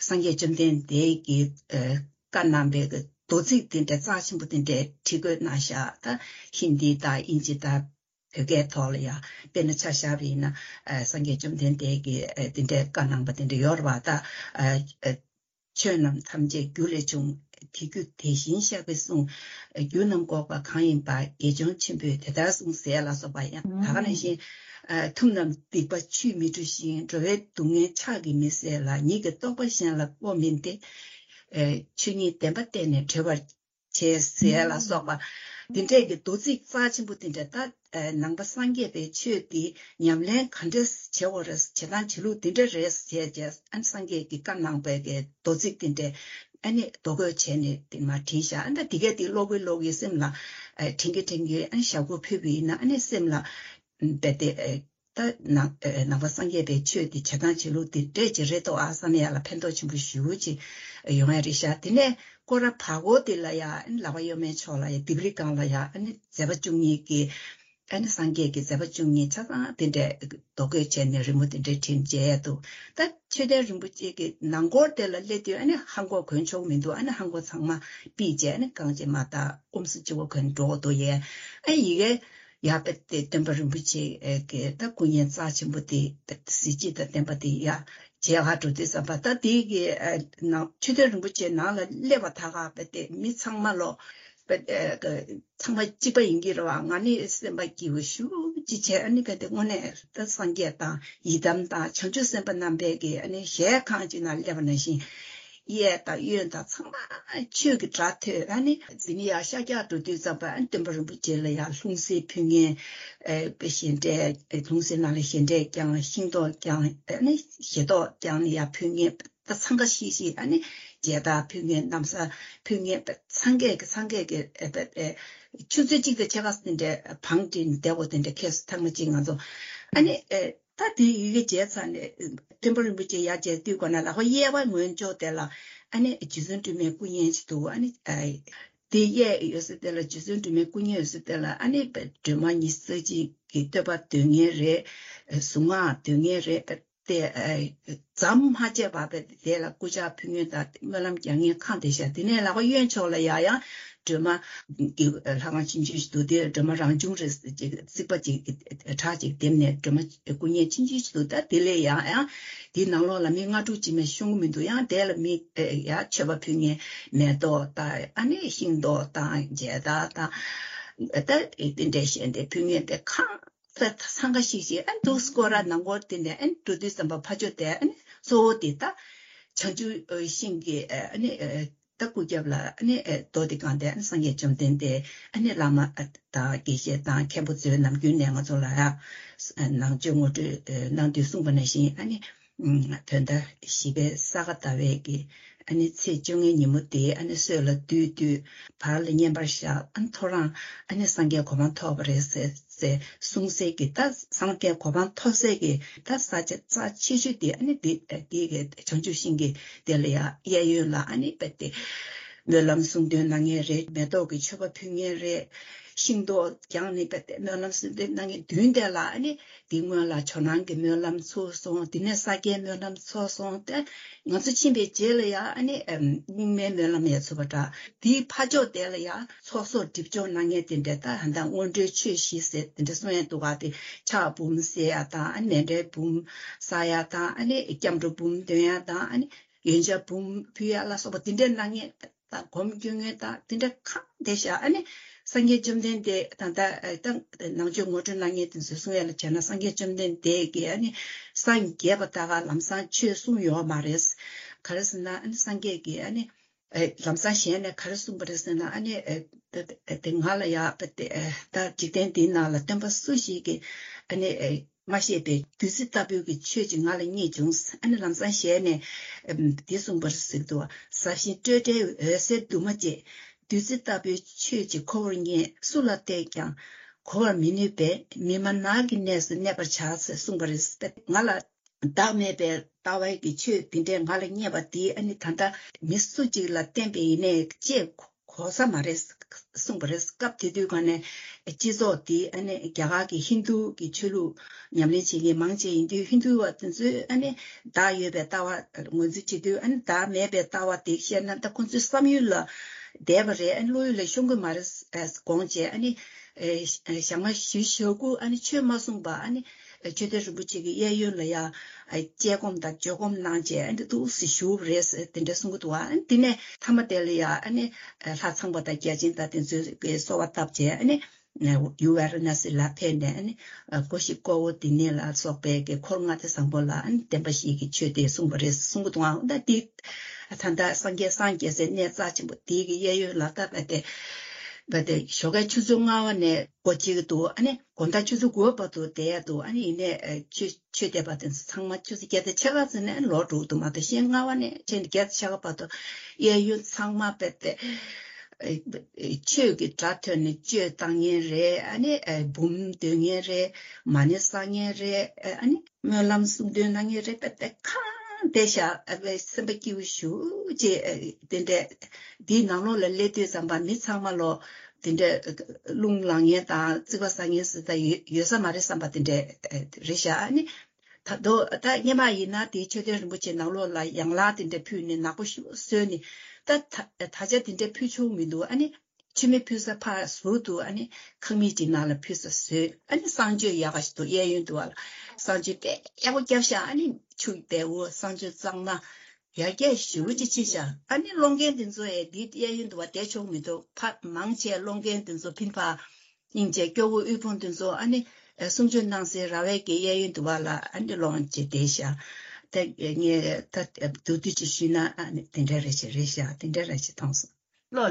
སངས་རྒྱས་བཅོམ་ལྡན་འདས་ཀྱིས་ཨེ་བཀའ་གནང་པའི་གི་མདོ་ཚིག་དེ་འདྲ་རྩ་ཆེན་པོ་དེ་འདྲའི་བྲིས་བཀོད་གནང་བཞག་ད་ཧིན་དི་དང་དབྱིན་ཇི་དང་། བོད་སྐད་ཐོག་ལ་ཡང་དཔེར་ན་ཆ་བཞག་པ་ཡིན་ན་ཨ་སངས་རྒྱས་བཅོམ་ལྡན་འདས་ཀྱིས་ཨ་དེ་འདྲའི་བཀའ་གནང་པ་དེ་འདྲ་ཡོད་རེད་བ། ད་ཨ་ཨ་ཆོས་རྣམས་ཐམས་ཅད་རྒྱུ་ལས་བྱུང་། དེ་རྒྱུ་དེ་བཞིན་གཤེགས་པའི་གསུང་། རྒྱུ་རྣམས་འགོག་པ་གང་ཡིན་པ། དགེ་སྦྱོང་ཆེན་པོས་དེ་ལྟར་གསུངས་ཟེར་ལ་སོགས་པ་ཡང་ད་ག་ནང་བཞིན་ཨ་ཐུབ་རྣམས་སྡིག་པ་ཆུས་མི་འཁྲུ་ཞིང་། འགྲོ་བའི་སྡུག་བསྔལ་ཕྱག་གིས་མི་སེལ་ལ། ཉིད་ཀྱི་རྟོགས་པ་གཞན་ལ་དབང་མིན་ཏེ། ཆོས་ཉིད་བདེན་པ་བསྟན་ནས་གྲོལ་བར་བྱས་ཟེར་ལ་སོགས་པ། འདི་འདྲས་ཀྱི་མདོ་ཚིག་རྩ་ཆེན་པོ་འདི་འདྲས་ད་ནང་པ་སངས་རྒྱས་པའི་ཆོས་འདི་ཉམས་ལེན་ག་འདྲས་བྱེད་དགོས་རེད། བྱེད་སྟངས་བྱེད་ལུགས་འདི་འདྲས་རེད་ཟེར་བྱས་ཨ་ནི་སངས་རྒྱས་ཀྱིས་བཀའ་གནང་བའི་གི་མདོ་ཚིག་འདི་འདྲས་ཨ་ནི་རྡོ་བརྐོས་བྱས་ནས་དེ་མར་བྲིས་བཞག་ཨ་ནི་ད་འདི་གས་འདི་ཀློག་གིན་ཀློག་གིན་སེམས་ལ་དྲན་གྱིན་དྲན་གྱིན་ཨ་ནི་ཞབས་སྐོར་ཕུལ་བ་ཡིན་ན་ཨ་ནི་སེམས་ལ་རྦད་དེ། ད་ནང་ནང་པ་སངས་རྒྱས་པའི་ཆོས་དེ་བྱེད་སྟངས་བྱེད་ལུགས་དེ་འདྲས་ཅིག་རེད་དོ་ཨ་བསམ་ཡ་ལ་ཕན་ཐོགས་ཆེན་པོ་ཞེ་པོ་ཅིག་ཡོང་ཡ་རེད་ཤག་དེ་ནས་སྐོར་ར་བར་སྐོར་དེ་ལ་ཡ་ཨ་ནི་ལག་པ་གཡོན་མའི་ཕྱོགས་ལ་ཡ་ལྡེབས་རིས་སྒང་ལ་ཡ་ཨ་ནི་མཛད་པ་བཅུ་གཉིས་ཀྱི་ཨ་ནི་སངས་རྒྱས་ཀྱི་མཛད་པ་བཅུ་གཉིས་ཆ་ཚང་དེ་འདྲས་རྡོ་བརྐོས་བྱས་ནས་རི་མོ་དེ་འདྲས་བྲིས་མཇལ་ཡ་འདུག་ད་མཆོད་རྟེན་རིན་པོ་ཆེ་གི་ནང་སྐོར་དེ་ལ་སླེབས་དུས་ཨ་ནི་ལྷམ་གོག་གོན་ཆོག་མི་འདུག་ཨ་ནི་ལྷམ་གོག་ཚང་མ་ཕུད་བྱས་ཨ་ནི་རྐང་རྗེས་མར་ད་ཨུམ་སུ་གཅིག་པོ་གོན་འགྲོ་དགོས་འདུག་ཡས་ཨ་ཡི་གེ། ཡ་པེ་ཏེ་སྟོན་པ་རིན་པོ་ཆེ་གི་ད་སྐུ་བརྙན་རྩ་ཆེན་པོ་དེ་གཟི་བརྗིད་དང་ལྡན་པ་དེ་ཡ་མཇལ་ཁ་འགྲོ་དུས་ཙམ་པ་ད་དེ་གི་ནང་མཆོད་རྟེན་རིན་པོ་ཆེ་ནང་ལ་སླེབས་པ་ད་ག་པེ་ཏེ་མི་ཚང་མ་ལོ་པེ་ཏེ་ཚང་མ་གཅིག་པ་ཡིན་གྱི་རེད་བ། ང་ནི་སེམས་པ་སྐྱིད་པོ་ཞེ་པོ་ཅིག་བྱས་ཨ་ནི་ག་དེ་དངོས་གནས་ད་སངས་རྒྱས་དང་ཡི་དམ་དང་བྱང་ཆུབ་སེམས་དཔའ་རྣམ་པས་ཀྱི་ཨ་ནི་ཞལ་ཁང་ཅིག་ནང་སླེབས་པ་ནང་བཞིན། གཡས་དང་གཡོན་དང་ཚང་མ་ཆོས་ཀྱི་སྒྲ་ཐོས། ཨ་ནི་འཛིན་ཡ་ཤར་རྒྱག་འགྲོ་དུས་ཙམ་པ་ཨ་ནི་སྟོན་པ་རིན་པོ་ཆེ་ལ་ཡང་ལྷུང་བཟེད་ཕུལ་མཁན། ཨེ་བཞེས་འདྲའི་ལྷུང་བཟེད་ནང་ལ་བཞེས་འདྲའི་བརྐྱང་ཤིང་ཏོག་བརྐྱང་ཨ་ནི་བཞེས་ཏོག་བརྐྱང་ནས་ཡང་ཕུལ་མཁན་ད་འཚང་ཁ་ཤིག་ཤིག་ཨ་ནི་མཇལ་དར་ཕུལ་མཁན་ན་བཟའ་ཕུལ་མཁན་ཚང་གས་ཀྱི་ཚང་གས་ཀྱི་ཨེ་ཨེ་ཆུ་ཚོད་གཅིག་དང་ཕྱེད་ཀ་དེ་འདྲའི་བང་སྒྲིག་བསྡད་དགོས་དེ་འདྲའི་ཁེལ་སོང་ཐེངས་མ་གཅིག་ང་ཚོ་ཨ་ནི་ཨེ། ད་དེ་ཡི་གེ་མཇལ་ཚར་ནས་སྟོན་པ་རིན་པོ་ཆེ་ཡར་མཇལ་དུས་སྒོ་ནས་ལག་པ་གཡས་པ་ངོས་ཕྱོགས་དེ་ལ་ཨ་ནི་རྗེ་བཙུན་སྒྲོལ་མའི་སྐུ་བརྙན་ཞིག་འདུག་ཨ་ནི་དེ་གཡས་ཡོད་ས་དེ་ལ་རྗེ་བཙུན་སྒྲོལ་མའི་སྐུ་བརྙན་ཡོད་ས་དེ་ལ་ཨ་ནི་སྒྲོལ་མ་ཉི་ཤུ་རྩ་གཅིག་གི་བསྟོད་པ་འདོན་མཁན་རེད། གཟུངས་སྔགས་འདོན་མཁན་རེད། དེ་ཙམ་མ་བྱས་པར་དེ་ལ་སྐུ་ཕྱག་ཕུལ་མཁན་དང་སྨོན་ལམ་རྒྱག་མཁན་ཁག་བསྡད་ཤག་དེ་ནས་ལག་པ་གཡོན་ཕྱོགས་ལ་ཡང་ཡང་སྒྲོལ་མ། གི་ལྷ་ཁང་ཆུང་ཆུང་ཞིག་འདུག་དེར་སྒྲོལ་མ་རང་བྱུང་རེད་ཟེར་ཅིག་རྩིག་པ་ཅིག་གྲ་ཅིག་འདེབས་ནས་སྒྲོལ་མ་སྐུ་བརྙན་ཆུང་ཆུང་ཞིག་འདུག་ད་དེ་ལས་ཡང་ཡང་དེའི་ནང་ལོགས་ལ་མི་ལྔ་དྲུག་ཅིག་མ་ཤོང་གི་མི་འདུག་ཡང་དེ་ལ་མི་ཡ་མཆོད་པ་ཕུལ་མཁན་མེ་ཏོག་དང་ཨ་ནི་ཤིང་ཏོག་དང་མཇལ་དར་དང་ད་དེ་འདྲའི་བཞེས་འདེབས་ཕུལ་མཁན་དེ་གང་ས་འཚང་ཁ་ཤིག་ཤིག་ཨ་ནི་འདུག་སྐོར་ར་ནང་སྐོར་དེ་ནས་ཨ་ནི་འགྲོ་དུས་ཙམ་པ་ཕ་ཇོ་དེ་ཨ་ནི་གཙོ་བོ་དེ་ད་བྱང་ཆུབ་ཤིང་གི་ཨ་ནི། ད་སྐུ་རྒྱབ་ལ་ཨ་ནི་ཨེ་རྡོ་འདི་བཀང་སྟེ་ཨ་ནི་སངས་རྒྱས་བཅོམ་ལྡན་འདས་ཨ་ནི་བླ་མ་ཨ་དང་དགེ་བཤེས་དང་མཁན་པོ་ཚོས་ནམ་རྒྱུན་ནས་ང་ཚོ་ལ་ཡ་ནང་ཆོས་ངོ་སྤྲོད་ཨེ་གནང་དུས་གསུངས་པ་ནང་བཞིན་ཨ་ནི་ཨམ་བོད་ཟླ་བཞི་པའི་ས་ག་ཟླ་བའི་གི་ཨ་ནི་ཚེས་བཅོ་ལྔའི་ཉིན་མོ་དེ་ཨ་ནི་སྲོད་ལ་བདུད་བཏུལ་བར་ལ་བསྙེན་པར་བཞག་ཨ་ནི་ཐོ་རངས་ཨ་ནི་སངས་རྒྱས་གོ་འཕང་ཐོབ་པ་རེད་ཟེར། ཟེར་གསུང་སའི་གི་ད་སངས་རྒྱས་གོ་འཕང་ཐོབ་སའི་གི་ད་ས་ཆ་རྩ་ཆེ་ཤོས་དེ་ཨ་ནི་དེ་དེ་གི་བྱང་ཆུབ་ཤིང་གི་དེ་ལ་ཡ་གཡས་གཡོན་ལ་ཨ་ནི་བེད་དེ་སྨོན་ལམ་གསུང་འདོན་གནང་མཁན་རེད། མེ་ཏོག་གི་མཆོད་པ་ཕུལ་མཁན་རེད། ཤིང་ཏོག་ཀྱང་ནི་བེད་དེ་སྨོན་ལམ་གསུང་འདོན་གནང་མཁན་མདུན་དེ་ལ་ཨ་ནི་དེ་སྔོན་ལ་ཇོ་ནང་གི་སྨོན་ལམ་ཚུགས་སོང་། དེ་ནས་ས་སྐྱའི་སྨོན་ལམ་ཚུགས་སོང་སྟེ། ང་ཚོ་ཕྱིན་པའི་རྗེས་ལ་ཡ་ཨ་ནི་རྙིང་མའི་སྨོན་ལམ་ཡ་ཚུགས་པ་འདྲ། དེའི་ཕ་ཕྱོགས་དེ་ལ་ཡ་ཚོགས་གསོག་སྒྲིབ་སྦྱོང་གནང་མཁན་དེ་འདྲ་ད་ཧན་ད་སྔོན་འགྲོའི་ཆོས་བཞི་ཟེར་དེ་འདྲ་གསུང་ཡ་འདུག་ག་དེ་ཕྱག་འབུམ་བསྲེག་ཡ་དང་ཨ་ནི་མཎྜལ་འབུམ་བསག་ཡ་དང་ཨ་ནི་སྐྱབས་འགྲོ་འབུམ་འདོན་ཡ་དང་ཨ་ནི་ཡོན་ཆབ་འབུམ་ཕུལ་ཡ་ལ་སོགས་པ་དེ་འདྲ་གནང་མཁན། དང་སྒོམ་སྐྱོན་ངན་དང་དེ་འདྲ་གང་བསྡད་ཤག་ཨ་ནི་སངས་རྒྱས་བཅོམ་ལྡན་འདས་དང་ད་ད་ནང་ཆོས་ངོ་སྤྲོད་གནང་མཁན་དེ་ཚོས་གསུང་ཡ་ལ་བྱས་ན་སངས་རྒྱས་བཅོམ་ལྡན་འདས་ཀྱིས་ཨ་ནི་སངས་རྒྱས་པ་ད་ག་ལམ་སང་ཆོས་གསུངས་ཡོད་མ་རེད། ག་རེ་ཟེར་ན་ཨ་ནི་སངས་རྒྱས་ཀྱིས་ཨ་ནི་ལམ་སང་ཞལ་ནས་ག་རེ་གསུངས་པ་རེད་ཟེར་ན་ཨ་ནི་དེ་ང་ལ་ཡ་ད་འཇིག་རྟེན་འདིའི་ནང་ལ་སྟོན་པ་སུ་ཞིག་གིས་ཨ་ནི། མ་ཤེས་པའི་བདུད་རྩི་ལྟ་བུའི་གི་ཆོས་ཅིག་ང་ལ་རྙེད་བྱུང་། ཨ་ནི་ལམ་སང་ཞལ་ནས་འདི་གསུངས་པར་གཟིགས་དུས། ཟབ་ཞི་སྤྲོས་བྲལ་འོད་གསལ་འདུས་མ་བྱས། བདུད་རྩི་ལྟ་བུའི་ཆོས་ཅིག་ཁོ་བོར་རྙེད། སུ་ལ་བལྟས་ཀྱང་གོ་བར་མི་ནུས་པས། མི་སྨྲ་ནགས་ཀྱི་གནས་སུ་གནས་པར་བྱ་ཟེར་གསུངས་པ་རེད། ང་ལ་བདག་མེད་པའི་ལྟ་བའི་གི་ཆོས་འདི་འདྲས་ང་ལ་རྙེད་པ་འདི་ཨ་ནི་ད་ལྟ་མི་སུ་གཅིག་ལ་བསྟན་པ་ཡིན་ནའི་ཅེས་གོ་ས་མ་རེད་གསུངས་པ་རེད། སྐབས་དེ་དུས་ག་ནས་སྤྱི་ཚོགས་འདི་ཨ་ནི་རྒྱ་གར་གྱི་ཧིན་རྡུ་གི་ཆོས་ལུགས་ཉམས་ལེན་བྱེད་མཁན་མང་ཆེ་ཡིན་དུས་ཧིན་རྡུ་བ་དེ་ཚོས་ཨ་ནི་བདག་ཡོད་པའི་ལྟ་བ་ངོས་འཛིན་བྱེད་དུས་ཨ་ནི་བདག་མེད་པའི་ལྟ་བ་དེ་བཤད་ན་ད་ཁོང་ཚོའི་བསམ་ཡུལ་ལ་བསྡད་པ་རེད། ཨ་ནི་བློ་ཡུལ་ལ་ཤོང་གི་མ་རེད་དགོངས་བྱས་ཨ་ནི་ཞག་མ་བཞི་ཞག་དགུ་ཨ་ནི་ཆོས་མ་གསུངས་པ་ཨ་ནི། ཆོས་སྡེ་རིན་པོ་ཆེ་གི་གཡས་གཡོན་ལ་ཡང་དཔྱད་སྒོམ་དང་བརྗོད་སྒོམ་གནང་བྱས་ཨ་ནི་འདུག་སེ་བཞུགས་པ་རེད་ཟེར་དེ་འདྲ་གསུང་གི་འདུག་ཨ་ནི་དེ་ནས་ཐ་མ་དེ་ལ་ཡང་ཨ་ནི་ལྷ་ཚངས་པ་དང་བརྒྱ་བྱིན་དང་དེ་ཚོས་གསོལ་བ་བཏབ་བྱས་ཨ་ནི་ཡུལ་ཝཱ་ར་ཎ་སི་ལ་ཕེབས་ནས་ཨ་ནི་སྒོ་བཞི་ཀ་བོ་ཏི་ནི་ལ་སོགས་པའི་གི་འཁོར་ལྔ་སྡེ་བཟང་པོ་ལ་ཨ་ནི་བསྟན་པ་བཞི་གི་ཆོས་དེ་གསུངས་པ་རེད་གསུང་གི་འདུག་ཨ་ནི་དེ་ད་ལྟ་སངས་རྒྱས་སངས་རྒྱས་སའི་གནས་རྩ་ཆེན་པོ་དེ་གི་གཡས་གཡོན་ལ་ད་ལྟ་དེ་བ་དེ་ཞོགས་ཀའི་ཆུ་ཚོད་ལྔ་པ་ནས་སྒོ་ཕྱེ་གི་འདུག་ཨ་ནི། དགོང་དག་ཆུ་ཚོད་དགུ་པ་བར་དུ་བསྡད་ཡ་འདུག་ཨ་ནི་ཡིན་ནའི་ཆོས་ཆོས་དད་པ་དེ་ཚོ་ཚང་མ་ཆུ་ཚོད་བརྒྱད་དང་ཕྱེད་ཀ་ཙམ་ནས་ལོག་འགྲོ་གི་འདུག་མ་གཏོགས་གཞན་ལྔ་པ་ནས་ཕྱིན་བརྒྱད་དང་ཕྱེད་ཀ་བར་དུ་གཡས་གཡོན་ཚང་མ་རྦད་དེ་ཆོས་ཀྱི་སྒྲ་ཐོས་ནས་གཅོད་བཏང་མཁན་རེད། ཨ་ནི་འབུམ་འདོན་མཁན་རེད། མ་ཎི་བསགས་མཁན་རེད། ཨ་ནི་སྨོན་ལམ་གསུང་འདོན་གནང་མཁན་རེད། རྦད་དེ་གང་བསྡད་ཤག་ཨ་བའི་སེམས་པ་སྐྱིད་པོ་ཞུ་ཅེས་དེ་འདྲས་འདིའི་ནང་ལོགས་ལ་སླེབས་དུས་ཙམ་པ་མི་ཚང་མ་ལོ། དེ་འདྲ་རླུང་ལངས་མཁན་དང་རྩིག་པ་ཟ་མཁན་ཟེར་ད་ཡོད་ཡོད་ས་མ་རེད་བསམ་པ་དེ་འདྲ་རེད་ཤག་ཨ་ནི་ད་དོ་ད་སྔོན་མ་ཡིན་ན་དེའི་མཆོད་རྟེན་རིན་པོ་ཆེ་ནང་ལོགས་ལ་ཡང་ལག་དེ་འདྲ་ཕུལ་ནས་ནག་པོ་ཞིག་བཟོས་ནས་ད་ད་ད་ཆ་དེ་འདྲ་ཕུལ་ཆོག་མི་འདུག་ཨ་ནི་མཆོད་མེ་ཕུལ་ས་ཕར་ཟུར་དུ་ཨ་ནི་ཁང་མིག་ཅིག་ནང་ལ་ཕུལ་ས་བཟོས། ཨ་ནི་གསང་སྤྱོད་ཡག་ག་ཞིག་འདུག་གཡས་གཡོན་དུ་བ་ལ་གསང་སྤྱོད་དཔེ་ཡག་པོ་བརྒྱབ་ཤག་ཨ་ནི་ཆུ་བལ་བོ་གསང་སྤྱོད་གཙང་མ། ཡར་རྒྱས་ཞེ་པོ་ཅིག་ཕྱིན་ཤག་ཨ་ནི་སློང་མཁན་དེ་ཚོ་ཡང་འདིའི་གཡས་གཡོན་དུ་བ་བསྡད་ཆོག་མི་འདུག་ཕ་མང་ཆེ་སློང་མཁན་དེ་ཚོ་ཕིན་ཕ་སྙིང་རྗེ་སྐྱོ་བོ་དབུལ་ཕོངས་དེ་ཚོ་ཨ་ནི་གསུང་ཆོས་གནང་སའི་ར་བའི་གི་གཡས་གཡོན་དུ་བ་ལ་ཨ་ནི་སློང་བྱས་བསྡད་ཤག་ད་ངས་ད་མདོར་བསྡུས་ཅིག་ཞུས་ན་ཨ་ནི་དེ་འདྲ་རེ་ཞིག་རེད་ཤག་དེ་འདྲ་རེ་ཞིག་མཐོང་སོང་།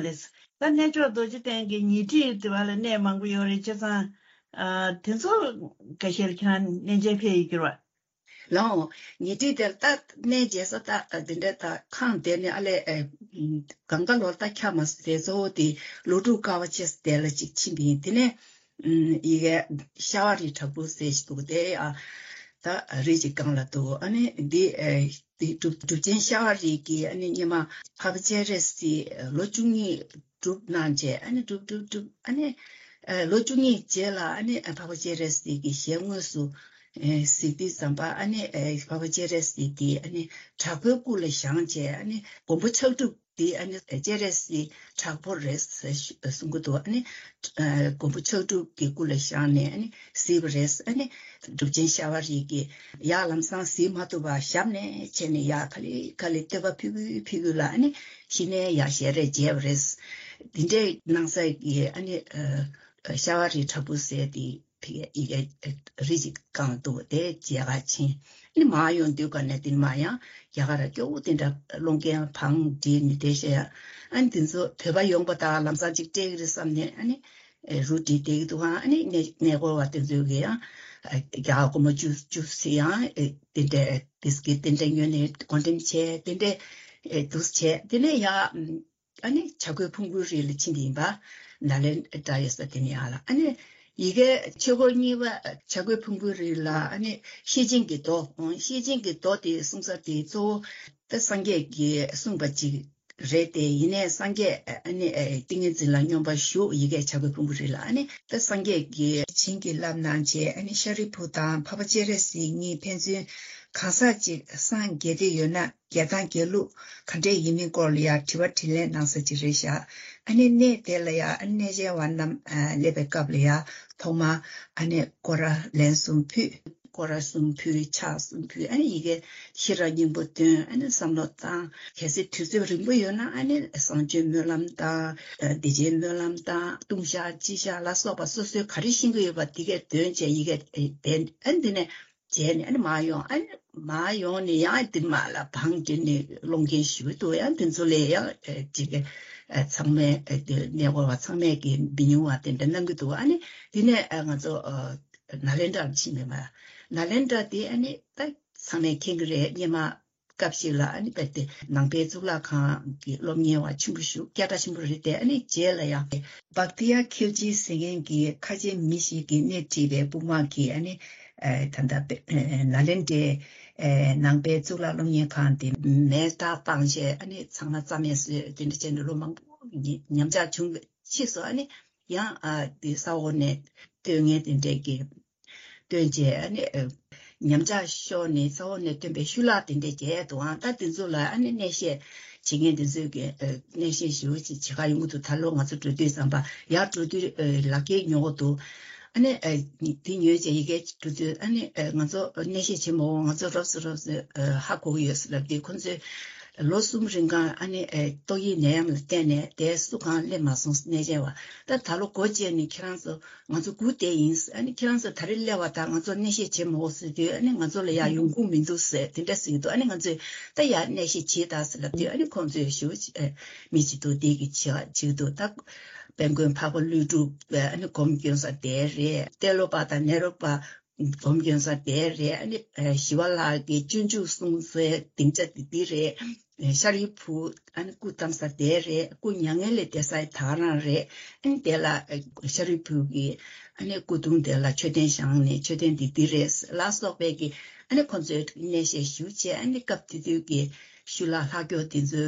ལགས་ལགས། ད་གནས་མཆོག་རྡོ་རྗེ་གདན་གྱི་ཉེ་འཁྲིས་དེ་བ་ལ་གནས་མང་པོ་ཡོད་རེད། བྱས་ཙང་ཨ་དེ་ཚོ་འགའ་ཤས་ལ་ཁྱེད་རང་གནས་མཇལ་ཕེབས་ཡོད་ཀྱི་རེད་བ། ལགས་འོང་། ཉེ་འཁྲིས་དེར་ད་གནས་མཇལ་ས་ད་འདི་འདྲ་ད་ཁང་དེ་ནས་ཨ་ལས་ཨེ་གང་ག་ལོར་ད་ཁྱ་མ་སི་དེ་གཙོ་བོ་དེ་ལོ་དྲུག་དཀའ་བ་སྤྱད་ས་དེ་ལ་ཅིག་ཕྱིན་པ་ཡིན། དེ་ནས་ཨུམ་ཡི་གེ་ཤ་བ་རི་བྲག་ཕུག་ཟེར་ཞིག་འདུག་དེ་ཨ་ད་རི་ཅིག་སྒང་ལ་འདུག་ཨ་ནི་འདི་ཨེ་འདི་གྲུབ་གྲུབ་ཆེན་ཤ་བ་རི་གི་ཨ་ནི་སྔོན་མ་འཕགས་པ་སྤྱན་རས་གཟིགས་ལོ་བཅུ་གཉིས་སྒྲུབ་གནང་རྗེས་ཨ་ནི་སྒྲུབ་སྒྲུབ་སྒྲུབ་ཨ་ནི་ཨ་ལོ་བཅུ་གཉིས་རྗེས་ལ་ཨ་ནི་ཨ་འཕགས་པ་སྤྱན་རས་གཟིགས་ཀྱི་ཞལ་དངོས་སུ་ཨེ་གཟིགས་དུས་ཙམ་པ་ཨ་ནི་ཨེ་འཕགས་པ་སྤྱན་རས་གཟིགས་དེ་ཨ་ནི་དྲག་པོའི་སྐུ་ལ་བཞེངས་བྱས་ཨ་ནི་མགོན་པོ་ཕྱག་དྲུག་དེ་ཨ་ནི་སྤྱན་རས་གཟིགས་དྲག་པོ་རེད་ཟེར་གསུང་གི་འདུག་ཨ་ནི་ཨེ་མགོན་པོ་ཕྱག་དྲུག་གི་སྐུ་ལ་བཞེངས་ནས་ཨ་ནི་གཟིགས་པ་རེད། ཨ་ནི་གྲུབ་ཆེན་ཤ་བ་རི་གིས་ཡར་ལམ་སང་གཟིགས་མ་ཐུབ་པར་ཞབས་ནས་བྱས་ནས་ཡར་ག་ལེ་ག་ལེ་བསྟོད་པ་ཕུལ་གི་ཕུལ་གི་ལ་ཨ་ནི་གཞི་ནས་ཡར་ཞལ་རས་མཇལ་བ་རེད། འདི་འདྲའི་གནང་ས་གི་ཨ་ནི་ཨ་ཤ་བ་རི་བྲག་ཕུག་ཟེར་དེ་ཕི་ཡི་གེ་རི་ཅིག་སྒང་འདུག་དེ་མཇལ་ག་ཕྱིན། ཨ་ནི་མར་ཡོང་དུས་ག་ནས་དེ་ནས་མར་ཡང་རྒྱ་གར་སྐྱོ་བོ་དེ་འདྲ་སློང་མཁན་བང་བསྒྲིགས་ནས་བསྡད་ཤག་ཨ་ནི་དེ་ཚོ་བོད་པ་ཡོང་པ་དང་ལམ་སང་ཅིག་སྤྲད་གི་རེད་བསམ་ནས་ཨ་ནི་རུ་བསྒྲིགས་བསྡད་ཀྱི་འདུག་ཨ་ནི་གནས་གནས་སྐོར་བ་དེ་ཚོས་གི་ཡང་རྒྱ་གར་སྒོར་མོ་བཅུ་བཅུ་ཟེར་ཡང་དེ་འདྲ་བིས་ཀིཊ་དེ་འདྲ་ཉོས་ནས་བགོ་འགྲེམས་བྱས་དེ་འདྲ་འདུག་བྱས་དེ་ནས་ཡང་། ཨ་ནི་བྱ་རྒོད་ཕུང་པོའི་རི་ལ་ཕྱིན་དེ་ཡིན་པ། ནཱ་ལེནྡྲ་ཡོད་ས་དེ་ནས་ཡར་ལ་ཨ་ནི་ ཡི་གེ་ཆོས་འཁོར་གཉིས་པ་བྱ་རྒོད་ཕུང་པོའི་རི་ལ་ཨ་ནི་ཤེར་ཕྱིན་གྱི་མདོ། ཤེར་ཕྱིན་གྱི་མདོ་དེ་གསུང་ས་དེ་གཙོ་བོ་ད་སངས་རྒྱས་ཀྱིས་གསུངས་པ་ཅིག་རེད་དེ། ཡིན་ནའི་སངས་རྒྱས་ཨ་ནི་ཏིང་ངེ་འཛིན་ལ་སྙོམས་པར་ཞུགས། ཡི་གེ་བྱ་རྒོད་ཕུང་པོའི་རི་ལ་ཨ་ནི་ད་སངས་རྒྱས་ཀྱིས་བྱིན་གྱིས་བརླབས་གནང་བྱས། ཨ་ནི་ཤཱ་རིའི་བུ་དང་འཕགས་པ་སྤྱན་རས་གཟིགས་གཉིས་ཕན་ཚུན་གང་ཟག་ཅིག་སངས་རྒྱས་བསྡད་ཡོད་ན། རྒྱལ་ཐང་རྒྱལ་ལུགས་ག་འདྲས་ཡིན་མིན་སྐོར་ལ་ཡང་དྲི་བ་དྲིས་ལན་གནང་ས་ཅིག་རེད་ཤག་ཨ་ནི་གནས་དེ་ལ་ཡང་ཨ་ནི་གནས་མཇལ་བ་རྣམས་ཨ་སླེབས་པའི་སྐབས་ལ་ཡང་ཐོག་མར་ཨ་ནི་སྐོར་ར་ལན་གསུམ་ཕུལ། སྐོར་ར་གསུམ་ཕུལ། ཕྱག་གསུམ་ཕུལ། ཨ་ནི་ཡི་གེ་ཤེས་རབ་སྙིང་པོ་འདོན། ཨ་ནི་བསམ་བློ་བཏང་། གལ་སྲིད་དུས་ཚོད་རིང་པོ་ཡོད་ན་ཨ་ནི་བཟང་སྤྱོད་སྨོན་ལམ་དང་བདེ་ཆེན་སྨོན་ལམ་དང་ལྟུང་བཤགས་སྤྱི་བཤགས་ལ་སོགས་པ་སོ་སོའི་ག་རེ་ཤེས་ཀྱི་ཡོད་པ་དེ་གས་འདོན་བྱས་ཡི་གེ་འབད། ཨ་ནི་འདི་ནས་བྱས་ནས་ཨ་ནི་མར་ཡོང་། ཨ་ནི་མར་ཡོང་ནས་ཡང་དེ་མར་ལ་བང་བསྒྲིགས་ནས་སློང་མཁན་ཞིག་འདུག་ཡང་དེ་ཚོ་ལས་ཡང་ཅིག་ཚང་མས་གནས་སྐོར་བ་ཚང་མས་ཀྱི་མི་ཉུང་བ་དེ་འདྲ་གནང་གི་འདུག་ཨ་ནི་དེ་ནས་ང་ཚོ་ནཱ་ལེནྡྲར་ཕྱིན་པས་མ། ནཱ་ལེནྡྲ་དེ་ཨ་ནི་ད་ཚང་མས་མཁྱེན་གྱི་རེད། སྔོན་མ་སྐབས་ཤིག་ལ་ཨ་ནི་རྦད་དེ་ནང་པའི་གཙུག་ལག་ཁང་གི་སློབ་གཉེར་བ་ཆེན་པོ་ཞིག་སྐད་གྲགས་ཆེན་པོ་རེད་དེ། ཨ་ནི་རྗེས་ལ་ཡང་བྷག་ཏི་ཡ་ཁིལ་ཇི་ཟེར་མཁན་གྱི་ཁ་ཆེ་མི་ཞིག་གིས་སྣེ་ཁྲིད་པའི་དཔུང་དམག་གིས་ཨ་ནི་ད་ལྟ་ནཱ་ལེནྡྲའི་ནང་པའི་གཙུག་ལག་སློབ་གཉེར་ཁང་དེ་མེ་སྟག་བཏང་བྱས་ཨ་ནི་ཚང་མ་རྩ་མེད་བཟོས། དེ་འདྲ་བྱས་ནས་ལོ་མང་པོ་ཉམས་ཆག་བྱུང་། ཕྱིས་སུ་ཨ་ནི་ཡང་དེ་ས་འོག་ནས་བཏོན་མཁན་དེ་འདྲས་ཀྱི་བཏོན་བྱས་ཨ་ནི་ཉམས་ཆག་ཤོར་ནས་ས་འོག་ནས་བཏོན་པའི་ཤུ་ལག་དེ་འདྲས་བརྒྱབ་འདུག་ཨང་། ད་དེ་ཚོ་ལ་ཨ་ནི་གནས་བཤད་བྱེད་མཁན་དེ་ཚོས་ཀྱི་གནས་བཤད་ཞུ་བྱེད་ག་ཡོང་གི་འདུག་ད་ལོ་ང་ཚོ་འགྲོ་དུས་ཙམ་པ་ཡར་འགྲོ་དུས་ལག་འཁྱེར་ཉོ་གི་འདུག་ཨ་ནི་དེ་ཉོས་བྱས་ཡི་གེ་འགྲོ་དུས་ཨ་ནི་ང་ཚོ་གནས་བཤད་བྱེད་མ་འོང་། ང་ཚོ་རོབ་ཙམ་རོབ་ཙམ་ཧ་གོ་གི་ཡོད་ཟེར་ལབ་དུས་ཁོ་ཚོས་ལོ་གསུམ་རིང་གང་ཨ་ནི་ཏོག་དབྱིབས་ནད་ཡམས་ལ་བརྟེན་ནས་དེ་སུ་གང་སླེབས་མ་སོང་། གནས་མཇལ་བ་ད་ད་ལོ་སྒོ་བཅད་ནས་ཁྱེད་རང་ཚོ་ང་ཚོ་སྒུག་བསྡད་ཡིན། ཨ་ནི་ཁྱེད་རང་ཚོ་ད་རེས་སླེབས་པ་དང་ང་ཚོ་གནས་བཤད་བྱེད་མ་འོང་ཟེར་དུས་ཨ་ནི་ང་ཚོ་ལ་ཡང་ཡོང་ཁུངས་མི་འདུག་ཟེར་དེ་འདྲ་ཟེར་གྱི་འདུག་ཨ་ནི་ང་ཚོས་ད་ཡར་གནས་བཤད་བྱེད་དང་ཟེར་ལབ་དུས་ཨ་ནི་ཁོང་ཚོས་ཞུ་མི་བྱེད་འདུག་དེ་གི་བྱེད་བྱེད་འདུག་ད་དཔལ་མགོན་འཕགས་པ་ཀླུ་སྒྲུབ་ཨ་ནི་སྒོམ་སྐྱོན་ས་དེ་རེད། ཏེ་ལོ་པ་དང་ནེ་རོ་པ་སྒོམ་སྐྱོན་ས་དེ་རེད། ཨ་ནི་ཞི་བ་ལྷ་གི་སྤྱོད་འཇུག་གསུང་སའི་སྡིངས་ཆ་དེ་འདི་རེད། ཤཱ་རིའི་བུ་ཨ་ནི་སྐུ་བལྟམས་ས་དེ་རེད། སྐུ་མྱ་ངན་ལས་འདས་ས་ད་ག་རང་རེད། ཨ་ནི་དེ་ལ་ཤཱ་རིའི་བུ་གིས་ཨ་ནི་སྐུ་གདུང་དེ་ལ་མཆོད་རྟེན་བཞེངས་ནས་མཆོད་རྟེན་འདི་འདི་རེད་ལ་སོགས་པའི་གི་ཨ་ནི་ཁོང་ཚོས་གནས་བཤད་ཞུ་བྱས། ཨ་ནི་སྐབས་དེ་དུས་ཀྱི་ཤུ་ལག་ལྷག་སྐྱོ་དེ་ཚོ་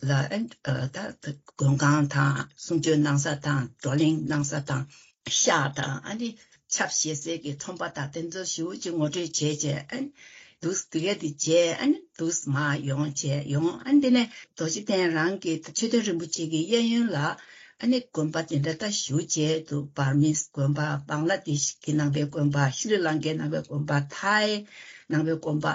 ལ་ཨ་ནི་ད་མགོན་ཁང་དང་གསུང་ཆོས་གནང་ས་དང་བགྲོ་གླེང་གནང་ས་དང་། ཤག་དང་ཨ་ནི་ཆབ་བཞེས་སའི་གི་ཚོང་པ་དང་དེ་ཚོ་ཞེ་པོ་ཅིག་ངོ་སྤྲོད་བྱས་བྱས་ཨ་ནི་འདུག་སེ་དེ་ག་དེ་བྱས་ཨ་ནི་འདུག་སེ་མར་ཡོང་བྱས་ཡོང་། ཨ་ནི་དེ་ནས་རྡོ་རྗེ་གདན་རང་གི་མཆོད་རྟེན་རིན་པོ་ཆེ་གི་གཡས་གཡོན་ལ་ཨ་ནི་དགོན་པ་དེ་འདྲ་ད་ཞེ་པོ་ཅིག་འདུག་བར་མིས་དགོན་པ། བང་ལ་དེ་ཤི་གི་ནང་པའི་དགོན་པ། ཤྲི་ལང་ཀའི་ནང་པའི་དགོན་པ། ཐའི་ནང་པའི་དགོན་པ།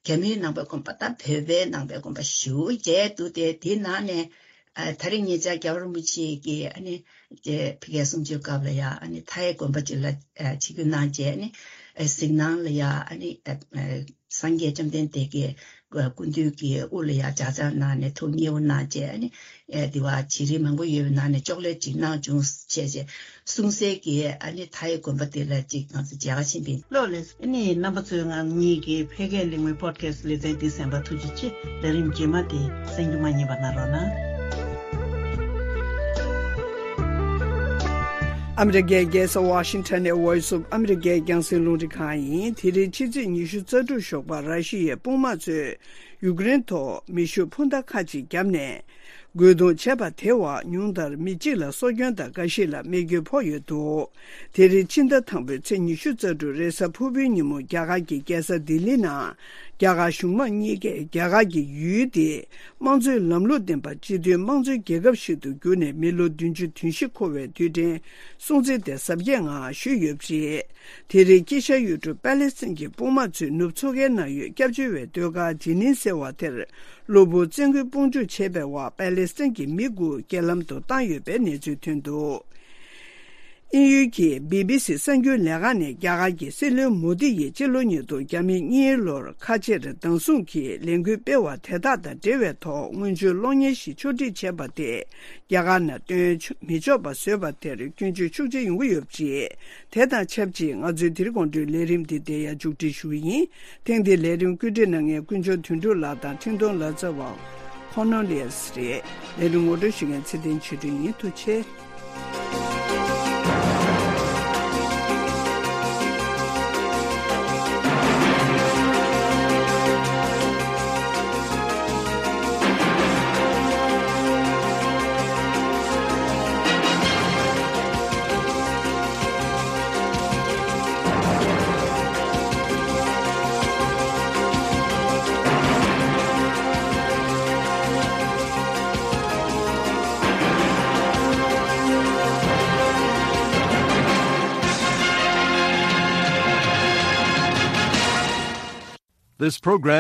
རྒྱ་མིའི་ནང་པའི་དགོན་པ། ད་བོད་པའི་ནང་པའི་དགོན་པ་ཞེ་པོ་ཅིག་འདུག་སྟེ། དེའི་ནང་ནས་ཨ་ད་རེས་ཉེ་ཆར་རྒྱལ་བ་རིན་པོ་ཆེ་གིས་ཨ་ནི་དེ་ཕ་གིའི་གསུང་ཆོས་སྐབས་ལ་ཡ་ཨ་ནི་ཐའི་དགོན་པ་ཅིག་ལ་ཨ་ཆིབས་བསྒྱུར་གནང་བྱས། ཨ་ནི་ཨ་གཟིགས་སྣང་ལ་ཡ་ཨ་ནི་ཨ་ཨ་སངས་རྒྱས་བཅོམ་ལྡན་འདས་ཀྱི་སྐུ་མདུན་གྱི་དབུ་ལ་ཡ་ལྗགས་བཅགས་གནང་ནས་ཐུགས་མཉེས་པོ་གནང་བྱས། ཨ་ནི་ཨ་དེ་བ་བྱི་རིལ་མང་པོ་ཡོད་པའི་ནང་ནས་ཅོག་ལེ་ཅིག་གནང་བྱུང་བྱས་བྱས་གསུང་སའི་གི་ཨ་ནི་ཐའི་དགོན་པ་དེ་ལ་ཅིག་ང་ཚོ་མཇལ་ཁ་ཕྱིན་པ་ཡིན། ལགས་ལགས། ཨ་ནི་རྣམ་པ་ཚོས་ང་གཉིས་ཀྱི་ཕ་གིའི་གླེང་མོལ་པོ་ཌི་ཁ་སི་ལེ་ཚན་འདི་གསན་པར་ཐུགས་རྗེ་ཆེ། ལས་རིམ་རྗེས་མ་དེ་གསན་རྒྱུ་མ་བསྙེལ་བ་གནང་རོགས་གནང་། ཨ་མི་རི་ཀའི་རྒྱལ་ས་ཝ་ཤིང་ཊོན་ནས་Voice of America་རྒྱང་སྲིང་རླུང་འཕྲིན་ཁང་ཡིན། དེ་རིང་ཕྱི་ཚེས་ཉི་ཤུ་རྩ་དྲུག་ཞོགས་པ་ར་ཤི་ཡའི་དཔུང་དམག་ཚོས་ཡུཀ་རེན་ཐོག་མེ་ཤུགས་འཕུར་མདའ་ཁག་ཅིག་བརྒྱབ་ནས། རྒོལ་རྡུང་བྱས་པ་དེ་བར་ཉུང་མཐར་མི་གཅིག་ལ་སྲོག་སྐྱོན་དང་འགའ་ཞིག་ལ་རྨས་སྐྱོན་ཕོག་ཡོད་འདུག་དེ་རིང་ཕྱི་ཟླ་དང་པོའི་ཚེས་ཉི་ཤུ་རྩ་དྲུག་རེས་གཟའ་ཕུར་བུའི་ཉིན་མོ་རྒྱ་གར་གྱི་རྒྱལ་ས་ལྡི་ལི་ནང་རྒྱ་གར་གཞུང་དམངས་གཉིས་ཀས་རྒྱ་གར་གྱི་ཡུལ་དེའི་དམངས་གཙོའི་ལམ་ལུགས་ལྡན་པ་སྤྱི་མཐུན་དམངས་གཙོའི་རྒྱལ་ཁབ་ཞིག་ཏུ་གྱུར་ནས་མི་ལོ་བདུན་ཅུ་དོན་བཞི་འཁོར་བའི་དུས་དྲན་སྲུང་བརྩི་དེ་གཟབ་རྒྱས་ངང་ཞུས་ཡོད་པ་རེད། དེ་རིང་དཀྱིལ་ཤར་ཡུལ་གྲུ་པ་ལེ་སི་ཐན་གྱི་དཔུང་དམག་ཚོས་ནུབ་མཚོ་ཁའི་ནང་ཡོད་སྐྱབས་བཅོལ་བའི་སྡོད་སྒར་ཇི་ནིན་ཟེར་བ་དེར་གློ་བུར་བཙན་རྒོལ་དཔུང་འཇུག་བྱས་པའི་འོག་པ་ལེ་སི་ཐན་གྱི་མི་དགུ་རྐྱེན་ལམ་དུ་བཏང་ཡོད་པའི་གནས་ཚུལ་ཐོན་འདུག་དབྱིན་ཡུལ་གྱི་བི་བི་སི་གསར་འགྱུར་ལས་ཁང་ནས་རྒྱ་གར་གྱི་སྲིད་བློན་མོ་དི་ཡིས་སྤྱི་ལོ་ཉིས་སྟོང་ཉེར་གཉིས་ལོར་ཁ་ཆེར་བདག་བཟུང་གིས་ལས་འགུལ་སྤེལ་བ་དེ་དག་དང་འབྲེལ་བའི་ཐོག་སྔོན་བྱོན་གློག་བརྙན་ཞིག་ཕྱོགས་སྒྲིག་བྱས་པ་དེ། རྒྱ་གར་ནང་སྟོན་མི་ཆོག་པ་བཟོས་པ་དེར་སྐྱོན་བརྗོད་ཤུགས་ཆེ་ཡོང་གི་ཡོད་པ་རེད། དེ་དང་ཆབས་ཅིག་ང་ཚོའི་དེ་རིང་དགོང་དྲོའི་ལས་རིམ་འདི་འདིར་ཡང་མཇུག་སྒྲིལ་ཞུ་གི་ཡིན། ཐེངས་འདིའི་ལས་རིམ་བཀོད་སྒྲིག་གནང་མཁན་དཀོན་མཆོག་དོན་གྲུབ་ལགས་དང་འཕྲིན་གཏོང་ལག་རྩལ་བ་ཁོ་ནོ་ལི་ཡས་རེད། ལས་རིམ་ངོ་སྤྲོད་ཞུ་མཁན་ཚེ་བརྟན་ཆོས་སྒྲོན་ཡིན། ཐུགས་རྗེ་ཆེ། This program